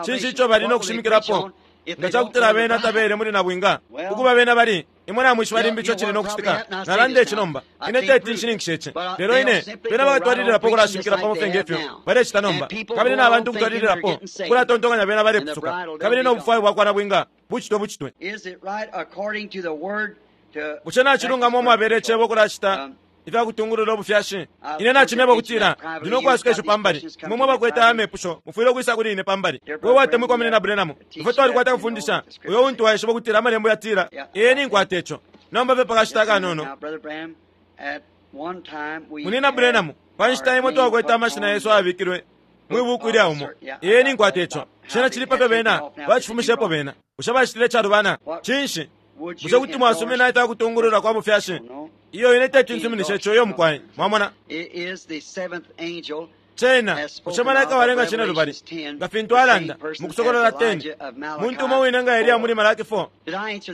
Cinshi ico bali no kushimikilapo nga cakutila bena tabele muli nabwinga? Ukuba bena bali, imwe namwishiba limbi ico cili no kucitika. Nalanda ici nomba, ine teti nshininkishe ici, lelo ine bena bakatwalililapo ukulashimikila pamo fye ngefyo balecita nomba, kabili na bantu ukutwalililapo ukulatontonkanya bena balepusuka, kabili no bufwayo bwakwa nabwinga bucitwe bucitwe. Bushe nacilungama umwabela icebo ukulacita ifya kutungulula ubufyashi? Ine nacimyeba ukutila ndi no kwasuka ico pambali. Imwe mwe bakwete aya mepusho mufwile ukwisa kuli ine pambali. We watemwikwa munina Branham, ifwe twalikwata kufundisha uyo untu waishiba ukutila amalembo yatila. Ee, ninkwata ico nomba fye pakashita akanono. Munina Branham, pa nshita imo twakwete amashina yesu ayabikilwe mwi buku ilya umo. Ee, ninkwata ico. Cena cili pafyo bena bacifumishepo bena. Bushe bacitile icalubana? Cinshi? Bushe kuti mwasumina ifya kutungulula kwa bufyashi? Iyo ine teti nsuminishe ico, iyo mukwai. Mwamona? Cena bushe malaika walenga cine lubali nga fintu alanda mu Kusokolola 10, muntu umo wine nga Eliya muli Malaki 4?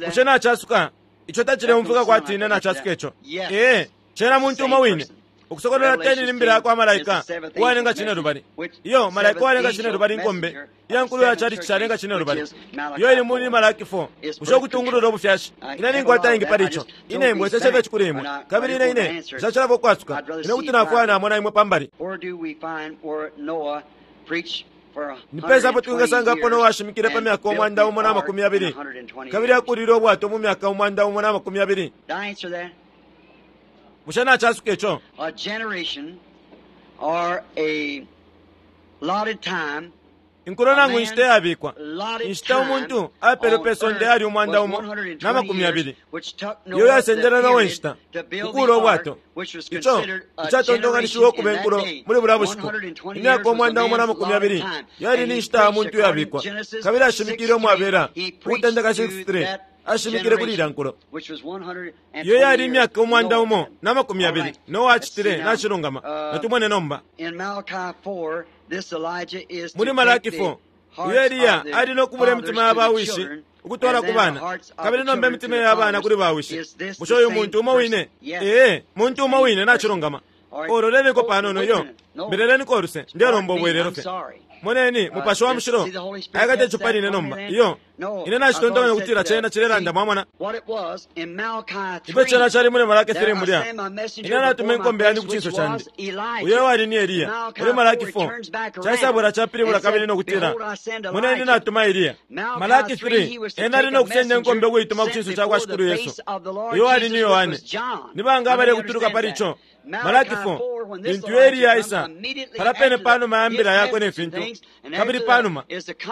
Bushe nacasuka? Ico tacileumfwika kwati ine nacasuka ico. Ee, cena muntu umo wine. Ukusokolola 10 ni mbila yakwa malaika uwalenga cine lubali. Iyo malaika uwalenga cine lubali inkombe iya nkulu ya chalichi calenga cine lubali, iyo ili muli Malaki 4. Bushe ukutungulula ubufyashi? Ine ninkwata ingi pali ico. Ine mbweseshe fye kuli imwe, kabili ine ine nshacilafye ukwasuka. Ine kuti nafwaya namona imwe pambali. Nipesa apo twingasangapo Noa ashimikile pa myaka 120 kabili akulile ubwato mu myaka 120? Bushe nacasuka ico? A generation or a allotted time Inkulo nangu inshita iyabikwa, inshita umuntu apelwe pe sonde yali 120, iyo yasendele Noa inshita kukuula ubwato, ico icatontonkanishiwe ukuba inkulo muli bulya bushiku. Imyaka 120 yali ni nshita ya muntu iyabikwa, kabili ashimikile umwabela Ukutendeka 6:3 ashimikile kuli ilya nkulo. Iyo yali imyaka 120 Noa acitile nacilungama. Natumone nomba. Muli Malaki 4, uyo Eliya ali no kubula imitima ya bawishi ukutwala ku bana, kabili nomba imitima ya bana kuli bawishi. Bushe uyu muntu umo wine? Ee, muntu umo wine, nacilungama. Ololeniko panono iyo, mbeleleniko uluse, ndelomba ubwelelo fye. Moneni, Mupashi wa Mushilo aikata ico pali ine nomba. Iyo, ine nacitontonkanya ukutila cena cilelanda, mwamona. Ifyo cena cali muli Malaki 3 mulya, ine natuma inkombe yandi ku cinso candi, uyo ewali ni Eliya. Muli Malaki 4, caisabwela capilibula kabili no kutila, moneni natuma Eliya. Malaki 3, ena ali no kusenda inkombe ukuituma ku cinso ca kwa Shikulu Yesu, uyo wali ni Yohane. Ni banga abalekutuluka pali ico? Malaki 4, lintu Eliya aisa, pala pene panuma ya mbila yakwe ne fintu, kabili panuma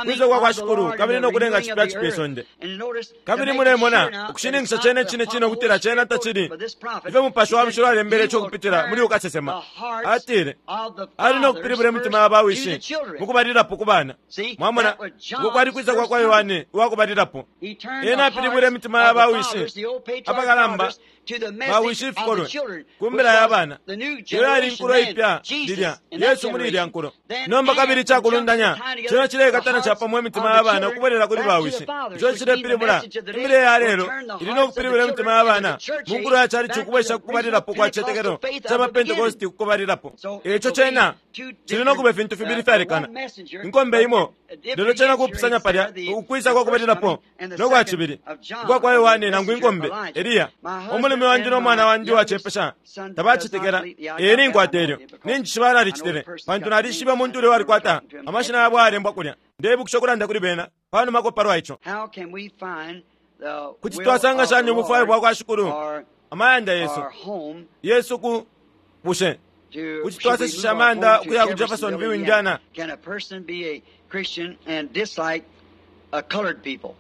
kwisa kwa kwa Shikulu, kabili no kulenga cipya cipya isonde. Kabili mulemona ukushininkisha cene cine cine ukutila cena tacili ifyo Mupashi wa Mushilo alembele ico ukupitila muli ukasesema. Atile ali no kupilibula imitima ya bawishi mukubalilapo ku bana. Mwamona, uko kwali kwisa kwa kwa Yohane uwakubalilapo. Ena apilibwile imitima ya bawishi apakalamba, bawishi ifikolwe, ku mbila ya bana. Iyo yali inkulo ipya lilya, Yesu muli ilya nkulo. Nomba kabili icakulundanya cena cilekatana capamo imitima ya bana ukubwelela kuli bawishi. Ico cilepilibula imbila ya lelo ili no kupilibula imitima ya bana mu nkulo ya calici ukubwesha kukubalilapo kwa cicetekelo ca ba Pentekosti kukubalilapo. Ico cena cili no kuba ifintu fibili fyalekana, inkombe imo, lelo cena kupusanya palya ukwisa kwa kubalilapo no kwa cibili ukwa kwa Yohane nangu inkombe Eliya. Umulume wandi no mwana wandi uwacepesha tabacetekela. Ee, ninkwata ilyo ninjishiba nalicitile, pantu nalishiba umuntu ulya walikwata amashina yabo ayalembwa kulya. Ndeibukisha ukulanda kuli bena panumako palwa ico. Kuti twasanga shani ubufwayo bwa kwa Shikulu amayanda yesu yesu ku bushe kuti twasesesha amayanda ukuya ku Jeffersonville, Indiana? Can a person be a Christian and dislike a colored people?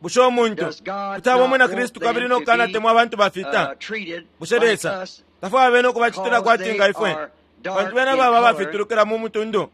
Bushe umuntu Does God kuti aba not umwina want Kristu them kabili no to kukanatemwa be abantu bafita? treated Bushe like Lesa us tafwaya bene ukubacitila because kwati they nga ifwe, are dark pantu bena in baba color? abafitulukila mu mutundu?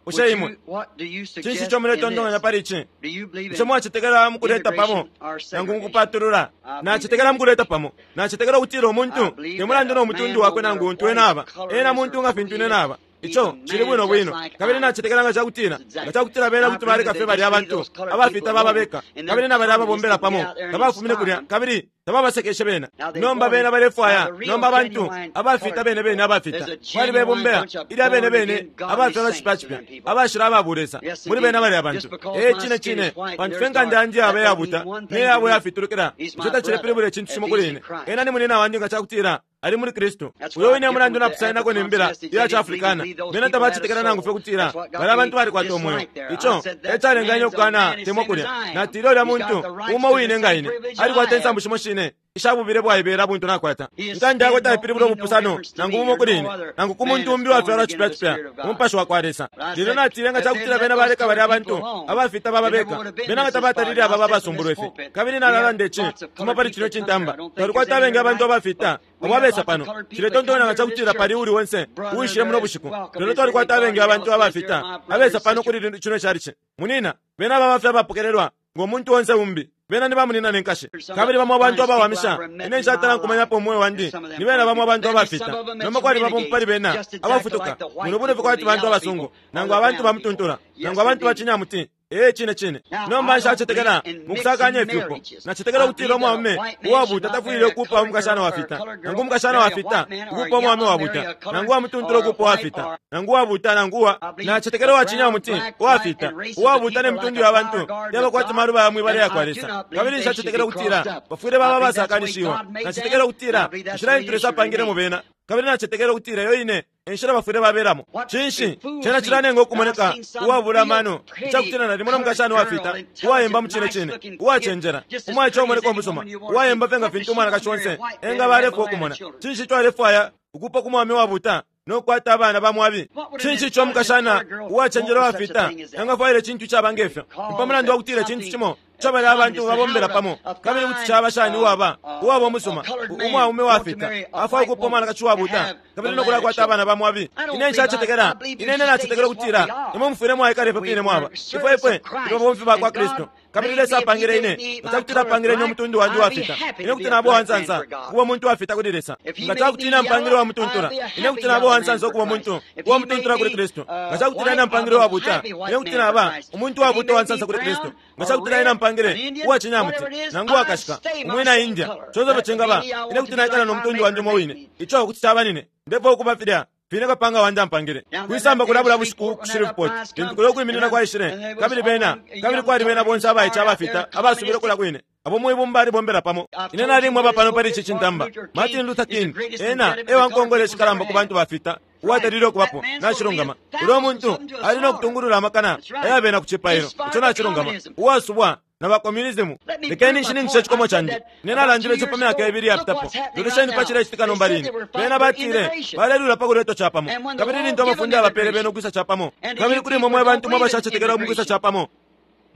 Bushe Would imwe you, what do you cinshi suggest ico in muletontonkanya this? pali ici? Do you believe Bushe in mwacetekela mukuleta pamo integration or nangu segregation? mukupatulula? I believe Nacetekela in mukuleta pamo. Nacetekela ukutila I umuntu believe te mulandu that no a mutundu man, no wakwe matter nangu untu what ena his aba, color ena is muntu or nga who fintu he ine is, naba. he's Ico a cili man bwino just bwino. like Kabili I am. nacetekela nga cakutila That's exactly. nga cakutila bena I kuti believe baleka that fye they balya just leave abantu those colored abafita people baba alone beka, and them kabili na balya communists ababombela can get pamo out there and tabafumine inspire kulya them. kabili tababasekeshe bena. Now they Nomba wanted, bena now balefwaya the real nomba abantu genuine abafita colored bene bene people, abafita there's a bali genuine bebombela bunch of ilya bene born bene again godly abafyalwa saints cipya to cipya them people. abashila ababulesa Yes, muli bena indeed. balya Just bantu. because Ee, my cine skin cine, is white and pantu theirs fye nkanda dark, yandi that yaba don't mean yabuta one ne thing to yabo me. yafitulukila, He's ico my tacilepilibula brother icintu if cimo he's kuli in ine. Christ. Ena ni munina wandi nga cakutila ali muli Kristu. That's Uyo why I wine differ mulandu with the napusaninako ne mbila African iya They didn't believe, Africana. believe those Bena people had a tabacetekela nangu fye soul. kutila That's what got balya me bantu balikwata umweo. dislike there. I Ico said e that calenganya man's a ukukana man the temwa same as kulya. I am. Natile ulya He's got muntu the rights umo to the wine nga same ine privilege alikwata I have. insambu shimo shine ishabubile bwaibela buntu nakwata. His Nkanda yakwe skin don't taipilibula mean no ubupusano difference to nangu me bumo or kuli no ine other nangu ku man muntu that's umbi uwafyalwa born again cipya of the cipya Spirit of God. umupashi wa kwa Lesa. But I Lelo said, natile nga if they'd cakutila let bena those baleka balya colored people abantu alone, abafita baba there never beka would have been bena nga this this far. tabatalile And I aba said from this babasumbulwe fye. pulpit, Kabili we have nalalanda ici lots of kuma colored pali people kino that come here. cintamba I don't think there's twalikwata any abengi here abantu tonight, abafita but we abo have abesa lots of pano. colored people that Ciletontonya come nga here to this cakutila pali church. uli onse Brother, uwishile muno they're bushiku. welcome Lelo as twalikwata anybody abengi abantu else is. They're abafita my brother abesa and pano sister. kuli cino calici. Munina bena baba fye abapokelelwa ngo muntu onse umbi bena ni bamunina ne nkashi. Some of Kabili the bamo abantu finest people I've abawamisha ever met ine in my nshatala nkumanyapo life umwe is wandi some of them ni bena colored bamo people. abantu Then there's some abafita. of them Nomba that's kwali bamo pali renegades, bena just exactly like abafutuka the white muno buno people, kwati the bantu yellow abasungu people, or nangu the abantu brown people. bamutuntula nangu Yes, abantu indeed. bacinyamuti. Ee, cine cine. Now, Nomba I don't nshacetekela believe in mu kusakanya mixing ifyupo. marriages. Nacetekela I ukutila believe that a umwaume white man should uwabuta not marry tafwile a ukuupa colored umukashana girl or a wafita colored nangu girl, umukashana marry a wafita white man or a ukuupa umwaume yellow, marry wabuta a colored nangu uwamutuntula or a ukuupa white wafita or nangu uwabuta nangu uwa I believe nacetekela the brown, uwacinyamuti black, white, uwafita and races of uwabuta ne people like mitundu a ya flower bantu garden yaba of kwati God, maluba ya mwibala and ya kwa I do Lesa. not believe Kabili they should nshacetekela be ukutila crossed up. bafwile I baba believe that's the way abasakanishiwa. God made Nacetekela them, and ukutila I believe that's inshila the way intu they Lesa should apangilemo remain. bena. Kabili nacetekela ukutila iyo ine enshila bafwile babelamo. Cinshi cena cilanenga ukumoneka uwabula amano icakutila nalimo no mukashana uwafita, uwayemba mucine cine, uwacenjela, umwaice umoneka umusuma, uwayemba fye nga fintu umwanakashi onse engaba alefwaya ukumona. Cinshi ico alefwaya ukupa ku mwaume uwabuta no kukwata abana ba mwabi? Cinshi ico umukashana uwacenjela uwafita engafwaila icintu icaba nge fyo? Ni pa mulandu wa kutila icintu cimo ico balya abantu babombela pamo. Kabili kuti caba shani uwaba, uwaba umusuma, umwaume uwafita afwaya ukupa umwanakashi uwabuta kabili no kulakwata abana ba mwabi? Ine nshacetekela. Ine, ine nacetekela ukutila imwe mufwile mwaikala ifyo fine mwaba. Ifwe, ifwe tuli babomfi bakwa Kristu. Kabili Lesa apangile ine, nga cakutila apangile ine umutundu wandi uwafita, ine kuti naba uwansansa ukuba umuntu uwafita kuli Lesa. Nga cakuti ine ampangile uwamutuntula, ine kuti naba uwansansa ukuba umuntu uwamutuntula kuli Kristu. Nga cakutila ine ampangile uwabuta, ine kuti naba umuntu uwabuta uwansansa kuli Kristu. Nga cakutila ine ampangile uwacinyamuti, nangu uwakashika, umwina India, conse ifyo cingaba, ine kuti naikala no mutundu wandi umo wine. Ico kuti caba nine. Ndefwaya ukuba filya fine kapanga wandi ampangile. Kwisamba kulya bulya bushiku ku Shreveport, lintu kulya ukwiminina kwaishile, kabili bena, kabili kwali bena bonse abaice abafita abasubile kulya kwine, abo mwibumba libombela pamo. Ine nalimweba pano pali ici cintamba, Martin Luther King, ena e wa nkongole ishikalamba ku bantu bafita uwatalile ukubapo. Nacilungama. Ulyo muntu ali no kutungulula amakana aya bena ku cipailo. Ico nacilungama. Uwasubwa na ba communism. Lekeni nshininkishe icikomo candi. Ine nalandile ico pa myaka ibili iyapitapo. Lolesheni pa cilecitika nomba line. Bena batile balelwila pa kuletwa capamo. Kabili lintu amafunde yabapele bena ukwisa capamo, kabili kuli imwe mwe bantu mwe abashacetekela mu kwisa capamo,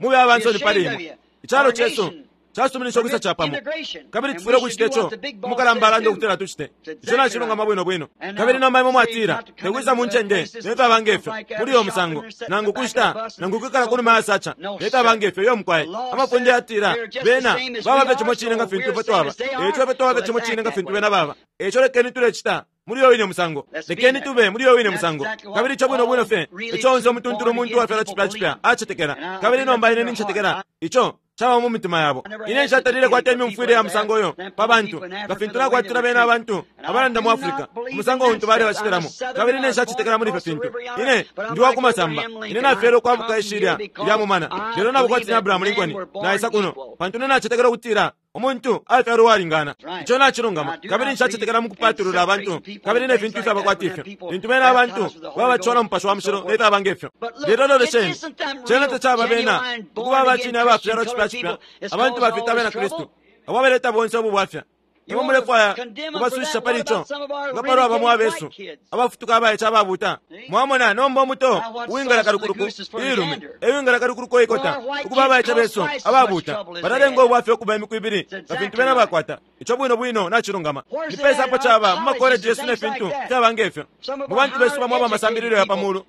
mube abansoni pali imwe. Icalo cesu casuminisha ukwisa capamo, kabili tufwile ukucita ico umukalamba alanda ukutila tucite. Ico nacilungama bwino bwino. Kabili nomba imwe mwatila, Tekwisa mu ncende ne fyaba nge fyo, muli uyo musango, nangu kushita, nangu kwikala kunuma ya sacha, ne fyaba nge fyo. Iyo, mukwai. Amafunde yatila, Bena baba fye cimo cine nga fintu ifwe twaba. Eico ifwe twaba fye cimo cine nga fintu bena baba. Eico lekeni tulecita muli uyo wine musango. Lekeni tube muli uyo wine musango. Kabili ico bwino bwino fye eco onse umutuntulu umuntu uwafyalwa cipya cipya acetekela. Kabili nomba ine nincetekela ico caba mu mitima yabo. Ine nshatalile kwata imyumfwile ya musango uyo pa bantu, nga fintu nakwatila bena abantu abalanda mu Africa, umusango untu balebacitilamo. Kabili ine nshacetekela muli ifyo fintu. Ine ndi wa ku masamba. Ine nafyelwe ukwabuka ishilya lya mumana, lelo naba kwati ni Abraham Lincoln, naisa kuno, pantu ine nacetekela ukutila umuntu afyalwa uwalingana. Ico nacilungama. Kabili nshacetekela mu kupatulula abantu kabili ne fintu ifyaba kwati ifyo, lintu bena abantu babatishiwa na Mupashi wa Mushilo ne fyaba nge fyo. Lelo lolesheni, cena tacaba bena ukuba abacine abafyalwa cipya cipya, abantu bafita abena Kristu, abo abaleta bonse ubu bwafya. Imwe mulefwaya ukubasushisha pali ico? Nga palwa bamo abesu abafutuka abaice ababuta? Mwamona, nomba umuto uwingala kalukuluku iilume e wingala kalukuluku iikota. Ukuba abaice besu ababuta balalenga ubwafya ukuba imiku ibili nga fintu bena bakwata. Ico bwino bwino nacilungama. Ni pesa apo caba mu makoleji yesu ne fintu fyaba nge fyo? Mu bantu besu bamo aba masambililo ya pa mulu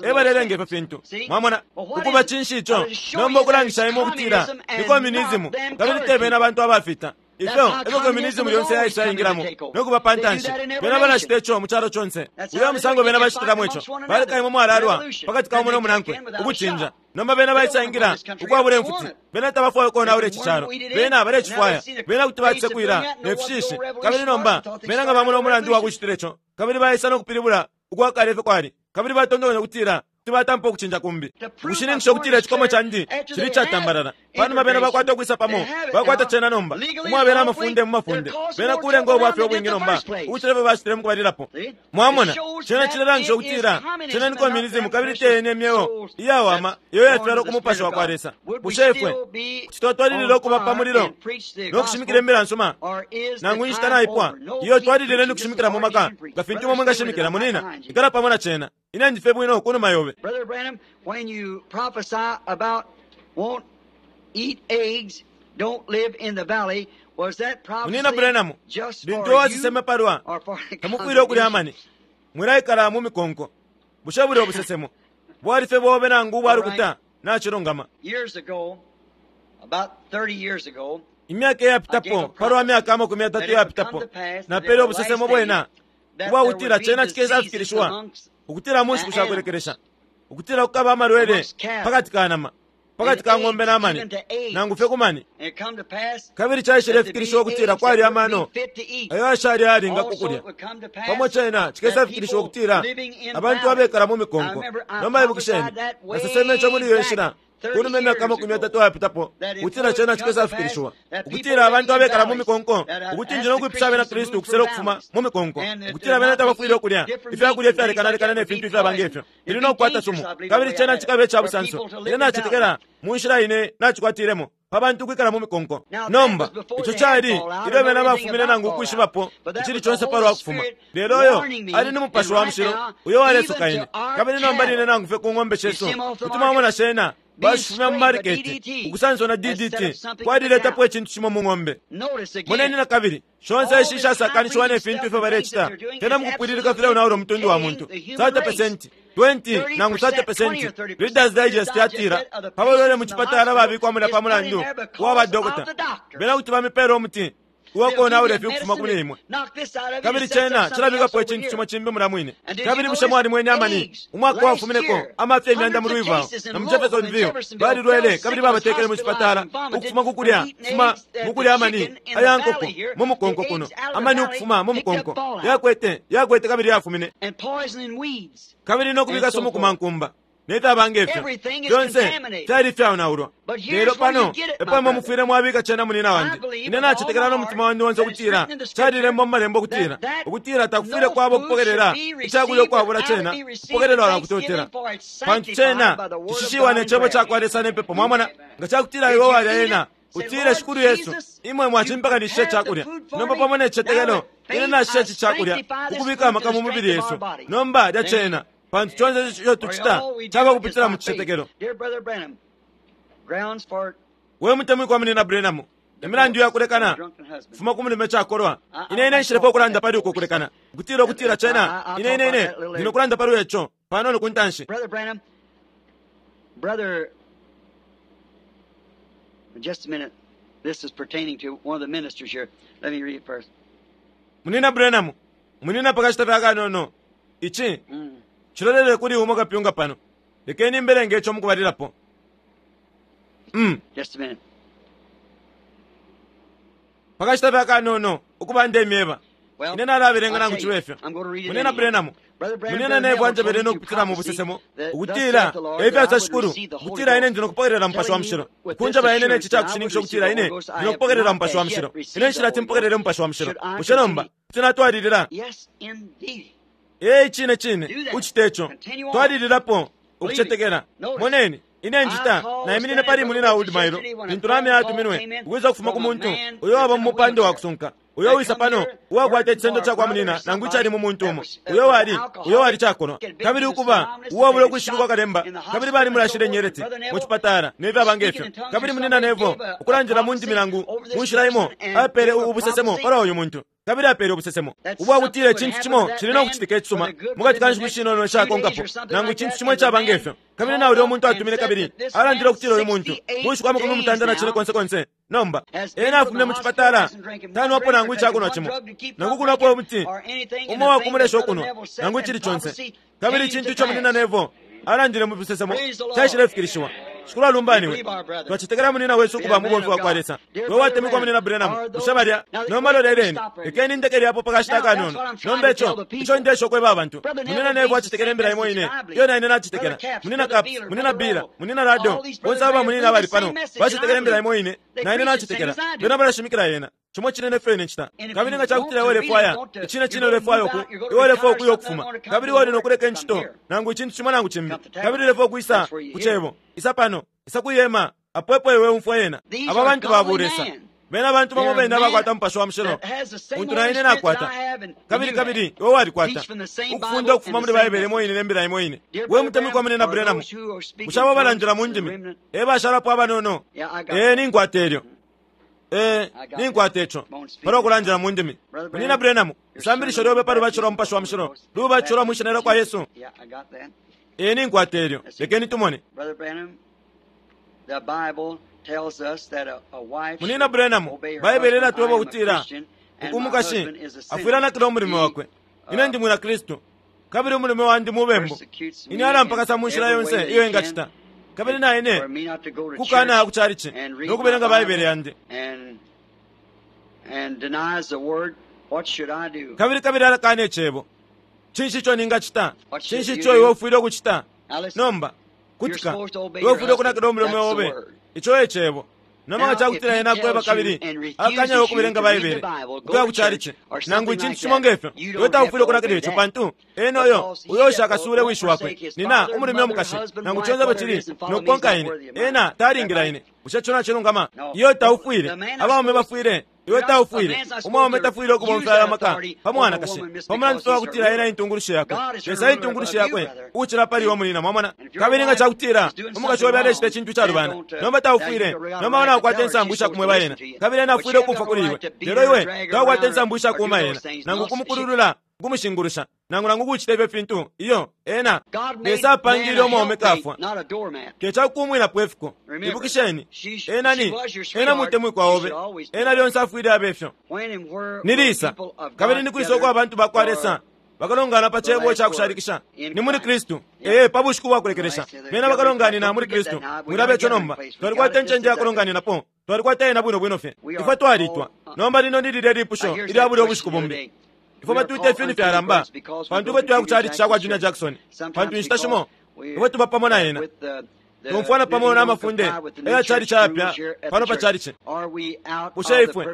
e balelenga ifyo fintu. Mwamona? Ukuba cinshi ico? Nomba ukulangisha imwe ukutila ni komyunisimu kabili te bena bantu abafita. Ifyo efyo communism yonse yaisa yaingilamo no kuba pa ntanshi. Bena balacita ico mu calo conse. Uyo e musango bena bacitilamo ico. Baleka imwe mwalalwa pakati ka umo no munankwe, ukucinja. Nomba bena baisa ingila ukwabula imfuti. Bena tabafwaya ukonaula ici calo. Bena balecifwaya. Bena kuti bacisekwila ne fishishi. Kabili nomba bena nga bamona umulandu wa kucitila ico, kabili baisa no kupilibula ukwa kale ifyo kwali, kabili batontonkanya ukutila kuti batampa ukucinja kumbi, ukushininkisha ukutila icikomo candi cili icatambalala. Panuma bena bakwata ukwisa pamo, bakwata cena nomba, umwabela amafunde mu mafunde. Bena kulenga ubwafya ubwingi nomba ukucila ifyo bacitile mukubalilapo. Mwamona, cena cilelangisha ukutila cena ni communism kabili te yene imyeo iyawama iyo yafyalwa ku Mupashi wakwa Lesa. Bushe ifwe kuti twatwalilila ukuba pa mulilo no kushimikila imbila nsuma nangu inshita naipwa? Iyo, twalilileni ukushimikila mu maka nga fintu imwe mwingashimikila. Munina, ikala pamo na cena. Ine ndi fye bwino kunuma yobe. Brother Branham, when you prophesy about won't eat eggs, don't live in the valley, was that prophecy Munina Branham, just lintu for you waseseme palwa or for the tamufwile ukulya amani, mwilaikala mu mikonko. Bushe bulya ubusesemo bwali fye bobe nangu ubwa lukuta? Nacilungama. Years ago, about 30 years ago, Imyaka iyapitapo, palwa myaka amakumi yatatu iyapitapo, napele ubusesemo bwena ubwakutila cena cikesafikilishiwa, ukutila mu nshiku shakulekelesha, ukutila kukaba amalwele pakati ka nama, pakati ka ng'ombe na mani, nangu fye ku mani. Kabili caishilefikilishiwa ukutila kwali amano ayo ayashali ayalinga ku kulya. Pamo cena cikesafikilishiwa ukutila abantu abekala mu mikonko. Nomba ibukisheni, naseseme ico muli iyo nshila Kunuma imyaka 30 ayapitapo, ukutila cena cikesafikilishiwa, ukutila abantu abekala mu mikonko, ukuti nji no kwipusha abena Kristu ukusela ukufuma mu mikonko, ukutila bena tabafwile ukulya ifyakulya ifyalekanalekana ne fintu ifyaba ngefyo, ili no kukwata sumu, kabili cena cikaba ica busanso. Ine nacetekela mu nshila ine nacikwatilemo pa bantu ukwikala mu mikonko. Nomba ico cali ilyo bena bafumine nangu ukwishibapo icili conse palwa kufuma, lelo uyo ali ni Mupashi wa Mushilo uyo walesoka ine. Kabili nomba line nangu fye ku ng'ombe shesu kuti mwamona shena bashifumya mu mariketi, ukusanswa na DDT kwaliletapo icintu cimo mu ng'ombe. Moneni na kabili shonse ishi ishasakanishiwa ne fintu ifyo balecita fyena mukupwililika fileonaula umutundu wa muntu 30%, 20 nangu 30%. Reader's Digest yatila pa balwele mu cipatala babikwa mulya pa mulandu wa badokota, bena kuti bamipeela umuti uwakonaula ifi ukufuma kuli imwe, kabili cena cilabikapo icintu cimo cimbi mulya mwine. Kabili bushe mwalimwene amani umwaka wafumineko amafya imyanda mu Louisville na mu Jeffersonville balilwele kabili babatekele mu cipatala ukufuma ku kulya kufuma mu kulya amani aya nkoko mu mukonko kuno, amani ukufuma mu mukonko yakwete yakwete kabili yafumine kabili no kubika sumu ku mankumba ne fyaba nge fyo, fyonse fyali ifyaonaulwa. Lelo pano epo imwe mufwile mwabika cena, munina wandi. Ine nacetekela no mutima wandi onse ukutila calilembwa mu Malembo ukutila ukutila takufwile kwaba ukupokelela icakulya ukwabula cena kupokelelwa na kutotela, pantu cena cishishiwa ne cebo cakwa Lesa ne pepo. Mwamona, nga cakutila iwe walya yena, utile, Shikulu Yesu, imwe mwacimpakanishisha icakulya. Nomba pamo ne cicetekelo ine nashisha ici cakulya ukubika amaka mu mubili yesu. Nomba lya cena, pantu conse ico tucita caba kupitila mu cicetekelo. We mutemwikwa munina Branham, imilandu yakulekana kufuma ku mulume cakolwa. Ine ine nshilepo ukulanda pali uko kulekana, ukutila ukutila cena ine ine ine ndino kulanda pali ico panono ku ntanshi. Brother Branham, brother, just a minute. This is pertaining to one of the ministers here. Let me read it first. Munina Branham, munina, pakashita fye akanono, ici cilolele kuli umo kapyunga pano. Lekeni mbelenge ico mukubalilapo. Just a minute. Pakashita fye akanono, ukuba ndemyeba. Well, Ine nalabelenga I'll nangu tell cibe you, fyo. I'm going to read it Munina anyhow. Branham, Brother Branham, munina Brother Nevo Neville told anjebele me no through kupitila mu prophecy busesemo that thus ukutila saith the Lord, efyo that I asa would Shikulu, receive the Holy ukutila ine Ghost, ndi no kupokelela Mupashi wa telling me Mushilo. with this Kunjeba ine ne assurance ci that I would cakushinikisha receive ukutila the ine Holy Ghost, I ndi no have kupokelela not Mupashi wa as yet Mushilo. received Ine the nshilati Holy mpokelele Ghost. Mupashi wa Mushilo. Should I Bushe nomba continue? kuti natwalilila? Yes, indeed. Ee, cine cine, Do that. ucite ico. Continue on. Twalililapo Believe it. ukucetekela. Notice. Moneni, ine I njita called naiminine standing pali Brother munina Woods Wood mailo yesterday when a lintu lamya phone call atuminwe came in ukwisa kufuma ku from a muntu man uyo that's waba in mu a mupando wa wheelchair. kusunka uyo They wisa come pano here uwakwata working icisendo for a ca kwa brother munina or nangu icali somebody mu muntu that umo was, uh, uyo was wali an uyo wali alcoholic, cakolwa had been kabili to ukuba synonymous, uwabula had been ukwishibikwa shot kalemba in the kabili hospital and so balimulashile forth. And nyeleti Brother mu Neville, cipatala ne fyaba nge speaking fyo in tongues or kabili munina something, Nevo gave a ukulandila mu prophecy ndimi nangu over mu this nshila imo person and apele gave a ubusesemo prophecy palwa uyu muntu kabili apele ubusesemo that ubwa something kutila would icintu happen cimo to that cili no man kucitika for icisuma the good mukati within ka the nshiku next shinono few days ishakonkapo or something nangu like icintu that. cimo And the icaba nge man fyo kabili called na ulya up muntu and atumine said kabili that this alandile man ukutila uyu muntu 68 mu nshiku amakumi days mutanda na cine now konse konse nomba has been ena from afumine the mu hospital, cipatala hasn't drinking one tanwapo drink or nangu taken icakunwa one cimo drug to keep nangu from kunwapo drinking umuti or anything. And umo the thing that wakumulesha Brother ukunwa Neville said nangu and icili conse prophecy kabili came icintu to ico munina pass. Nevo alandile mu busesemo Praise the Lord. caishilefikilishiwa. Shikulu We alumbaniwe. believe our brother. Twacetekela munina wesu Be ukuba a man mubomfi of wa kwa God. Lesa. Dear We Brother watemwikwa Branham, munina Branham, are bushe those balya now nomba wait, let me loleleni stop right here. lekeni ndekele apo pakashita Now that's akanono. what I'm trying Nomba to tell ico the ico people. ndesha ukweba abantu, Brother munina Neville Nevo believes the acetekela same imbila imo message ine that I believe. iyo na ine Brother nacetekela. Capps, Munina Brother Capps, Beeler, munina Brother Beeler, Rowe, munina Rado, all these bonse brothers aba right here munina believe bali the same pano message that I bacetekela imbila believe. imo ine They na ine preach the same nacetekela. as I do. Bena balashimikila yena cimo cine ne fyo ine ncita. And if Kabili you nga want cakutila to iwe really ulefwaya want to, icine you're cine going to ulefwaya move uku out, you're going to iwe ulefwaya retire ukuya something, ukufuma want to come kabili to the wali no Word, kuleka come incito here. nangu icintu cimo nangu cimbi Come to kabili tabernacle. ulefwaya ukwisa That's where you ku hear it. cebo isa pano isa kuyema apo epo iwe umfwa yena. These Aba are bantu ba godly bulesa men. bena bantu bamo They're bene men abakwata Mupashi wa Mushilo that has the same untu na Holy ine Spirit that nakwata I have and kabili you have. kabili iwe walikwata Teach from the same ukufunda Bible and ukufuma the muli same Baibele imo message. ine ne mbila imo ine. Dear We Brother mutemwikwa Branham, munina are Branham, those who are speaking bushe abo tongues balandila mu the ndimi remnant? e bashalapo abanono? Yeah, I got Ee, that. ninkwata elyo. Ee, I got that. ninkwata ico Won't speak palwa in kulandila tongues. mu ndimi. Brother Munina Branham, Branham, your isambilisho sermon lyobe on pa lubatisho lwa baptism of Mupashi the wa Holy Mushilo Ghost, lubatisho lwa baptism mwishina of lya kwa Jesus. Yesu. Yeah, I got that. Ee, ninkwata elyo. Let's see. Lekeni tumone. Brother Branham, the Bible tells us that a wife Munina should Branham, obey her Baibele husband. I ilatweba am a ukutila Christian and my ukumukashi husband is a afwile sinner. anakila umulimo He wakwe. Ine uh, ndi mwina Kristu kabili umulume wandi mubembu. persecutes Ine me in alampakasa mu nshila every way yonse that iyo he can engacita kabili na ine for me not to go to kukana church ku chalichi and read no my kubelenga Baibele Bible yandi and and denies the word. What should I do? kabili kabili alakana icebo. Cinshi ico ningacita? What should Cinshi you ico iwe do? ufwile ukucita? Now listen. Nomba Kutika, iwe ufwile ukunakila umulume obe. Ico e cebo. Nomba nga cakutila ena akweba kabili akanya ukubelenga Baibele, ukuya ku chalichi, nangu icintu cimo ngefyo, iwe taufwile ukunakila ico pantu ena uyo uyo ushakasuule wishi wakwe, nina umulume umukashi, nangu conse apo cili, nokukonka ine, ena talingila ine. Bushe ico nacilungama? Iyo taufwile, abaume bafwile. Iwe taufwile, umwaume tafwile ukubomfya aya maka pa mwanakashi pa mulandu fye wakutila ena intungulushi yakwe. Lesa intungulushi yakwe ukucila pali iwe munina, mwamona. Kabili nga cakutila umukashi obe alecita icintu icalubana, nomba taufwile, nomba naukwata insambu ishakumweba ena, kabili ena afwile ukumfwa kuli iwe. Lelo iwe taukwata insambu ishakuuma ena, nangu kumukululula, kumushingulusha, nangu nangu kucita ifyo fintu. Iyo ena Lesa apangile umwaume kafwa kecakukumwinapo ifiko. Ibukisheni, ena ni ena mutemwikwa obe, ena lyonse afwile abe ifyo. Ni lisa kabili ni kwisa uko abantu bakwa Lesa bakalongana pa cebo icakushalikisha? Ni muli Kristu. Ee, pa bushiku bwakulekelesha bena bakalonganina muli Kristu. Mwilabe ico nomba. Twalikwata incende yakulonganinapo, twalikwata ena bwino bwino fye. Ifwe twalitwa. Nomba lino ni lilya lipusho ilya bulya ubushiku bumbi. Ifwe batwita ifyuni fyalamba pantu ifwe tuya ku chalichi cakwa Junior Jackson, pantu inshita shimo ifwe tuba pamo na ena, tumfwana pamo n'amafunde eya chalichi ayapya pano pa chalichi. Bushe ifwe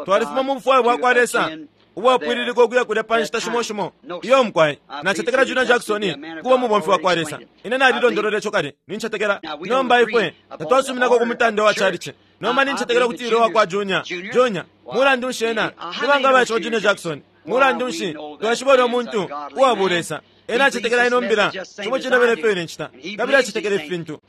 twalifuma mu bufwayo bwakwa Lesa ubwapwililika ukuya kulya pa nshita shimo shimo? Iyo mukwai, nacetekela Junior Jackson kuba umubomfi wakwa Lesa. Ine nalilondolola ico kale, nincetekela. Nomba ifwe tatwasuminako ku mutande wa chalichi. Nomba nincetekela kuti ilo wakwa Junior. Junior, mulandu nshi ena nibanga abaishiba Junior Jackson? Mulandu nshi twashiba ulya muntu uwa Lesa? Ena acetekela ino mbila cimo cine bene fyo ine ncita, kabili acetekela ifi fintu.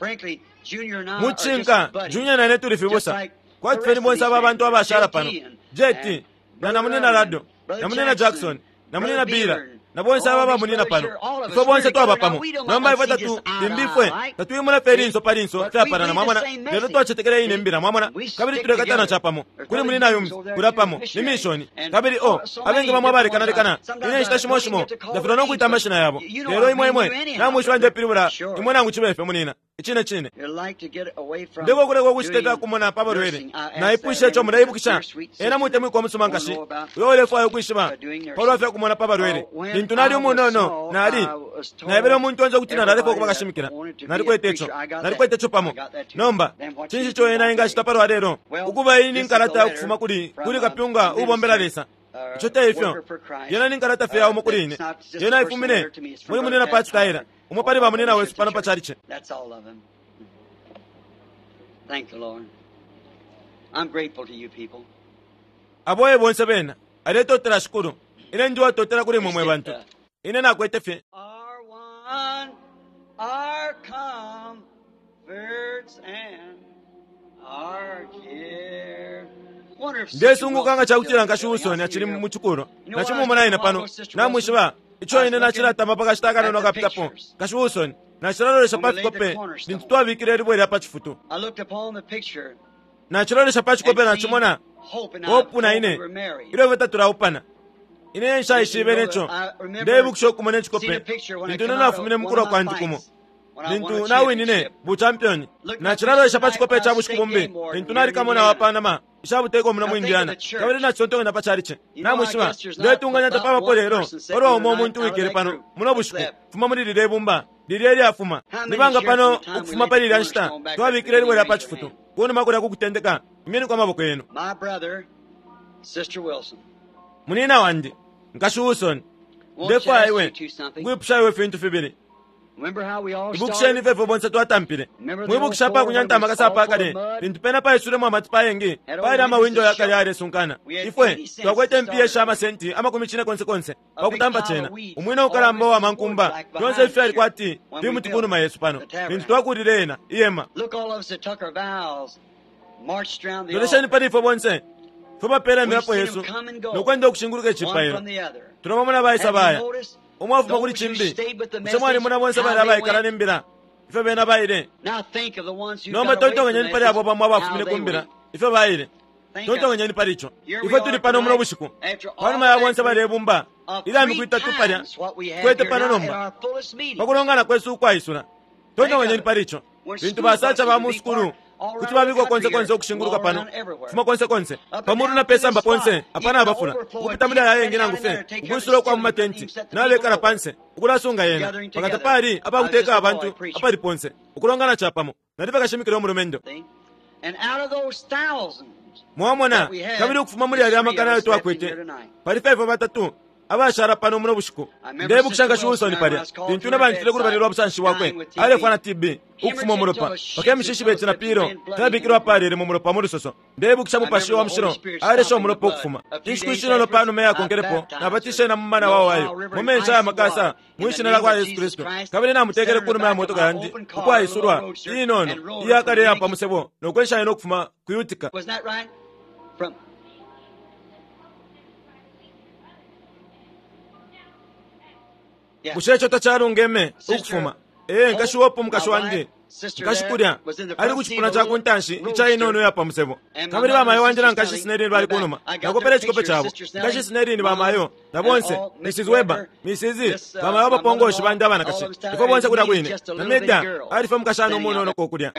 Mucinka, Junior na ine tuli fibusa, kwati fye ni bonse aba bantu abashala pano, JT na namunina Lado, namunina Jackson, namunina Bila, na bonse aba bamunina pano. Ifwe bonse twaba pamo. Nomba ifwe tatu limbi ifwe tatwimuna fye linso pa linso fyapalana, mwamona, lelo twacetekela ine mbila, mwamona, kabili tulekatana capamo. Kuli munina yumbi kulya pamo ni mishoni, kabili o abengi bamwe abalekanalekana. Ine nshita shimo shimo ndafilwa no kwita amashina yabo, lelo imwe imwe namwishiba ndepilibula imwe nangu cibe fye munina. Icine cine ndiko kuleka ukucita ifyakumona pa balwele. Naipwishe ico, muleibukisha? Ena mutemwikwa umusuma nkashi uyo ulefwaya ukwishiba palwa fyakumona pa balwele. Lintu nali umunono, nali naebele umuntu onse ukuti nalalefwa ukuba kashimikila. Nalikwete ico, nalikwete ico pamo. Nomba cinshi ico ena engacita palwa lelo? Ukuba iyi ni nkalata ukufuma kuli kuli kapyunga ubombela Lesa. Ico te ifyo. Yena ni nkalata fye yaumo kuli ine. Yena ifumine muli munina Pat Tyler, umo pali bamunina wesu pano pa chalichi. That's all of them. Thank the Lord. I'm grateful to you people. Abo e bonse bena aletotela Shikulu. Ine ndi uwatotela kuli imwe mwe bantu. Ine nakwete fye. Our one, our comforts and our care. Wonder if Sister Ndesunguka nga Wilson cakutila still nkashi in the Wilson building. acili mu chikulo. You know what I Nacimumona ine was pano. thinking, Sister Namwishiba ico ine nacilatamba pa kashita akanono At the akapitapo. pictures. Nkashi Wilson, nacilalolesha pa When we laid the fikope cornerstone. lintu twabikile ilibwe lya pa cifutu. I looked upon the picture Nacilolesha pa cikope and nacimona seen Hope and I Hope na before ine we were married. ilyo ifwe tatulaupana. Ine nshaishibe neco. Ndeibukisha ukumona icikope lintu ine nafumine mu kulwa kwandi kumo. Lintu nawinine buchampioni, nacilalolesha pa cikope ca bushiku bumbi lintu nali kamona wa Panama ishabuteko muno mu Indiana, kabili nacitontonkanya pa chalichi. Namwishiba, ndetunganya tapabapo lelo palwa umo umuntu wikele pano muno bushiku fuma muli lilya ibumba lilya ilyafuma. Nibanga pano ukufuma pali ilya nshita twabikile ilibwe lya pa cifutu kunuma kulya kukutendeka. Imyeniko amaboko yenu. My brother, Sister Wilson, Munina wandi nkashi Wilson, won't you ndefwaya ask iwe you two something? nkwipusha iwe fintu fibili. Remember how we all Ibukisheni started? ifwe ifwe bonse twatampile. Mwibukisha pa kunyanta amakasa apakale lintu pena paisulemo amatipa ayengi, paali amawindo yakale yalesunkana. Ifwe twakwete impiya sha amasenti 40 konse konse pakutampa cena. Umwina ukalamba uwa mankumba, fyonse ifi fyali kwati fimuti kunuma yesu pano lintu twakulile ena iyema. Look, all of us that took our vows, marched round the Lolesheni altar, pali ifwe bonse fwe bapela We've imilapo seen yesu them come and go, nokwenda ukushinguluka one icipailo. from the other. Tulabamona baisa Have you baya noticed umwe afuma kuli those who cimbi. stayed with the Bushe mwalimona message, bonse how bali they abaikala went? ne mbila ifyo bena baile? Now think of the ones who Nomba got away from the tontonkanyeni pali message, abo bamo how abafumine they ku mbila went. ifyo baile. Think of it. Tontonkanyeni pali ico. Here we Ifwe are tuli pano muno tonight, bushiku after all panuma ya that bonse group balebumba of ilya three miku itatu palya times what we have kwete here pano now at nomba our fullest meeting. pakulongana kwesu ukwaisula. Think of Tontonkanyeni it. pali ico. When Lintu school basacha buses ba would mu be sukulu parked Kuti babikwa konse konse ukushinguluka pano, kufuma konse konse, pamulu na pesamba ponse apana abafula, ukupita muli aya ayengi nangu fye ukwisula ukwa mu matenti, nabekala panse ukulasunga yena, mpaka tapali apakuteka abantu apali ponse, ukulongana capamo. Nali bakashimikila umulumendo. Mwamona, kabili ukufuma muli yalya amakana ayo twakwete, pali 5 batatu abashala pano muno bushiku. Ndebukisha Nkashi Wilson palya, lintu ine bantile kulubali lwa busanshi bwakwe, alefwa na TB, ukufuma umulopa, mpaka imishishi beti na pilo fyabikilwe apalele mu mulopa mu lusoso. Ndebukisha Mupashi wa Mushilo alesha umulopa ukufuma. Inshiku ishinono pa numa iyakonkelepo, nabatishe na mu mumana wa Ohio, mu menshi aya makasa, mwi Shina lya kwa Yesu Kristu, kabili namutekele ku numa ya motoka yandi ukwaisulwa, inono, iyakale iya pa musebo, no kwensha ine ukufuma ku Utica. Bushe ico tacalungeme ukufuma? Ee, nkashi Hope, umukashi wandi, nkashi kulya, ali ku cipuna ca ku ntanshi ica inono iya pa musebo. Kabili bamayo wandi na nkashi Snelling bali ku numa. Nakopele icikope cabo. Nkashi Snelling, bamayo, na bonse, Mrs. Weber, Mrs. Bamayo abapongoshi bandi abanakashi. Ifwe bonse kulya kwine. Na Meda ali fye umukashana umunono ko kulya.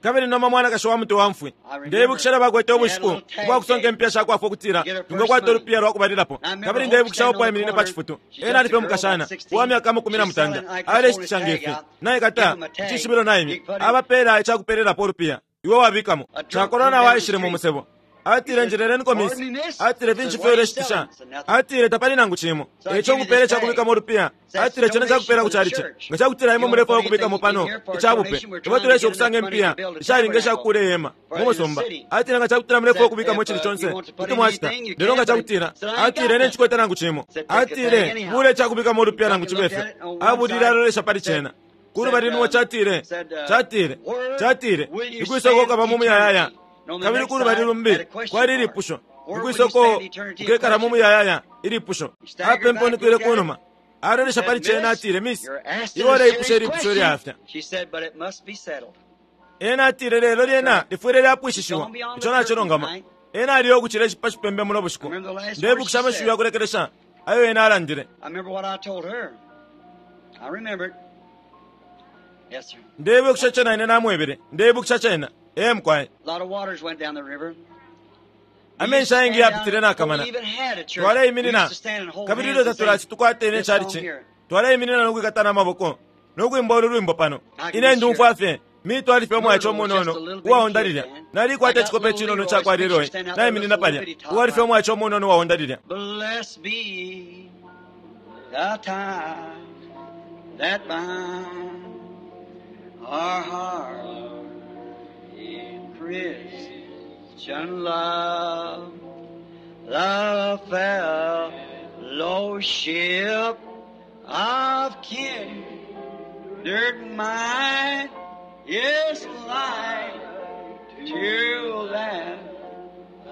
Kabili nomba mwanakashi wa mutwe wa mfwi. Ndeibukisha ilyo bakwete ubushiku ubwa kusonka impiya sha kwafwa ukutila twingakwata ulupiya lwa kubalilapo. Kabili ndeibukisha Hope aiminine pa cifutu. Ena ali fye umukashana uwa myaka amakumi na mutanda, aleshitisha nge fi. Naikata icishibilo naimya, abapeela ica kupelelapo ulupiya. Iwe wabikamo. Cakolwa na waishile mu musebo. Atile, Njeleleniko, misi. Atile, Finshi ifyo uleshitisha? Atile, Tapali nangu cimo. E ico nkupeele ica kubikamo ulupiya. Atile, Cena ca kupeela ku calici. Nga ca kutila imwe mulefwaya ukubikamo pano ica bupe, ifwe tuleesha ukusanga impiya ishalinga isha kukuula ihema mu musumba. Atile, Nga ca kutila mulefwaya ukubikamo icili conse, kuti mwacita. Lelo nga ca kutila, atile, Ine nshikwete nangu cimo. Atile, Buula ica kubikamo ulupiya nangu cibe fyo. Abulile alolesha pali cena. Ku lubali lumo catile, catile, catile, Nikwisa uko ukaba mu muyayaya? Kabili ku lubali lumbi kwali ilipusho, Nikwisa uko ukekala mu muyayaya? Ilipusho. Apemponikile ku numa, alolesha pali cena, atile, Miss, iwe uleipusha ilipusho ilyaafya. Ena atile, Lelo lyena lifwile lyapwishishiwa. Ico nacilungama. Ena aliyo ukucila pa cipembe muno bushiku. Ndebukisha amashiwi ya kulekelesha ayo ena alandile. Ndeibukisha ico na ine namwebele. Ndeibukisha cena. Ee, mukwai. Amenshi ayengi yapitile nakamana. Twaleiminina, kabili ilyo tatulati tukwate ine calici, twaleiminina no kwikatana amaboko no kwimba ulu lwimbo pano. Ine ndumfwa fye Mito ali fye umwaice umunono uwaonda lilya. Nalikwata icikope icinono ica kwa Leroy naiminina palya, uwali fye umwaice umunono uwaonda lilya. Blessed be the tie that binds our hearts in Christian love, the fellowship of kindred mind is like to that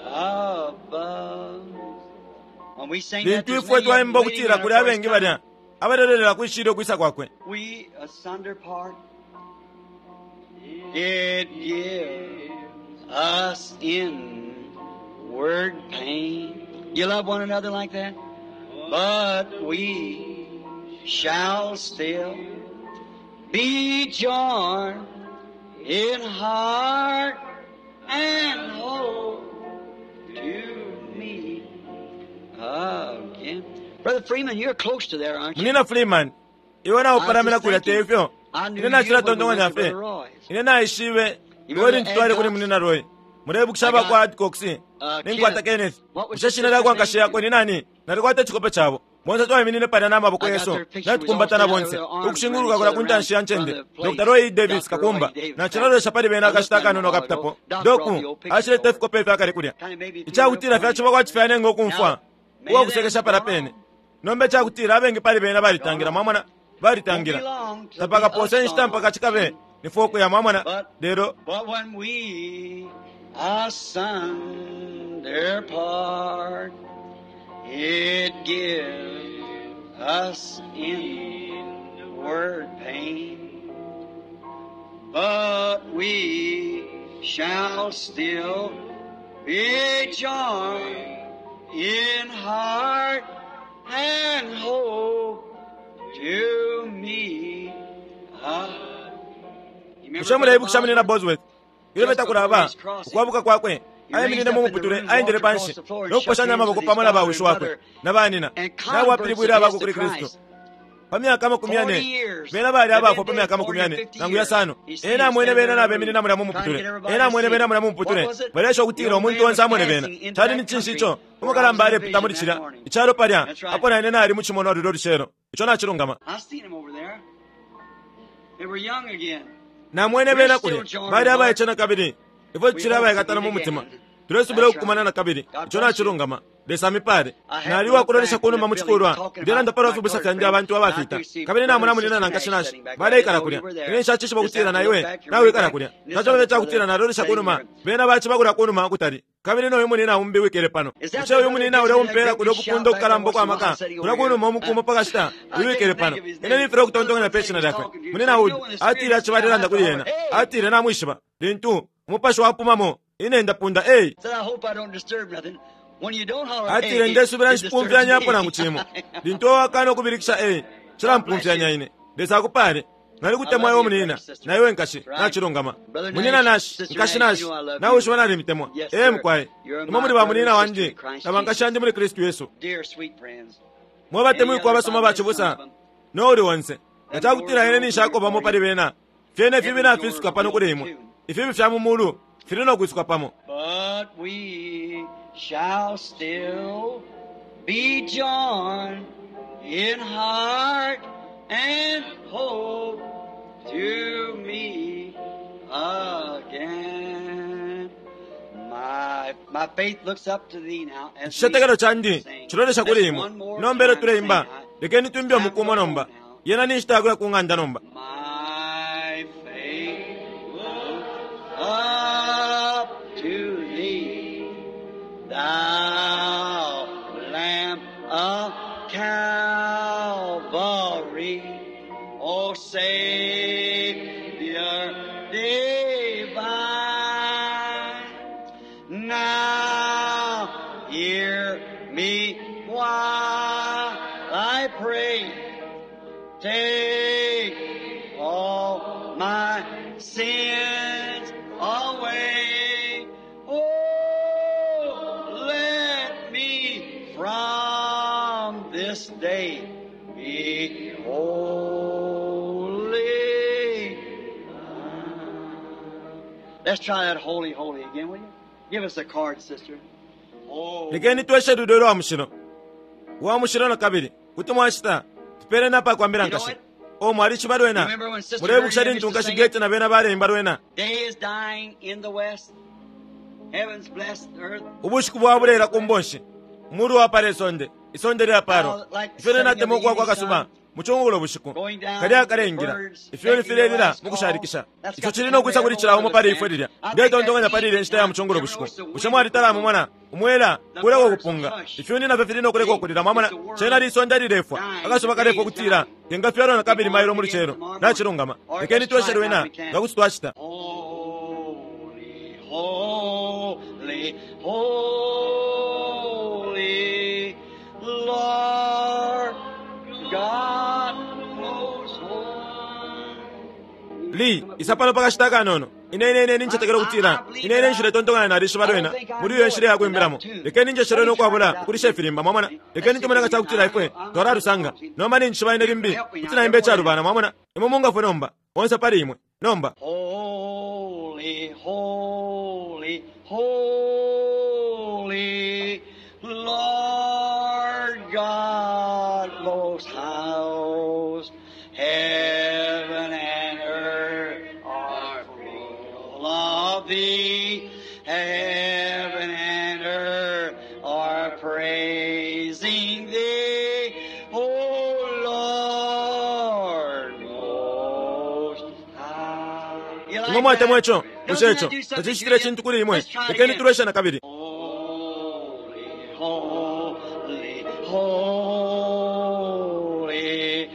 above. When we sing that, Lintu there's ifwe many of them twaimba waiting ukutila there kuli for his abengi coming. balya abalelolela kwishile ukwisa kwakwe. We asunder part. It gives us inward pain. You love one another like that? But we shall still be joined in heart and hope to meet again. Brother Freeman, you're close to there, aren't you? Munina Freeman, iwe naupalamina kulya te ifyo. I knew Ine nacila you when we tontonkanya went to fye. Brother Roy's. Ine naishibe You iwe remember lintu twali kuli Adcox? Munina Roy. Mulebukisha aba kwa Adcox. Ninkwata Kenneth. Kenneth. What was Bushe the shina lya kwa sister's nkashi name? yakwe ni nani? Nalikwata icikope cabo. Bonse twaiminine palya na maboko I got yesu, their picture. We was all natukumbatana standing bonse, there with their arms ukushinguluka around kulya each ku other ntanshi ya around ncende. the place. Dr. Roy Davis Dr. Kakumba, Roy Davis. nacilolesha pali bena I looked akashita at him a akanono while kapitapo. ago. Doc brought the Doku, old pictures ashileta over. ifikope ifya kale kulya. Kind of made me feel Icakutila real funny. fyaciba kwati fyanenga ukumfwa, Now, many uwa of them kusekesha have palya gone pene. on. Nomba icakutila abengi pali bena balitangila, mwamona, balitangila. Won't be long till Tapakapose be inshita us mpaka cikabe gone. ni ukuya, mwamona. But Lelo but when we asunder part, it gives us inward pain. But we shall still be joined in heart and hope to me. Bushe muleibukisha Munina Bosworth ilyo betakulaba ukwabuka kwakwe aiminine mu muputule aendele panshi no kuposhanya amaboko pamo na bawishi wakwe na banina nabo apilibwile abakwe kuli Kristu pa myaka 40 bena bali abafwa pa myaka 40 nangu yasano. Ena amwene bena nabeminina mulya mu muputule, ena amwene bena mulya mu muputule balesha ukutila umuntu onse amwene bena. Cali ni cinshi ico umukalamba alepita muli cilya icalo palya apo naine nali mu cimonwa lulyo lucelo. Ico nacilungama. Namwene bena kulya bali abaice na kabili ifwe tucili abaikatana mu mutima tulesubila ukukumana na kabili. Ico nacilungama. Lesa amipale. Nali uwakulolesha kunuma mu cikulwa ndelanda palwa fibusa fyandi abantu abafita kabili namona munina na nkashi nashi baleikala kulya. Ine nshacishiba ukutila na iwe nawikala kulya. Tacobe cakutila nalolesha kunuma bena baciba kulya kunuma ukutali kabili noyu munina umbi wikele pano. Bushe uyu munina ulya umpela kulya ukupunda ukukalamba ukwa maka kulya kunuma umukumo pakashita uyu wikele pano. Ine nimfile ukutontonkanya pe shina lyakwe. Munina Wood atile acibalelanda kuli ena, atile namwishiba lintu umupashi wapumamo ine ndapunda ei. Atile ndesubila nshipumfyanyapo nangu cimo lintu owakana ukubilikisha ei cilampumfyanya ine. Lesa akupale. Nalikutemwa iwe munina na iwe nkashi. Nacilungama. Munina Nashi, nkashi Nashi, nawishiba nalimitemwa. Ee mukwai, imwe muli ba munina wandi na bankashi yandi muli Kristu Yesu. Mwe batemwikwa abasoma bacibusa no uli onse nga cakutila ine ninshakobamo pali bena fyene ifibi nafisuka pano kuli imwe. Ifibi fya mu mulu fili no kwisuka pamo. But we shall still be joined in heart and hope to meet again. My faith looks up to thee now. As we Icicetekelo candi sing. cilolesha kuli Let's imwe. one more Nomba elyo time tuleimba, sing. lekeni twimbe umukumo nomba. Yena ni nshita yakuya ku ng'anda nomba. My faith looks up to thee, thou Lamb of Calvary, O Savior divine. Now hear me while I pray. Take all my sins away. Oh, let me from this day be holy. Let's try that holy, holy again, will you? Give us a card, sister. Oh. Lekeni tweshe lulyo lwa mushilo wa mushilo na kabili kuti mwashita tupele napa kwambila nkashi o mwalishiba lwena. Mulebukisha lintu nkashi Gete na bena baleimba lwena. Day is dying in the west. Heaven's blessed earth. Ubushiku bwabuleela ku mbonshi umulu wapala isonde isonde lyapalwa. Ifyo natemwa ukuwa kwa kasuba mucungulo bushiku kalya kalengila ifyoni filelila mukushalikisha. Ico cili no kwisa kuli cila umo pali ifwe lilya. Ndetontonkanya pali ile nshita ya mucungulo bushiku. Bushe mwalitala mumona umwela kuleka ukupunga ifyoni nafyo fili no kuleka ukulila. Mwamona cena lisonde lilefwa akasuba kalefwa ukutila kengafyalwa na kabili mailo mu lucelo. Nacilungama. Lekeni tweshe lwena nga kuti twacita. Holy, holy, holy, Lord God most high. Li isa pano pakashita kanono. Ine ine ine nincetekela ukutila ine ine nshiletontonkanya nalishiba lwena muli iyo nshila yakwimbilamo. Lekeni njeshele nokwabula ukulisha ifilimba mwamona. Lekeni tumone nga cakutila ifwe twalalusanga nomba ninjishiba ine limbi kuti naimba icalubana mwamona. Imwe mungafwe nomba onse pali imwe nomba. Holy, holy, holy, Lord God most high, heaven and earth are full of thee. Heaven and earth are praising thee, O Lord most high. You like Imwe mwatemwa that? ico bushe Doesn't ico that do something to tacicitile you? cintu kuli imwe. Let's try it Lekeni again. tulweshe na kabili. Holy, holy, holy,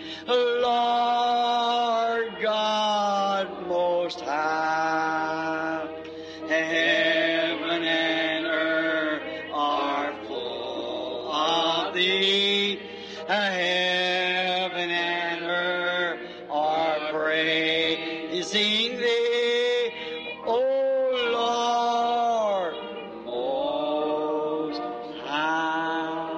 Lord God Most High. thee, O Lord, most high.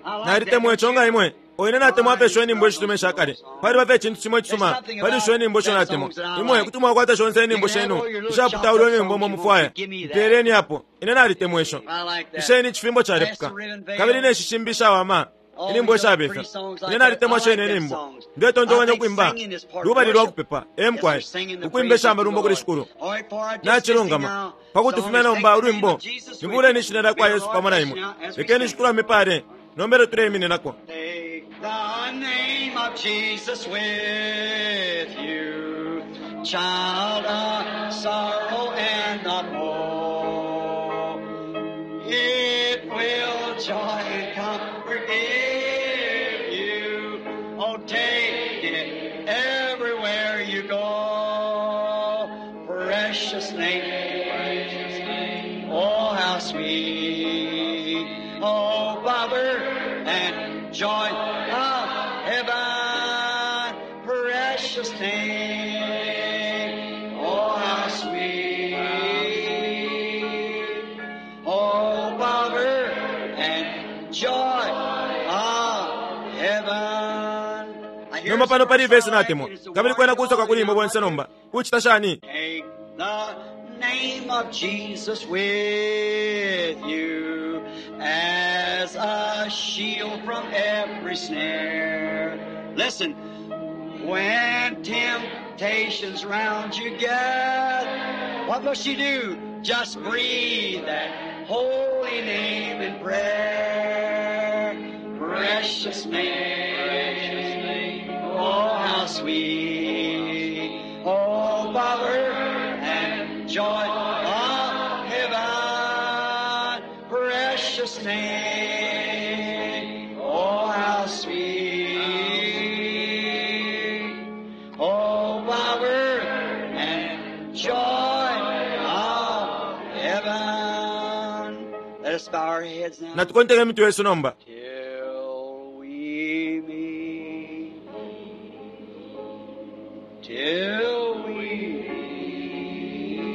I like Nalitemwa that, ico don't nga you? imwe. Oine natemwa fye isho inyimbo ishitume ishakale. Paliba fye icintu cimo icisuma pali isho inyimbo isho natemwa. Imwe kuti mwakwata shonse inyimbo shenu ishaputaulwa inyimbo umo mufwaya. Mpeeleni apo. Ine nalitemwa isho. I like that. Isheni icifimbo calepuka. Kabili ne shishimbi ishawama. Inyimbo ishabefa. Ine nalitemwa shene inyimbo. Ndetontonkanya ukwimba. Lubali lwa kupepa. E mukwai. Ukwimba ishamalumbo kuli Shikulu. Nacilungama. Pakuti fumya nomba ulwimbo. Nibuleni ishina lya kwa Yesu pamo na imwe. Lekeni Shikulu amipale. Nombele tuleimininako. Take the name of Jesus with you, child of sorrow and of woe. It will joy and comfort give you. Oh, take it everywhere you go. Precious name, precious name. Oh, how sweet. Oh, power and joy of heaven. Precious name. Oh, how sweet. Oh, power and joy of heaven. I hear Nomba pano pali some vesi natemwa. it's the Kabili kwena kusoka kuli imwe bonse nomba. Kuchita shani? Take the name of Jesus with you as a shield from every snare. Listen, when temptations round you get, what must you do? Just breathe that holy name in prayer. Precious name, precious name. Oh, how sweet. Oh, power and joy of heaven. Precious name. Oh, how sweet. Oh, power and joy of heaven. Let us bow our heads now. Natukonteke mitwe yesu nomba. Till we meet, till we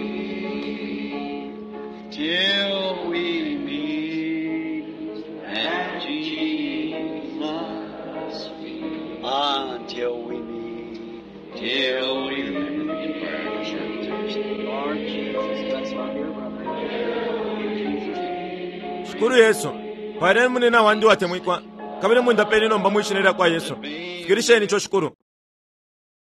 meet, till we meet at Jesus' feet, until we meet, till we meet. Lord Jesus, bless my dear brother. In Jesus' name. Shikulu Yesu. Paleni munina wandi watemwikwa. Kabili mundapeni nomba mwishina lya kwa Yesu. Fikirisheni ico Shikulu.